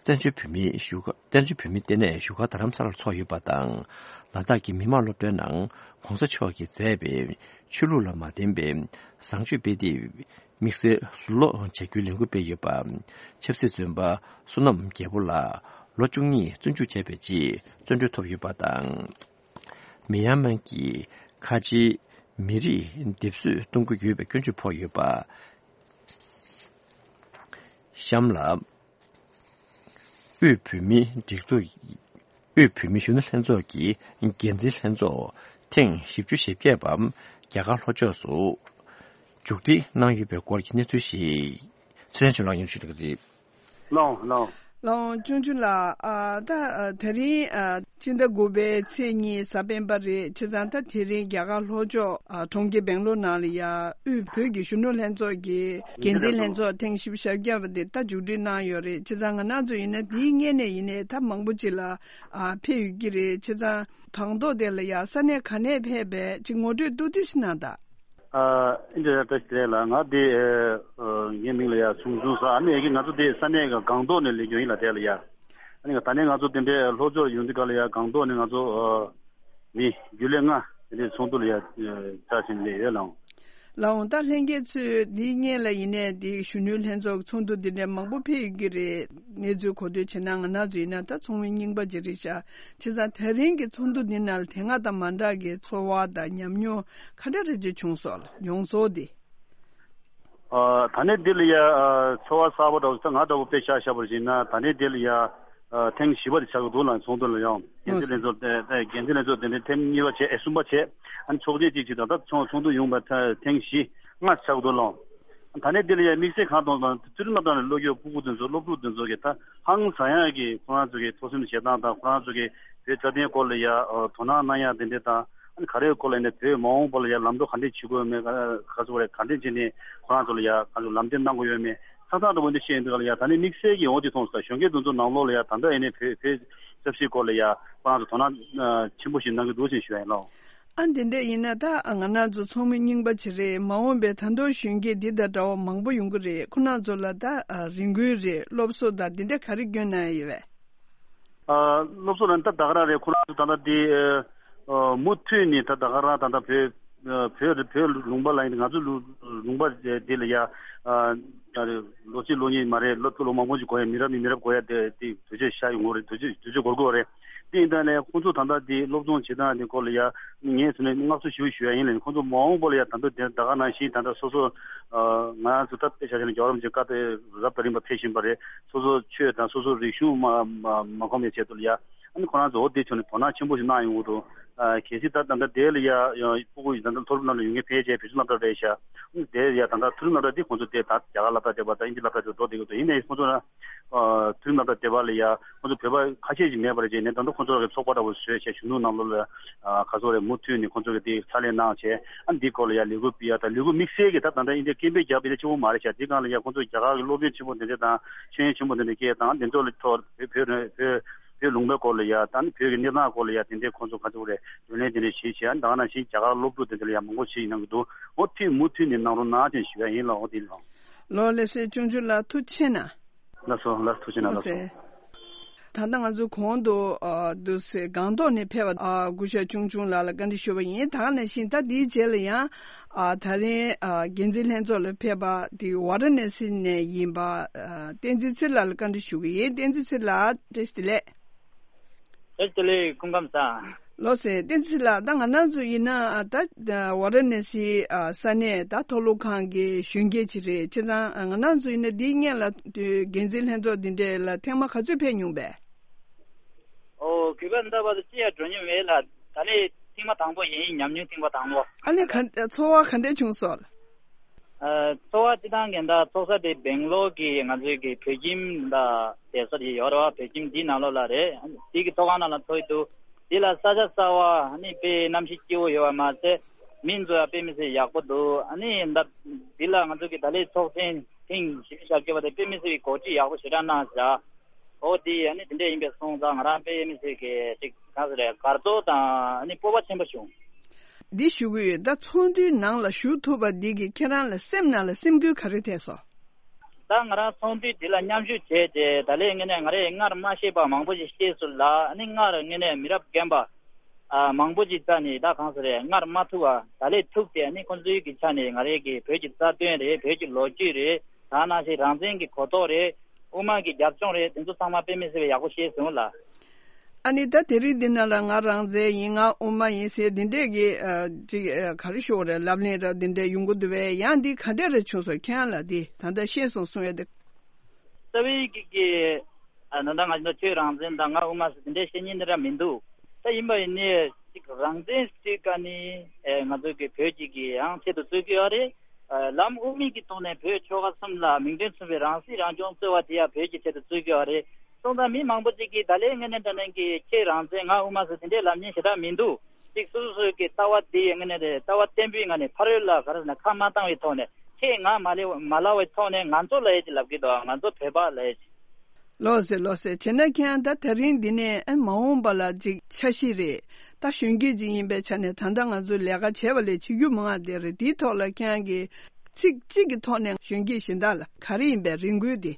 བཙན་བྱོལ་བོད་མིའི་བཞུགས་སྒར། བཙན་བྱོལ་བོད་མིའི་ལྟེ་གནས་བཞུགས་སྒར་རྡ་རམ་ས་ལར་འཚོགས་ཡོད་པ་དང་། ལ་དྭགས་ཀྱི་མི་དམངས་སློབ་གྲྭའི་ནང་གོང་ས་མཆོག་གིས་མཛད་པའི་ཆོས་ལུགས་ལ་མ་བརྟེན་པའི་བཟང་སྤྱོད་སྤེལ་ཏེ། དམིགས་བསལ་ཟུར་ལོག་བྱ་རྒྱུའི་ལས་འགུལ་སྤེལ་ཡོད་པ། ཆབ་སྲིད་བཙོན་པ་བསོད་ནམས་རྒྱལ་པོ་ལགས་ལོ་བཅུ་གཉིས་བཙོན་འཇུག་བྱས་པའི་རྗེས་བཙོན་གྲོལ་ཐོབ་ཡོད་པ་དང་། མི་ཡན་མན་གྱི་ཁ་ཆེའི་མི་རིགས་སྡེབ་གསོད་གཏོང་གི་ཡོད་པའི་སྐྱོན་བརྗོད་ཕོག་ཡོད་པ། གཤམ་ལ། དབུས་བོད་མིའི་སྒྲིག་འཛུགས། དབུས་བོད་མིའི་གཞོན་ནུ་ལྷན་ཚོགས་ཀྱི་འགན་འཛིན་ལྷན་ཚོགས་ཐེངས་བཞི་བཅུ་ཞེ་བརྒྱད་པ་རྒྱ་གར་ལྷོ་ཕྱོགས་སུ་མཇུག་སྒྲིལ་གནང་ཡོད་པའི་སྐོར་གྱི་གནས་ཚུལ་ཞིག་ཚེ་རིང་ཆོས་ལགས་སྙན་ཞུ་གནང་གི་རེད། ལགས་འོང་། ལགས་འོང་། ལགས་འོང་། ཅོང་ཅུན་ལགས། ཨ། ད་ཨ་དེ་རིང་ཨ་ཕྱི་ཟླ་དགུ་པའི་ཚེས་གཉིས་གཟའ་སྤེན་པ་རེད། བྱས་ཙང་ད་དེ་རིང་རྒྱ་གར་ལྷོ་ཕྱོགས་ཨ་གྲོང་ཁྱེར་སྦེང་ལོར་ནང་ལ་ཡ་དབུས་བོད་ཀྱི་གཞོན་ནུ་ལྷན་ཚོགས་ཀྱི་འགན་འཛིན་ལྷན་ཚོགས་ཐེངས་བཞི་བཅུ་ཞེ་བརྒྱད་པ་དེ་ད་མཇུག་སྒྲིལ་གནང་ཡོད་རེད། བྱས་ཙང་ང་རང་ཚོ་ཡིན་ན་དེའི་སྔོན་ནས་ཡིན་ནའི་ད་མང་པོ་ཅིག་ལ་ཨ་ཕེབས་ཡོད་ཀྱི་རེད། བྱས་ཙང་དང་ཐོག་དེ་ལ་ཡ་ས་གནས་ག་ནས་ཕེབས་པའི་ཅིག་ངོ་སྤྲོད་ཏོག་ཏོག་ཞིག་གནང་དང་། ཨ། ཨིན་དྲ་ཡ་བཀྲ་ཤིས་བདེ་ལགས། ང་དེ་ཨ་ངའི་མིང་ལ་ཡ་ཚུང་ཚུང་ཟེར། ཨ་ནི་ཡ་གི་ང་ཚོ་དེ་ས་གནས་ཀྱི་སྒང་ཏོག་ནས་སླེབས་ཀྱི་ཡིན་ལ། དེ་ལ་ཡ་ཨ་ནི་ད་ནས་ང་ཚོ་དེ་འདྲའི་ལྷོ་ཕྱོགས་ཡོང་དུས་ག་ལ་ཡ་སྒང་ཏོག་ནས་ང་ཚོ་ཨ་མི་རྒྱུན་ལས་ལྔ་དེ་འདྲའི་ཚོགས་འདུ་ལ་ཡ་ཕྱག་ཕྱིན་སླེབས་ཡོད་ལགས། ལགས་འོང་། ད་ལྷན་རྒྱས་ཚོས་འདིའི་སྔོན་ལ་ཡིན་ནའི་འདི་གཞོན་ནུའི་ལྷན་ཚོགས་ཚོགས་འདུ་འདི་འདྲའི་མང་པོ་ཕེབས་ཡོད་ཀྱི་རེད། གནས་ཚུལ་གོ་ཐོས་བྱས་ན་ང་རང་ཚོ་ཡིན་ན་ད་ཚོགས་མི་རྙིང་པ་ཅིག་རེད་ཤག་བྱས་ཙང་དེ་རིང་གི་ཚོགས་འདུ་འདི་ནང་ལ་དེ་སྔ་དང་མ་འདྲ་གི་ཚོར་བ་དང་ཉམས་མྱོང་ག་འདྲ་རེ་ཅིག་བྱུང་སོང་། མྱོང་ཚོར་འདི། ཨ། ད་ནས་འདི་ལ་ཡ་ཨ་ཚོར་བ་གསར་པ་འདྲ་བོ་ད་ང་འདྲ་བོ་དཔེ་ཆ་བཞག་པར་བྱས་ན་ད་ནས་འདི་ལ་ཡ་ ཨ་ཐེངས་བཞི་པ་དེ་ཆགས་ཀྱི་འདུག་ལ། ཚོགས་འདུ་ལ་ཡང་འགན་འཛིན་ལྷན་ཚོགས་དེ་དེ་འགན་འཛིན་ལྷན་ཚོགས་དེ་འདྲའི་ཐེངས་གཉིས་པ་བྱས། ཨེ་གསུམ་པ་བྱས། ཨ་ནི་ཚོགས་ཆེན་གཅིག་བྱས། ད་ལྟ་ཚོགས་ཚོགས་འདུ་ཡོང་བ་ཐེངས་བཞི་ལྔ་ཆགས་ཀྱི་འདུག་ལ། ད་ནས་འདི་ལ་ཡང་དམིགས་བསལ་གང་གཏོང་དང་། ཚུལ་ཁྲིམས་རྣམ་གྲངས་ནས་སློབ་ཕྲུག་སྤུ་གུ་དེ་ཚོ་སློབ་ཕྲུག་དེ་ཚོ་གི་ད་ཧང་སང་ཡག་གི་ཁོ་རང་ཚོ་གི་ཐོག་སེམས་བྱེད་སྟངས་དང་། ཁོ་རང་ཚོ་གི་བོད་རྩ་དོན་སྐོར་ལ་ཡ་ཨ་དོ་སྣང་གནང་ཡག་དེ་འདྲ་དང་། ཨ་ནི་ག་རེའི་སྐོར་ལ་ཡིན་ན། བོད་མ་འོངས་པ་ལ་ཡ་ལམ་འགྲོ་ག་འདྲས་བྱེད་དགོས་མེད། ག་ག་ཚོད་རེད། ག་འདྲས་བྱས་ནས་ཁོ་རང་ཚོ་ལ་ཡ་ག་ཚོད་ལམ་སྟོན་གནང་དགོས་ཡོད་མེད། ས་ཐག་འདྲ་བོ་འདི་བཤད་ཡིན་འདུག་ལ་ཡ། ད་ནི་དམིགས་བསལ་གྱི་འོ་དེ་མཐོང་སོང་། གཞོན་སྐྱེས་དེ་ཚོ་ནང་ལོགས་ལ་ཡ་ད་ལྟ་ཡིན་ནའི་བོད་བོད་ཆབ་སྲིད་སྐོར་ལ་ཡ་ཁོ་རང་ཚོ་དོ་སྣང་ཆེན་པོ་ཞིག་གནང་གི་འདུག་ཅེས་ཞུ་ཡ་ཡིན་ལགས། ཨ་འདི་འདྲ་ཡིན་ན། ད་ང་རང་ཚོ་ཚོགས་མི་རྙིང་པ་ཅིག་རེད། མ་འོངས་པའི་ད་དུང་གཞོན་སྐྱེས་འདི་དང་འདྲ་བོ་མང་པོ་ཡོང་གི་རེད། ཁོ་རང་ཚོ་ལ་ད་ཨ་རེ་སྐུལ་རེད། སློབ་གསོ་དང་འདི་འདྲ་ག་རེ་སྐྱོན་གནང་ཡ་ཡོད་པས། ཨ་སློབ་གསོ་ལ་ད་ད་ག་རང་རེད། ཁོ་རང་ཚོ་ད་ལྟ་འདི་ཨ་མུ་མཐུད་ནས་ད་ད་ག་རང་ད་ལྟ་བོད་ཨ་བོད་བོད་ལུང་པ་ལ་ཡིན། ང་ཚོ་ལུ་ལུང་པ་འདི་ལ་ཡ་ཨ་ལོ་གཅིག་ལོ་གཉིས་མ་རེད། ལོ་ལོ་མང་པོ་ཞིག་འགོར་ཡ། མི་རབས་ནས་མི་རབས་འགོར་ཡ་དེ་དེ་དུས་ཚོད་ཤར་ཡོང་གི་རེད། དུས་ཚོད་དུས་ཚོད་འགོར་གི་རེད། དེ་ཡིན་ད་ནས་ཁོང་ཚོ་ད་ལྟ་དེ་སློབ་སྦྱོང་བྱེད་སྟངས་དེ་སྐོར་ལ་ཡ་ངས་ཚོ་ནས་བསྔགས་བརྗོད་ཞུ་ཞུ་ཡ་ཡིན་ལ། ཁོང་ཚོ་མ་འོངས་པ་ལ་ཡ་ད་ལྟ་དེ་ད་ག་ནང་བཞིན་ད་ལྟ་སོ་སོ་ཨ་ང་ཚོ་ད་དཔེ་ཆ་བཞག་ན་རྒྱལ་བ་རིན་པོ་ཆེ་བཀའ་དེ་རབ་དང་རིམ་པ་ཕེབས་བཞིན་པ་རེད། སོ་སོ་ཆོས་དང་སོ་སོ་རིག་གཞུང་མ་མ་མ་ཁོམ་པའི་ཆེད་དུ་ལ་ཡ། ཨ་ནི་ཁོ་རང་ཚོ་འོ་དེ་ཕྱོགས་ནས་དོ་སྣང་ཆེན་པོ་ཞིག་གནང་ཡོང་གི་འདུག་ཨ་གལ་སྲིད་ད་ད་ལྟ་དེ་ལ་ཡ་ཡ་སྤུ་གུ་ཡིས་ད་ལྟ་མཐོ་རིམ་སློབ་གྲྭ་ཡོང་མཁན་ཕལ་ཆེར་བོད་ཕྱི་སློབ་གྲྭ་རེད་ཤག་ཨ་ནི་དེ་ཡ་ད་ལྟ་མཐོ་རིམ་སློབ་གྲྭ་དེ་ཁོང་ཚོ་དེ་ད་རྒྱ་གར་སློབ་གྲྭ་བསྡད་པ་དང་དབྱིན་ཇི་སློབ་གྲྭ་དེ་འགྲོ་བསྡད་ཀྱི་འདུག་ཡིན་ནའི་ཁོང་ཚོ་ན་ཨ་མཐོ་རིམ་སློབ་གྲྭ་བསྡད་པ་ལ་ཡ་ཁོང་ཚོ་བོད་པ་ཁ་ཤས་ཤིག་མེད་པ་རེད། བྱས་ནས་ད་ལྟ་ཁོང་ཚོ་གི་ཚོགས་པ་འདྲ་བོ་བཟོས་བྱས་གཞོན་ནུ་ནང་ལོགས་ལ་ཨ་ག་ཚོད་རེད། མུ་མཐུད་ནས་ཁོང་ཚོ་གི་དེ་ཕྱག་ལས་གནང་བྱས། ཨ་ནི་འདི་སྐོར་ལ་ཡ་ལས་འགུལ་སྤེལ་ཡ་དང་། ལས་འགུལ་དམིགས་བསལ་གྱི་ད་ད་ལྟ་ཨིན་ཇི་སྐད་འབོད་རྒྱག་པ་དེ་ཆེན་པོ་མ་རེད་ཤག་དེ་སྒང་ལ་ཡ་ཁོང་ཚོ་རྒྱ་གར་གྱི་སློབ་དཔོན་ཆེན་པོ་དེ་འདྲ་དང་། ཤེས་ཡོན་ཆེན་པོ་དེ་འདྲ་སྐད་དང་། དེ་ཚོ་ལ་ཐོག་བོད་བོད་བོད་བོད་ལུང་པའི་སྐོར་ལ་ཡ་དང་། བོད་ཀྱི་གནས་སྟངས་སྐོར་ལ་ཡ་དེ་འདྲའི་ཁོང་ཚོ་ག་ཚོད་རེད། བགྲོ་གླེང་དེ་འདྲ་བྱེད་བྱས། ཨ་ནི་ད་ག་ནང་བཞིན་རྒྱ་གར་སློབ་ཕྲུག་དེ་འདྲ་ལ་ཡ་མང་པོ་ཞིག་གནང་གི་འདུག་འོ་དེ་མུ་མཐུད་ནས་གནང་རོགས་གནང་ཅེས་ཞུ་ཡ་ཡིན་ལགས། འོ་དེ་ལགས། ལགས་ལགས་སེ། ཅུང་ཅུང་ལགས་ཐུགས་རྗེ་ཆེ་གནང་། ལགས་སོ། ལགས་ཐུགས་རྗེ་གནང་། ལགས་སོ། ལགས་སོ། ད་ལྟ་ང་ཚོ་གོང་དུ་ཨ་འདུག་སེ་སྒང་ཏོག་ནས་ཕེབས་པ་ཨ་སྐུ་ཞབས་ཅུང་ཅུང་ལགས་ལ་བཀའ་འདྲི་ཞུས་པ་ཡིན། ད་ག་ནང་བཞིན་ད་འདིའི་རྗེས་ལ་ཡང་ཨ་ད་རིང་ཨ་འགན་འཛིན་ལྷན་ཚོགས་ལ་ཕེབས་པ་དེ་ཝཱ་ར་ཎ་སི་ནས་ཡིན་པ་ཨ་བསྟན་འཛིན་ཚེ་རིང་ལགས་ལ་བཀའ་འདྲི་ཞུ་གི་ཡིན། བསྟན་འཛིན་ཚེ་རིང་ལགས། བཀྲ་ཤིས་བདེ་ལེགས། བཀྲ་ཤིས་བདེ་ལེགས། སྐུ་ཁམས་བཟང་། ལགས་སེ། བསྟན་འཛིན་ལགས། ད་ང་རང་ཚོ་ཡིན་ན་ད་ཝཱ་ར་ཎ་སི་ས་གནས་ད་མཐོ་སློབ་ཁང་གི་གཞོན་སྐྱེས་ཅིག་རེད། བྱས་ཙང་ང་རང་ཚོ་ཡིན་ན་འདིའི་སྔོན་ལ་འགན་འཛིན་ལྷན་ཚོགས་འདི་འདྲ་ལ་ཐེངས་མ་ག་ཚོད་ཕེབས་མྱོང་པས། ཨོ། གུས་པ་འདྲ་བ་དང་ཅི་ཡང་འགྲོ་མྱོང་མེད་ལ། ད་ལས་ཐེངས་མ་དང་པོ་ཡིན། ཉམས་མྱོང་ཐེངས་མ་དང་པོ། ཨ་ལས། ག་ཚོར་བ་ག་འདྲ་བྱུང་སོང་། ཨ། ཚོགས་པ་སྤྱི་བཏང་གི་ད་ཚོགས་ས་དེ་སྦེང་ལོར་གྱི་ང་ཚོའི་གི་བོད་ཁྱིམ་ད་བསྡད་ས་དེ་ཡོད་རེད་བ། བོད་ཁྱིམ་འདིའི་ནང་ལོགས་ལ་རེད། འདི་གི་ཚོགས་ཁང་ནང་ལ་ཚོགས་ཀྱི་འདུག་འདི་ལ་ས་ཆ་གསར་བ། ཨ་ནི་དཔེ་གནམ་གཤིས་སྐྱིད་པོ་ཡོད་པ་མ་ཟད། མི་ཚོ་ཡང་དཔེ་མི་སྲིད་ཡག་པོ་འདུག་ཨ་ནི་ད་འདི་ལ་ང་ཚོ་གི་ད་ལོའི་ཚོགས་ཆེན་ཐེངས་བཞི་བཅུ་ཞེ་བརྒྱད་པ་དེ་དཔེ་མི་སྲིད་པའི་གོ་སྒྲིག་ཡག་པོ་ཞེ་དྲག་གནང་བཞག་འོ་དེ་ཨ་ནི་དེ་འདྲ་ཡིན་པས་སོང་ཙང་ང་རང་དཔེ་མི་སྲིད་ཀྱི་ཅིག་ག་ཟེར་རེད། དགའ་ཚོར་དང་ཨ་ནི་སྤོབས་པ་ཆེན་པོ་བྱུང་། འདི་ཞུ་གི་ཡོད། ད་ཚོགས་འདུའི་ནང་ལ་ཞུགས་ཐུབ་པ་འདི་གིས་ཁྱེད་རང་ལ་སེམས་ནང་ལ་སེམས་འགུལ་ག་རེ་ཐེབས་སོང་། ད་ང་རང་ཚོགས་འདུ་འདི་ལ་མཉམ་ཞུགས་བྱས་རྗེས་ད་ལོའི་དངོས་གནས་ང་རས་སྔར་མ་ཤེས་པ་མང་པོ་ཞིག་ཤེས་སོང་ལ། ཨ་ནི་སྔར་དངོས་གནས་མི་རབས་རྒན་པ་ཨ་མང་པོ་ཞིག་རྩ་ནས་ད་གང་ཟེར་རེད། སྔར་མ་ཐུག་པ་ད་ལོའི་ཐུག་སྟེ། ཨ་ནི་ཁོང་ཚོའི་གི་ཆ་ནས་ང་རའི་གི་བོད་ཀྱི་རྩ་དོན་རེད། བོད་ཀྱི་ལོ་རྒྱུས་རེད། ད་ནང་བཞིན་རང་བཙན་གྱི་གོ་རྟོགས་རེད། དབུ་མ་གི་རྒྱབ་ལྗོངས་རེད། དེ་ཚོ་ཚང་མ་དཔེ་མི་སྲིད་པའི་ཡག་པོ་ཤེས་སོང་ལ། ཨ་ནི་ད་དེ་རིང་འདི་ན་ལ་ང་རང་བཙན་ཡིན། ང་དབུ་མ་ཡིན་ཟེར་འདི་འདྲས་ཀྱི་ཨ་ཅིག་ཨ་ག་རེ་ཞུ་དགོས་རེད། ལབ་གླེང་ར་འདི་འདྲས་ཡོང་གི་འདུག་པས། ཡང་འདི་ག་འདྲས་རེ་བྱུང་སོང་། ཁྱེད་རང་ལ་འདི་ད་ལྟ་ཤེས་སོང་གསུང་ཡ་འདི། རྩ་བའི་གི་གི་ཨ་ད་ལྟ་ང་ཚོ་ཁྱོད་རང་བཙན་དང་ང་དབུ་མ་ཟེར་འདི་འདྲས་བཤད་མཁན་འདི་འདྲ་མི་འདུག་ད་ཡིན་པ་ཡིན་ནའི་ཅིག་རང་བཙན་ཟེར་ག་ནི་ཨེ་ང་ཚོ་གི་བོད་ཀྱི་གི་ཡང་ཆེད་དུ་རྩོད་ཀྱི་ཡོད་རེད། ལམ་དབུ་མའི་གི་ཐོག་ནས་བོད་ཆོལ་ཁ་གསུམ་ལ་མིང་དོན་མཚུངས་པའི་རང་སྲིད་རང་སྐྱོང་རྩོད་པ་དེ་ཡང་བོད་ཀྱི་ཆེད་དུ་རྩོད་ཀྱི་ཡོད་རེད། སོང་ཙང་མི་མང་པོ་ཅིག་གིས་ད་ལོའི་དངོས་གནས་དྲང་གནས་ཀྱི་ཁྱེད་རང་བཙན་ང་དབུ་མ་ཟེར་དེ་འདྲའི་ལབ་མཁན་ཞེ་དྲག་མི་འདུག་ཅིག་སོ་སོ་སོའི་གི་ལྟ་བ་དེ་ཡི་དངོས་གནས་རེད། ལྟ་བ་བརྟན་པོའི་ངང་ནས་ཕ་རོལ་ལ་ག་རེ་ཟེར་ན་ཁ་མ་བཏང་བའི་ཐོག་ནས། ཁྱེད་ང་མ་ལེ་མ་ལབ་པའི་ཐོག་ནས་ང་ཚོ་ལབ་ཡས་ཅིག་ལབ་ཀྱི་འདུག་ང་ཚོ་བོད་པ་ལབ་ཡས་ཅིག་ལགས་སེ། ལགས་སེ། བྱས་ན་ཁྱེད་རང་ད་དེ་རིང་འདི་ནས་ཨ་མ་འོངས་པ་ལ་ཅིག་འཆར་གཞི་རེད། ད་གཞོན་སྐྱེས་ཅིག་ཡིན་པའི་ཆ་ནས་ད་ལྟ་ང་ཚོས་ལས་ཀ་བྱས་པ་ལས་བྱེད་རྒྱུ་མང་བ་དེ་རེད། དེའི་ཐོག་ལ་ཁྱེད་རང་གིས་ཚིག་གཅིག་གི་ཐོག་ནས་གཞོན་སྐྱེས་གཞན་དག་ལ་ག་རེ་ཡིན་པའི་རེ་སྐུལ་དེ།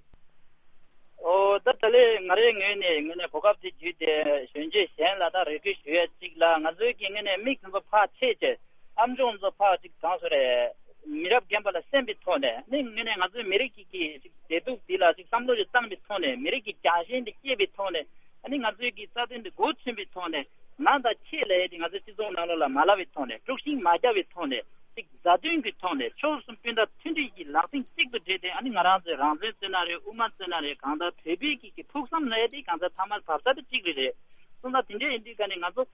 ཨོ་ད་ད་ལོའི་ང་རའི་ངོས་ནས་དངོས་གནས་གོ་སྐབས་དེ་བརྒྱུད་དེ་གཞོན་སྐྱེས་གཞན་ལ་ད་རེ་སྐུལ་ཞུ་ཡ་གཅིག་ལ། ང་ཚོའི་གི་དངོས་གནས་མིག་དང་པོ་ཕར་ཕྱེས་བྱས། ཨ་མཆོག་ཚོ་ཕར་ཅིག་གང་ཟེར་རེད། མི་རབས་རྒན་པ་ལ་སེམས་པའི་ཐོག་ནས། ནི་དངོས་གནས་ང་ཚོའི་མི་རིགས་ཀྱི་གི་ཅིག་བདེ་སྡུག་འདི་ལ་ཅིག་བསམ་བློ་ཞིག་བཏང་པའི་ཐོག་ནས། མི་རིགས་ཀྱི་རྒྱལ་ཞེན་འདི་སྐྱེས་པའི་ཐོག་ནས། ཨ་ནི་ང་ཚོའི་གི་རྩ་དོན་འདི་མགོ་ཚོས་པའི་ཐོག་ནས། ང་དང་ཁྱེད་ལབ་ཡས་འདི་ང་ཚོའི་སྤྱི་ཚོགས་ནང་ལོགས་ལ་མ་ལབ་པའི་ཐོག་ནས། དཀྲུག་ཤིང་མ་བརྒྱབ་པའི་ཐོག་ནས། གཅིག་མཛའ་མཐུན་གྱི་ཐོག་ནས་ཕྱོགས་གསུམ་སྤུན་ཟླ་མཐུན་སྒྲིལ་གྱི་ལག་རྩལ་གཅིག་ཏུ་སྒྲིལ་ཏེ། ཨ་ནི་ང་རང་ཚོའི་རང་བཙན་བརྩི་ན་རེད། དབུ་མ་བརྩི་ན་རེད། གང་ལྟར་བོད་པའི་གི་གི་ཕུགས་བསམ་ལ་ཡ་དེ་གང་ལྟར་ཚང་མ་བབ་ས་དེ་གཅིག་རེད་རེད། སོང་ཙང་དེ་འདྲ་ཡིན་དུས་ཀ་ནས་ང་ཚོ་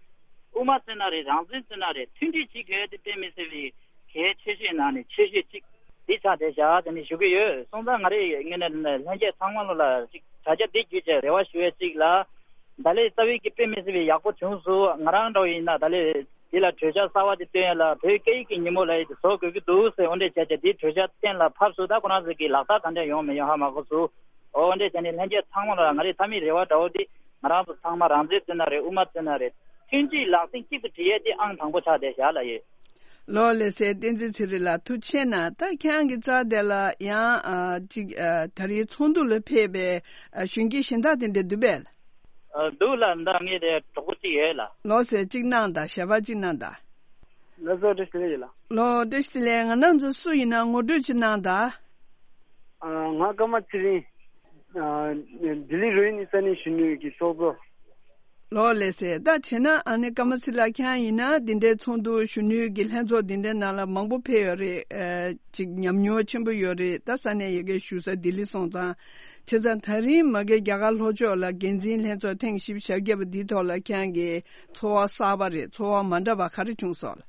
དབུ་མ་བརྩི་ན་རེད། རང་བཙན་བརྩི་ན་རེད། མཐུན་སྒྲིལ་བྱེད་དགོས་ཡ་དེ་དཔེ་མི་སྲིད་པའི་གལ་ཆེ་ཤོས་ནང་ནས་ཆེ་ཤོས་གཅིག་འདི་ཆགས་བསྡད་བཞག་ཟེར་ནས་ཞུ་གི་ཡོད། སོང་ཙང་ང་རེ་ངོས་ནས་ལྷན་རྒྱས་ཚང་མ་ལོ་ལ་ཅིག་དྲ་རྒྱ་འདི་བརྒྱུད་བྱས་རེ་བ་ཞུ་ཡས་གཅིག་ལ། ད་ལས་རྩ་བའི་གི་དཔེ་མི་སྲིད་པའི་ཡག་པོ་བྱུང་སོང་། ང་རང་འདྲ་བོ་ཡིན་ན་ད་ལས་འདི་ལ་གྲོས་འཆར་གསར་བ་དེ་བཏོན་ཡས་ལ་བོད་སྐད་ཡིག་གི་ཉིན་མོ་ལ་ཡིན་དུ་བཟོ་དགོས་ཀྱི་འདུག་ཟེར། འོ་འདྲས་བྱས་བྱས་འདི་གྲོས་འཆར་གཏན་ལ་ཕབ་སོང་། ད་ཁོ་རང་ཚོ་གི་ལག་བསྟར་ག་འདྲས་ཡོང་མི་ཡོང་ཧ་མ་གོ་སོང་། འོ་འདྲས་བྱས་ནས་ལྷན་རྒྱས་ཚང་མ་ལ་ང་རེ་མཐའ་མའི་རེ་བ་འདྲ་བོ་འདི། ང་རང་ཚོ་ཚང་མ་རང་བཙན་བརྩི་ན་རེད། དབུ་མ་བརྩི་ན་རེད། མཐུན་སྒྲིལ་ལག་རྩལ་གཅིག་ཏུ་སྒྲིལ་ཡས་དེ་ཨང་དང་པོ་ཆགས་བསྡད་བཞག་ལ་ཡོད། ལོ་ལེ་སའི་བསྟན་འཛིན་ཚེ་རིང་ལགས་ཐུགས་རྗེ་ཆེ་གནང་། ད་ཁྱེད་རང་གི་རྩ་དེ་ལ་ཡང་ཨ་ཅིག་ཨ་ད་རེས་ཚོགས་འདུ་ལ་ཕེབས་པའི་ཨ་གཞོན་སྐྱེས་གཞན་དག་དེ་འདྲ་འདུག་པས། ཨ་འདུག་ལ་ད་ངས་དེ་གྲོགས་པོ་གཅིག་ཡོད་ལ། ལོ་ལེ་སའི་གཅིག་གནང་དང་ཞལ་པར་གཅིག་གནང་དང་། ལགས་སོ་བཀྲ་ཤིས་བདེ་ལེགས་ཡོད་ལ། ལོ་བཀྲ་ཤིས་བདེ་ལེགས། ང་རང་ཚོ་སུ་ཡིན་ན་ངོ་སྤྲོད་ཅིག་གནང་དང་། ཨ་ང་ཀརྨ་ཚེ་རིང་། ཨ་ལྡི་ལི་རོ་ཧི་ནི་ས་གནས་གཞོན་ནུ་གི་ཚོགས་གཙོ། ལོ་ལེ་སའི་ད་བྱས་ན་ཨ་ནི་ཀརྨ་ཚེ་རིང་ལགས་ཁྱེད་རང་ཡིན་ན་འདི་འདྲའི་ཚོགས་འདུ་གཞོན་ནུའི་གི་ལྷན་ཚོགས་འདི་འདྲའི་ནང་ལ་མང་པོ་ཕེབས་ཡོད་རེད། ཨ་ཅིག་ཉམས་མྱོང་ཆེན་པོ་ཡོད་རེད། ད་ས་གནས་ཡ་གིའི་བཞུགས་ས་ལྡི་ལི་སོང་ཙང་། བྱས་ཙང་ད་རིང་མ་གི་རྒྱ་གར་ལྷོ་ཕྱོགས་ལ་འགན་འཛིན་ལྷན་ཚོགས་ཐེངས་བཞི་བཅུ་ཞེ་བརྒྱད་པ་འདིའི་ཐོག་ལ་ཁྱེད་རང་གི་ཚོར་བ་གསར་པ་རེད། ཚོར་བ་མ་འདྲ་བ་ག་རེ་བྱུང་སོང་ལ།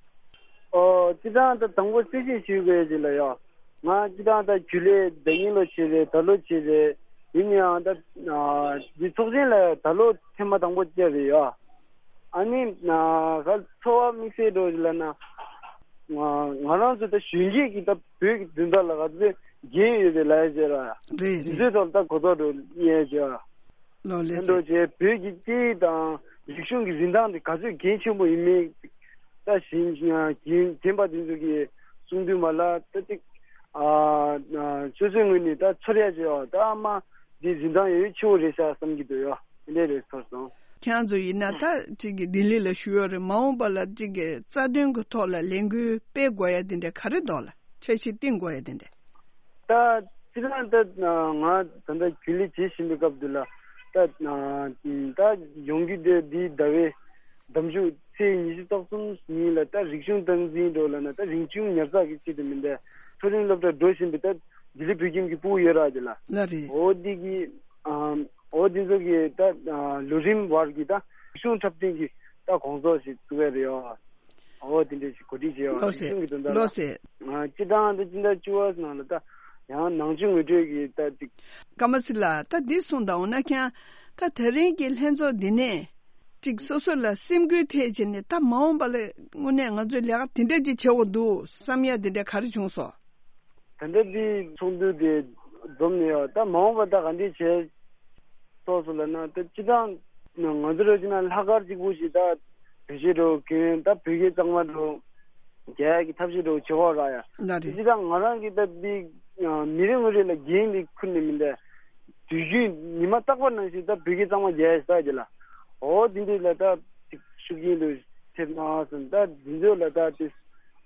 ཨོ་སྤྱིར་བཏང་ད་དང་པོ་གསལ་བཤད་ཞུ་དགོས་ཅིག་ལ་ཡ། ང་སྤྱིར་བཏང་ད་རྒྱུན་ལས་ཟླ་ཉིན་ལོ་བྱས་རེད། ད་ལོ་བྱས་རེད། ཡིན་ཡང་ད་ཨ་འདི་ཚོགས་ཆེན་ལ་ད་ལོ་ཐེངས་མ་དང་པོ་བཅར་རེད་ཡ། ཨ་ནི་ཨ་ག་ཚོར་བ་དམིགས་བསལ་འགྲོ་ཅིག་ལ་ན། ང་ང་རང་ཚོ་ད་གཞོན་སྐྱེས་ཀྱི་ད་བོད་ཀྱི་འཛིན་གྲྭ་ལ་ག་ཚོད་འགན་ཡོད་པའི་ལ་ཡ་ཟེར་ར་ཡ། རེད་དེ་རེད། ཚོའི་ཐོག་ད་གོ་རྟོགས་འགྲོ་ཡས་ཟེར་ར། ལོ་ལེ་ཕན་ཐོགས་བྱས་བོད་ཀྱི་སྐད་ཡིག་དང་རིག་གཞུང་གི་རིན་ཐང་དེ་ག་ཚོད་གལ་ཆེན་པོ་ཡིན་མིན། ད་གཞན་རྒན་རྒན་པ་དེ་ཚོ་གིས་གསུང་དུས་མ་ལ་ད་ཅིག་ཨ་ཨ་སོ་སོའི་ངོས་ནས་ད་ཚོར་ཡ་བྱས་པ་ད་ཨ་མ་འདི་རིན་ཐང་ཡོད་ཆེ་བོ་རེད་ཤག་བསམ་གྱི་འདུག་ཡ། དེ་འདྲས་རེད་ཚོར་སོང་། ཁྱེད་རང་ཚོ་ཡིན་ན་ད་ཅིག་གི་ལྡི་ལི་ལ་བཞུགས་ཡོད་རེད། མ་འོངས་པ་ལ་ཅིག་གི་རྩ་དོན་གྱི་ཐོག་ལ་ལས་འགུལ་སྤེལ་དགོས་ཡ་དེ་འདྲ་ག་རེ་འདུག་ལ། འཆར་གཞི་བཏིང་དགོས་ཡ་དེ་འདྲ། ད་སྤྱིར་བཏང་ད་ང་ད་ལྟ་རྒྱུན་ལས་བྱེད་བཞིན་པའི་སྐབས་འདི་ལ་ད་ད་ཡོང་རྒྱུ་དེ་འདིའི་ཟླ་བའི་ཟླ་མཇུག་ཚེས་ཉི་ཤུ་རྩ་གསུམ་ཉིན་ལ་ད་རིག་གཞུང་སྟངས་འཛིན་འགྲོ་ལ་ན་ད་རིག་གཞུང་ཉར་ཚགས་ཀྱི་ཆེད་དུ་མིན་པའི་མཐོ་རིམ་སློབ་གྲྭར་འགྲོ་བཞིན་པའི་ད་ལྡི་ལི་བོད་ཁྱིམ་གྱི་ཕྲུ་གུ་ཡོད་ར་དེ་ལ། ལ་རེད། འོ་འདི་གི་ཨ་འོ་འདི་ཚོ་གི་ད་ལོ་རིམ་བར་གྱི་ད་རིག་གཞུང་འཁྲབ་སྟོན་གྱི་ད་དགོང་ཚོགས་ཤིག་བཙུགས་ཡ་རེད་ཡོ། འོ་དེ་འདྲ་ཞིག་གོ་སྒྲིག་བྱས་ཡོད། ལགས་སེ། རིག་གཞུང་གི་དོན་དག་ལ། ལགས་སེ། ང་སྤྱིར་བཏང་ད་སྤྱི་ཟླ་བཅུ་པ་ནང་ལ་ད་ཡང་ནང་ཆོས་ངོ་སྤྲོད་ཀྱི་ད་ཅིག་ཀརྨ་སི་ལགས་ད་འདི་གསུངས་དང་འོ་ན་ཁྱེད་ད་དེ་རིང་གི་ལྷན་ཚོགས་འདི་ནས་ཅིག་སོ་སོ་ལ་སེམས་འགུལ་ཐེབས་བྱས་ནས་ད་མ་འོངས་པ་ལ་དངོས་གནས་ང་ཚོས་ལས་ཀ་དེ་འདྲ་ཅིག་བྱེད་དགོས་འདུག་བསམ་ཡ་དེ་འདྲ་ག་རེ་བྱུང་སོང་། ད་ལྟ་འདི་ཚོགས་འདུ་དེ་འཛོམས་ནས་ཡོད། ད་མ་འོངས་པ་ད་ག་འདྲས་བྱས་ཐོག་སོ་ལ་ན་ད་སྤྱི་བཏང་ང་ཚོ་ར་ཅིག་ན་ལྷག་དཀར་གཅིག་པུ་ཞིག་ད་བེད་སྤྱོད་འགྲོ་གི་ད་བོད་སྐད་གཙང་མ་འགྲོ་རྒྱག་གི་ཐབས་ཤེས་འགྲོ་བྱེད་ཧོ་ར་ཡ། ལ་རེད། སྤྱི་བཏང་ང་རང་གི་ད་འདི་མི་རེ་ངོ་རེ་ལ་འགན་འདི་ཁུར་ནས་མི་འདའ། དུས་རྒྱུན་ཉི་མ་རྟག་པར་ནང་བཞིན་ད་བོད་སྐད་གཙང་མ་རྒྱག་ཡ་ས་གི་ལ། འོ་འདི་འདི་ལ་ད་ཅིག་ཤུགས་རྐྱེན་དུ་ཐེབས་ན་སོང་ད་འདི་ཚོ་ལ་ད་དེ་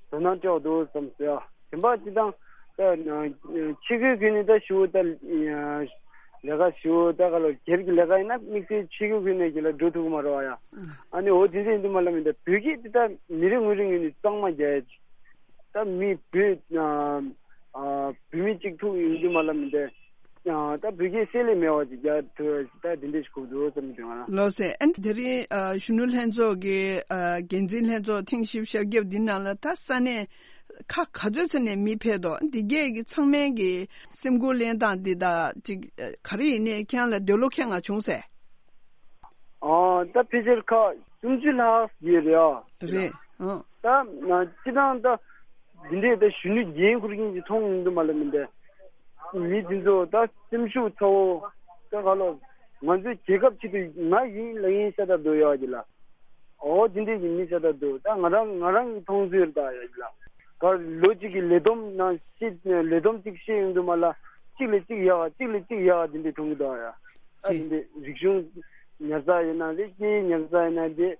དོ་སྣང་སྤྲོད་འདུག་བསམ་ཟེར་ཡ། དེ་འབའ་སྤྱི་བཏང་ད་ཕྱི་སྒོའི་ཁུལ་ནས་ད་ཞུ་ད་ལས་ཀ་ཞུ་ད་ག་ལ་སྒེར་གྱི་ལས་ཀ་ཡིན་ན་དམིགས་བསལ་ཕྱི་སྒོའི་ཁུལ་ནས་ཀྱི་ལ་འགྲོ་ཐུབ་ཀྱི་མ་རེད་བ་ཡ། ཨ་ནི་འོ་དེ་འདྲ་ཡིན་དུས་མ་ལ་མི་འདའ་བོད་སྐད་དེ་ད་མི་རེ་ངོ་རེ་ངོས་ནས་གཙང་མ་རྒྱག་ཡ་ཅིག་ད་མི་བོད་ཨ་བོད་མི་གཅིག་ཐུག་ཡིན་དུས་མ་ལ་མི་འདའ་ཨ་ད་བོད་སྐད་བསྲེ་ལྷད་མེད་པ་ཅིག་རྒྱག་ཐུབ་ཡ་ཅིག་ད་དེ་འདྲ་ཞིག་དགོས་འདུག་བསམ་གྱི་འདུག་ང་རང་། ལགས་སེ། ཨ་ནི་དེ་རིང་ཨ་གཞོན་ནུ་ལྷན་ཚོགས་ཀྱི་ཨ་འགན་འཛིན་ལྷན་ཚོགས་ཐེངས་བཞི་བཅུ་ཞེ་བརྒྱད་འདི་ནང་ལ་ད་ས་གནས་ཁག་ག་ཚོད་ཙམ་ནས་མི་ཕེབས་འདུག་འདི་གས་ཀྱི་ཚང་མའི་གི་སེམས་ཁུར་ལེན་སྟངས་འདི་དང་ཅིག་ག་རེ་ཡིན་ནའི་ཁྱེད་རང་ལ་འདོད་བློ་ཁེངས་པ་བྱུང་ཟེར། ཨ་ད་ཕལ་ཆེར་ཁག་སུམ་ཅུ་ལྷག་ཡོད་རེད་ཨ། རེད། ཨ། ད་སྤྱི་བཏང་ད་འདི་འདྲས་ད་གཞོན་ནུ་འགན་འཁུར་མཁན་གྱི་མཐོང་མི་འདུག་མ་ལ་མི་འདས། མི་འདི་ཚོ་ད་སེམས་ཤུགས་ཚ་བོ་ད་ག་ལོ་ང་ཚོའི་རྒྱལ་ཁབ་ཆེད་དུ་ང་ཡིན་ལ་ཡིན་ཤ་སྟག་འདུག་ཡོད་ཀྱི་ལ། ཨོ་དེ་འདྲས་ཀྱི་མི་ཤ་སྟག་འདུག་ད་ང་རང་ང་རང་གི་མཐོང་ཚུལ་ད་ཡོད་ཀྱི་ལ། ག་ལོ་གཅིག་གི་ལས་བསྡོམས་ནང་ཤེས་ལས་བསྡོམས་གཅིག་ཤེས་ཡོང་དུས་མ་ལ་གཅིག་ལས་གཅིག་ཡག་གཅིག་ལས་གཅིག་ཡག་དེ་འདྲས་མཐོང་གི་འདུག་ཡ། ཨ་དེ་འདྲས་རིག་གཞུང་ཉར་ཚགས་ཡིན་ན་རེད་སྐད་ཡིག་ཉར་ཚགས་ཡིན་ན་རེད་དེ་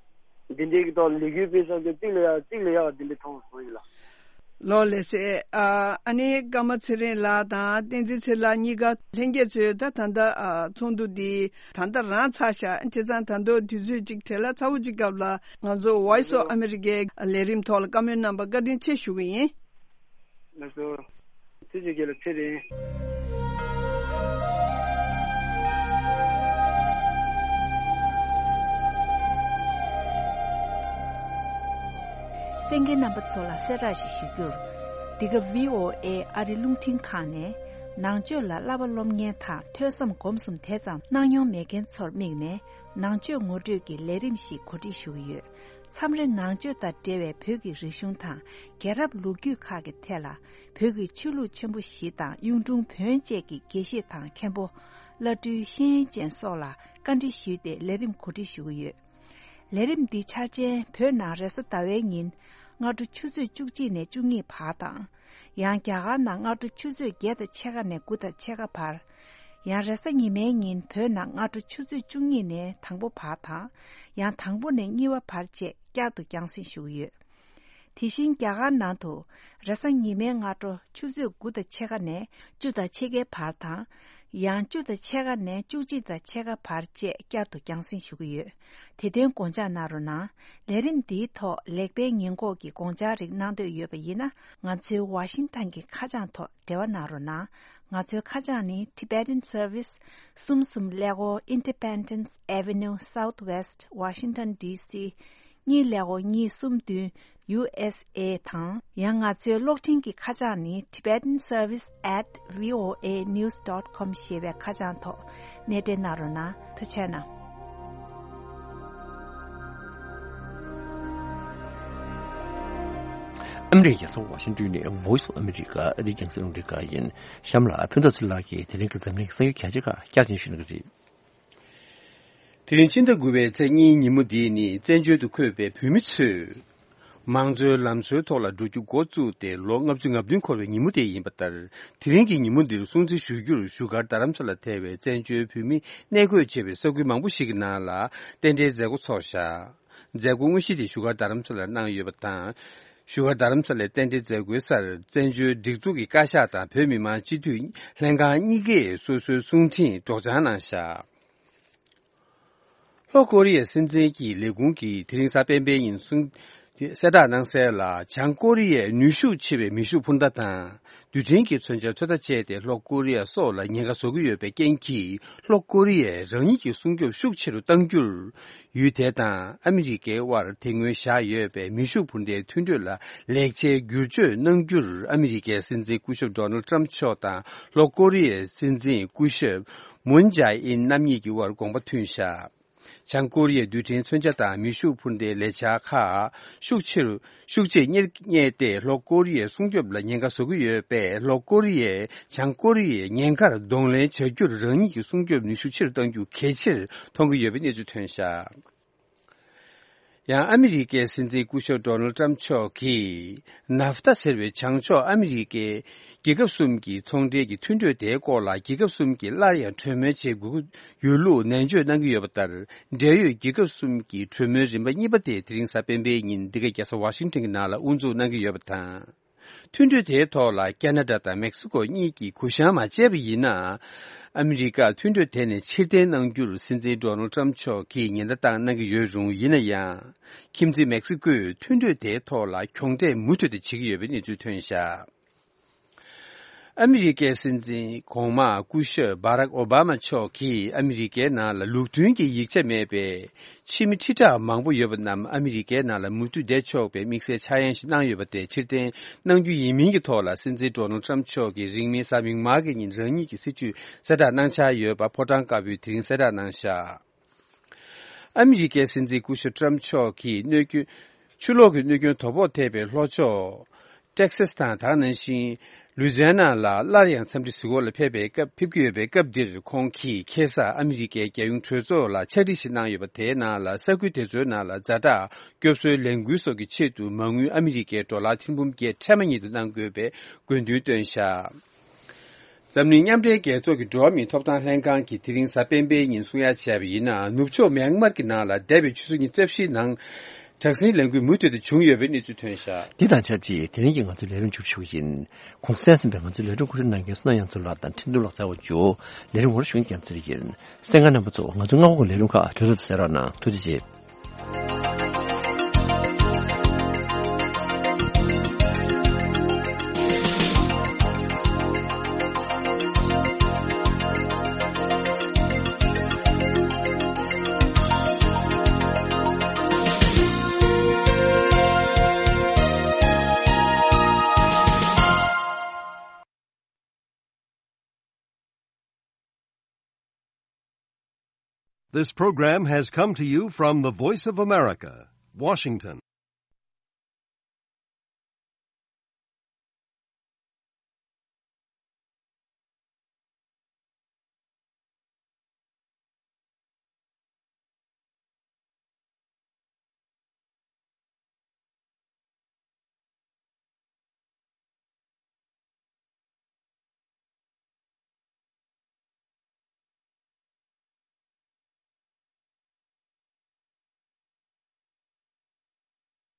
འདྲས་ཀྱི་ཐོག་ལས་འགུལ་སྤེལ་ས་དེ་གཅིག་ལས་ཡག་གཅིག་ལས་ཡག་དེ་འདྲས་མཐོང་སོང་ཡིན་ལ། ལོ་ལེགས་སེ། ཨ་ཨ་ནི་ཀརྨ་ཚེ་རིང་ལགས་དང་བསྟན་འཛིན་ཚེ་ལགས་གཉིས་ཀ་ལྷན་རྒྱས་ཚོས་ད་ད་ལྟ་ཨ་ཚོགས་འདུ་འདི་ད་ལྟ་རང་ཚར་ཤག་བྱས་ཙང་ད་དུང་དུས་ཚོད་ཅིག་བྲེལ་ལ་ཚ་བོ་ཅིག་སྐབས་ལ་ང་ཚོ་Voice of America ལས་རིམ་ཐོག་ལ་བཀའ་མོལ་གནང་བར་བཀའ་དྲིན་ཆེ་ཞུ་གི་ཡིན། ང་ཚོ་ཚེ་ཆོས་རྒྱལ་ལ་ཚེ་རིང་། གསན་མཁན་རྣམ་པ་ཚོ་ལ་གསལ་བསྒྲགས་ཤིག་ཞུ་རྒྱུར། འདི་ག་V O A ཨ་རི་རླུང་འཕྲིན་ཁང་ནས་ནང་ཆོས་ལ་བསླབ་པ་སློབ་གཉེར་དང་ཐོས་བསམ་སྒོམ་གསུམ་དེ་ཙམ་གནང་མྱོང་མེད་མཁན་ཚོར་དམིགས་ནས་ནང་ཆོས་ངོ་སྤྲོད་ཀྱི་ལས་རིམ་ཞིག་གོ་སྒྲིག་ཞུ་གི་ཡོད། མཚམས་རེ་ནང་ཆོས་དང་འབྲེལ་བའི་བོད་ཀྱི་རིག་གཞུང་དང་རྒྱལ་རབས་ལོ་རྒྱུས་ཁག་གི་ཐད་ལ་བོད་ཀྱི་ཆོས་ལུགས་ཆེན་པོ་བཞི་དང་གཡུང་དྲུང་བོན་བཅས་ཀྱི་དགེ་བཤེས་དང་མཁན་པོ། བླ་སྤྲུལ་ཤེས་ཡོན་ཅན་སོགས་ལ་བཀའ་འདྲི་ཞུས་ཏེ་ལས་རིམ་གོ་སྒྲིག་ཞུ་གི་ཡོད། ལས་རིམ་འདི་འཆར་ཅན་བོད་ནང་རེས་གཟའ་ཟླ་བའི་ཉིན་སྔ་དྲོ་ཆུ་ཚོད་བཅུ་གཅིག་ནས་བཅུ་གཉིས་བར་དང་། ཡང་རྒྱ་གར་ནང་སྔ་དྲོ་ཆུ་ཚོད་བརྒྱད་དང་ཕྱེད་ཀ་ནས་དགུ་དང་ཕྱེད་ཀ་བར། ཡང་རེས་གཟའ་ཉི་མའི་ཉིན་བོད་ནང་སྔ་དྲོ་ཆུ་ཚོད་བཅུ་གཉིས་ནས་དང་པོ་བར་དང་། ཡང་དང་པོ་ནས་གཉིས་པ་བར་བཅས་བསྐྱར་དུ་རྒྱང་སྲིང་ཞུ་གི་ཡོད། དེ་བཞིན་རྒྱ་གར་ནང་དུ་རེས་གཟའ་ཉི་མའི་སྔ་དྲོ་ཆུ་ཚོད་དགུ་དང་ཕྱེད་ཀ་ནས་བཅུ་དང་ཕྱེད་ཀའི་བར་དང་། ཡང་བཅུ་དང་ཕྱེད་ཀ་ནས་བཅུ་གཅིག་དང་ཕྱེད་ཀ་བར་བཅས་བསྐྱར་དུ་རྒྱང་སྲིང་ཞུ་གི་ཡོད། དེ་དོན་དགོངས་འཇགས་གནང་རོགས་གནང་། ལས་རིམ་འདིའི་ཐོག་ལེགས་སྤེལ་ཉེས་འགོག་གི་དགོངས་འཆར་རིགས་གནང་འདོད་ཡོད་པ་ཡིན་ན་ང་ཚོའི་ཝ་ཤིང་ཊོན་གྱི་ཁ་བྱང་ཐོག་འབྲེལ་བ་གནང་རོགས་གནང་། ང་ཚོའི་ཁ་བྱང་ནི་Tibetan Service གསུམ་གསུམ་ཀླད་ཀོར་Independence Avenue Southwest Washington D C གཉིས་ཀླད་ཀོར་གཉིས་གསུམ་བདུན་U S A དང་། ཡང་ང་ཚོའི་གློག་འཕྲིན་གྱི་ཁ་བྱང་ནི Tibetan Service at V O A news dot com ཞེས་པའི་ཁ་བྱང་ཐོག་གནས་འབྲེལ་གནང་རོགས་གནང་། ཐུགས་རྗེ་གནང་། ཨ་མི་རི་ཀའི་རྒྱལ་ས་ཝ་ཤིང་ཊོན་ནས་Voice of America ཨ་རིའི་རྒྱང་སྲིང་རླུང་འཕྲིན་ཁང་ཡིན། གཤམ་ལ་ཕུན་ཚོགས་ཚེ་རིང་ལགས་ཀྱིས་དེ་རིང་གི་འཛམ་གླིང་གི་གསར་འགྱུར་གལ་ཆེ་ཁག་བསྐྱར་ཟིན་ཞུ་གནང་གི་རེད། དེ་རིང་ཕྱི་ཟླ་དགུ་པའི་ཚེས་གཉིས་ཉིན་མོ་འདི་ནི་བཙན་བྱོལ་དུ་འཁོད་པའི་བོད་མི་ཚོས་མང་གཙོའི་ལམ་སྲོལ་ཐོག་ལ་འགྲོ་རྒྱུ་འགོ་བཙུགས་ཏེ་ལོ་ལྔ་བཅུ་ང་བདུན་འཁོར་བའི་ཉིན་མོ་དེ་ཡིན་པ་ལྟར། དེ་རིང་གི་ཉིན་མོ་འདིར་སྲུང་བརྩི་ཞུ་རྒྱུར་བཞུགས་སྒར་རྡ་རམ་ས་ལ་ཐེ་བའི་བཙན་བྱོལ་བོད་མི་གནས་འཁོད་བྱས་པའི་ས་ཁུལ་མང་པོ་ཞིག་གི་ནང་ལ་རྟེན་འབྲེལ་མཛད་སྒོ་ཚོགས་བཞག་མཛད་སྒོ་དངོས་གཞི་དེ་བཞུགས་སྒར་རྡ་རམ་ས་ལར་གནང་ཡོད་པ་དང་། བཞུགས་སྒར་རྡ་རམ་ས་ལའི་རྟེན་འབྲེལ་མཛད་སྒོའི་སར་བཙན་བྱོལ་སྒྲིག་འཛུགས་ཀྱི་བཀའ་ཤག་དང་བོད་མི་མང་སྤྱི་འཐུས་ལྷན་ཁང་གཉིས་ཀས་སོ་སོའི་གསུང་འཕྲིན་སྒྲོག་སྦྱང་གནང་བཞག་ལྷོ་ཀོ་རི་ཡའི་སྲིད་འཛིན་གྱི་ལས་ཁུངས་ཀྱིས་དེ་རིང་གཟའ་སྤེན་པའི་ཉིན་གསུང་གསལ་བསྒྲགས་གནང་གསལ་ལ། བྱང་ཀོ་རི་ཡས་ནུས་ཤུགས་ཆེ་བའི་མེ་ཤུགས་འཕུར་མདའ་དང་རྡུལ་ཕྲན་གྱི་མཚོན་ཆ་ཚོད་ལྟ་བྱས་ཏེ་ལྷོ་ཀོ་རི་ཡ་སོགས་ལ་ཉེན་ཁ་བཟོ་གི་ཡོད་པའི་རྐྱེན་གྱིས་ལྷོ་ཀོ་རི་ཡས་རང་ཉིད་ཀྱི་སྲུང་སྐྱོབ་ཤུགས་ཆེ་རུ་གཏང་རྒྱུར། ཡུལ་དེ་དང་ཨ་མི་རི་ཀའི་དབར་དེ་སྔོན་བཞག་ཡོད་པའི་མེ་ཤུགས་འཕུར་མདའི་མཐུན་གྲོས་ལ་ལེགས་ཆའི་བསྒྱུར་བཅོས་གནང་རྒྱུར་ཨ་མི་རི་ཀའི་སྲིད་འཛིན་སྐུ་ཞབས་ཌོ་ནལ་ཏྲམ་མཆོག་དང་ལྷོ་ཀོ་རི་ཡའི་སྲིད་འཛིན་སྐུ་ཞབས་མུན་ཇཱ་ཨིན་རྣམ་གཉིས་ཀྱི་དབར་དགོངས་པ་མཐུན་བཞག་བྱང་ཀོ་རི་ཡའི་རྡུལ་ཕྲན་མཚོན་ཆ་དང་མེ་ཤུགས་འཕུར་མདའི་ལས་འཆར་ཁག་ཤུགས་ཆེ་རུ་ཤུགས་ཆེས་གཉེར་གཉེར་ཏེ་ལྷོ་ཀོ་རི་ཡའི་སྲུང་སྐྱོབ་ལ་ཉེན་ཁ་བཟོ་གི་ཡོད་པས། ལྷོ་ཀོ་རི་ཡས་བྱང་ཀོ་རི་ཡའི་ཉེན་ཁར་གདོང་ལེན་བྱ་རྒྱུར་རང་ཉིད་ཀྱི་སྲུང་སྐྱོབ་ནུས་ཤུགས་ཆེ་རུ་གཏང་རྒྱུ་གལ་ཆེར་མཐོང་གི་ཡོད་པའི་གནས་ཚུལ་ཐོན་བཞག་ཡང་ཨ་མི་རི་ཀའི་སྲིད་འཛིན་སྐུ་ཞབས་ཌོ་ནལ་ཏྲམ་མཆོག་གིས་ནཱབ་ཐ་ཟེར་བའི་བྱང་ཕྱོགས་ཨ་མི་རི་ཀའི་རྒྱལ་ཁབ་གསུམ་གྱི་ཚོང་འབྲེལ་གྱི་མཐུན་གྲོས་དེའི་སྐོར་ལ་རྒྱལ་ཁབ་གསུམ་གྱིས་སླར་ཡང་གྲོས་མོལ་བྱེད་དགོས་ཀྱི་ཡོད་ལུགས་ནན་བརྗོད་གནང་གི་ཡོད་པ་ལྟར། འབྲེལ་ཡོད་རྒྱལ་ཁབ་གསུམ་གྱི་གྲོས་མོལ་རིམ་པ་གཉིས་པ་དེ་དེ་རིང་གཟའ་སྤེན་པའི་ཉིན་འདི་གའི་རྒྱལ་ས་ཝ་ཤིང་ཊོན་གྱི་ནང་ལ་དབུ་འཛུགས་གནང་གི་ཡོད་པ་དང་། མཐུན་གྲོས་དེའི་ཐོག་ལ་ཁ་ན་ཌ་དང་མེག་སི་ཀོ་གཉིས་ཀྱིས་གུ་བཤངས་མ་བྱས་པ་ཡིན་ན། ཨ་མི་རི་ཀར་མཐུན་གྲོས་དེ་ནས་ཕྱིར་འཐེན་གནང་རྒྱུར་སྲིད་འཛིན་ཌོ་ནལ་ཏྲམ་མཆོག་གིས་ཉེན་བརྡ་བཏང་གནང་གི་ཡོད་རུང་། ཡིན་ན་ཡང་། ཁྱིམ་མཚེས་མེག་སི་ཀོས་མཐུན་གྲོས་དེའི་ཐོག་ལ་གྱོང་འབྲས་མུ་མཐུད་དུ་བྱེད་ཀྱི་ཡོད་པའི་གནས་ཚུལ་ཐོན་བཞག་ཨ་མི་རི་ཀའི་སྲིད་འཛིན་གོང་མ་སྐུ་ཞབས་བྷ་རག་ཨོ་བྷ་མ་མཆོག་གིས་ཨ་མི་རི་ཀའི་ནང་ལ་ལུགས་མཐུན་གྱི་ཡིག་ཆ་མེད་པའི་ཕྱི་མི་ཁྲི་ཕྲག་མང་པོ་ཡོད་པ་རྣམས་ཨ་མི་རི་ཀའི་ནང་ལ་མུ་མཐུད་བསྡད་ཆོག་པའི་དམིགས་བསལ་འཆར་ཡན་ཞིག་གནང་ཡོད་པ་དེ་ཕྱིར་འཐེན་གནང་རྒྱུ་ཡིན་མིན་གྱི་ཐོག་ལ། སྲིད་འཛིན་ཌོ་ནལ་ཏྲམ་མཆོག་གིས་རིང་མིན་གཟའ་མིག་དམར་གྱི་ཉིན་རང་ཉིད་ཀྱི་སྲིད་བྱུས་གསལ་བསྒྲགས་གནང་འཆར་ཡོད་པ་ཕོ་བྲང་དཀར་པོས་དེ་རིང་གསལ་བསྒྲགས་གནང་བཞག་ཨ་མི་རི་ཀའི་སྲིད་འཛིན་སྐུ་ཞབས་ཏྲམ་མཆོག་གིས་གནོད་སྐྱོན། ཆུ་ལོག་གི་གནོད་སྐྱོན་དོ་ཕོག་ཐེབས་པའི་ལྷོ་ཕྱོགས་ཏེག་སཱས་དང་། དེ་ནང་བཞིན་ལུའི་ཛི་ཡ་ན་ལ་སླར་ཡང་འཚམས་འདྲི་གཟིགས་སྐོར་ལ་ཕེབས་པའི་སྐབས། ཕེབས་ཀྱི་ཡོད་པའི་སྐབས་འདིར། ཁོང་གིས་ཁ་སང་ཨ་མི་རི་ཀའི་རྒྱལ་ཡོངས་གྲོས་ཚོགས་ལ་ཕྱག་བྲིས་ཤིག་གནང་ཡོད་པ། དེའི་ནང་ལ་ས་ཁུལ་དེ་ཚོའི་ནང་ལ་ཛ་དྲག་སྐྱོབ་གསོའི་ལས་འགུལ་སོགས་ཀྱི་ཆེད་དུ་མ་དངུལ་ཨ་མི་རི་ཀའི་ཌོ་ལར་ཐེར་འབུམ་བརྒྱད་ཁྲི་མ་ཉིད་དུ་གནང་དགོས་པའི་དགོས་འདུན་བཏོན་བཞག་འཛམ་གླིང་མཉམ་འབྲེལ་རྒྱལ་ཚོགས་ཀྱི་འགྲོ་བ་མིའི་ཐོབ་ཐང་ལྷན་ཁང་གིས་དེ་རིང་གཟའ་སྤེན་པའི་ཉིན་གསུང་ཡ་བྱས་པ་ཡིན་ན། ནུབ་ཕྱོགས་མེན་མར་གྱི་ནང་ལ་འདས་པའི་ཆུ་ཚོད་ཉི་ཤུ་རྩ་བཞིའི་ནང་ དྲག་ཟིང་ལས་འགུལ་མུ་མཐུད་དུ་བྱུང་ཡོད་པའི་གནས་ཚུལ་ཐོན་བཞག་འདི་དང་ཆབས་ཅིག་དེ་རིང་གི་ང་ཚོའི་ལས་རིམ་མཇུག་ཞུ་གི་ཡིན། གོང་གསལ་ཟིན་པའི་ང་ཚོའི་ལས་རིམ་གོ་སྒྲིག་གནང་མཁན་བསོད་ནམས་དབྱངས་མཚོ་ལགས་དང་འཕྲིན་གཏོང་ལགས་ཚར་བ་མཇུག་ལས་རིམ་འོར་ཞུ་མཁན་རྒྱལ་མཚན་ཡིན། གསན་མཁན་རྣམ་པ་ཚོ་ང་ཚོའི་སྔ་པོ་གི་ལས་རིམ་ཁག་གྲོས་ཚོགས་དུ་གསན་རོགས་གནང་། ཐུགས་རྗེ་ཆེ། This program has come to you from the Voice of America, Washington.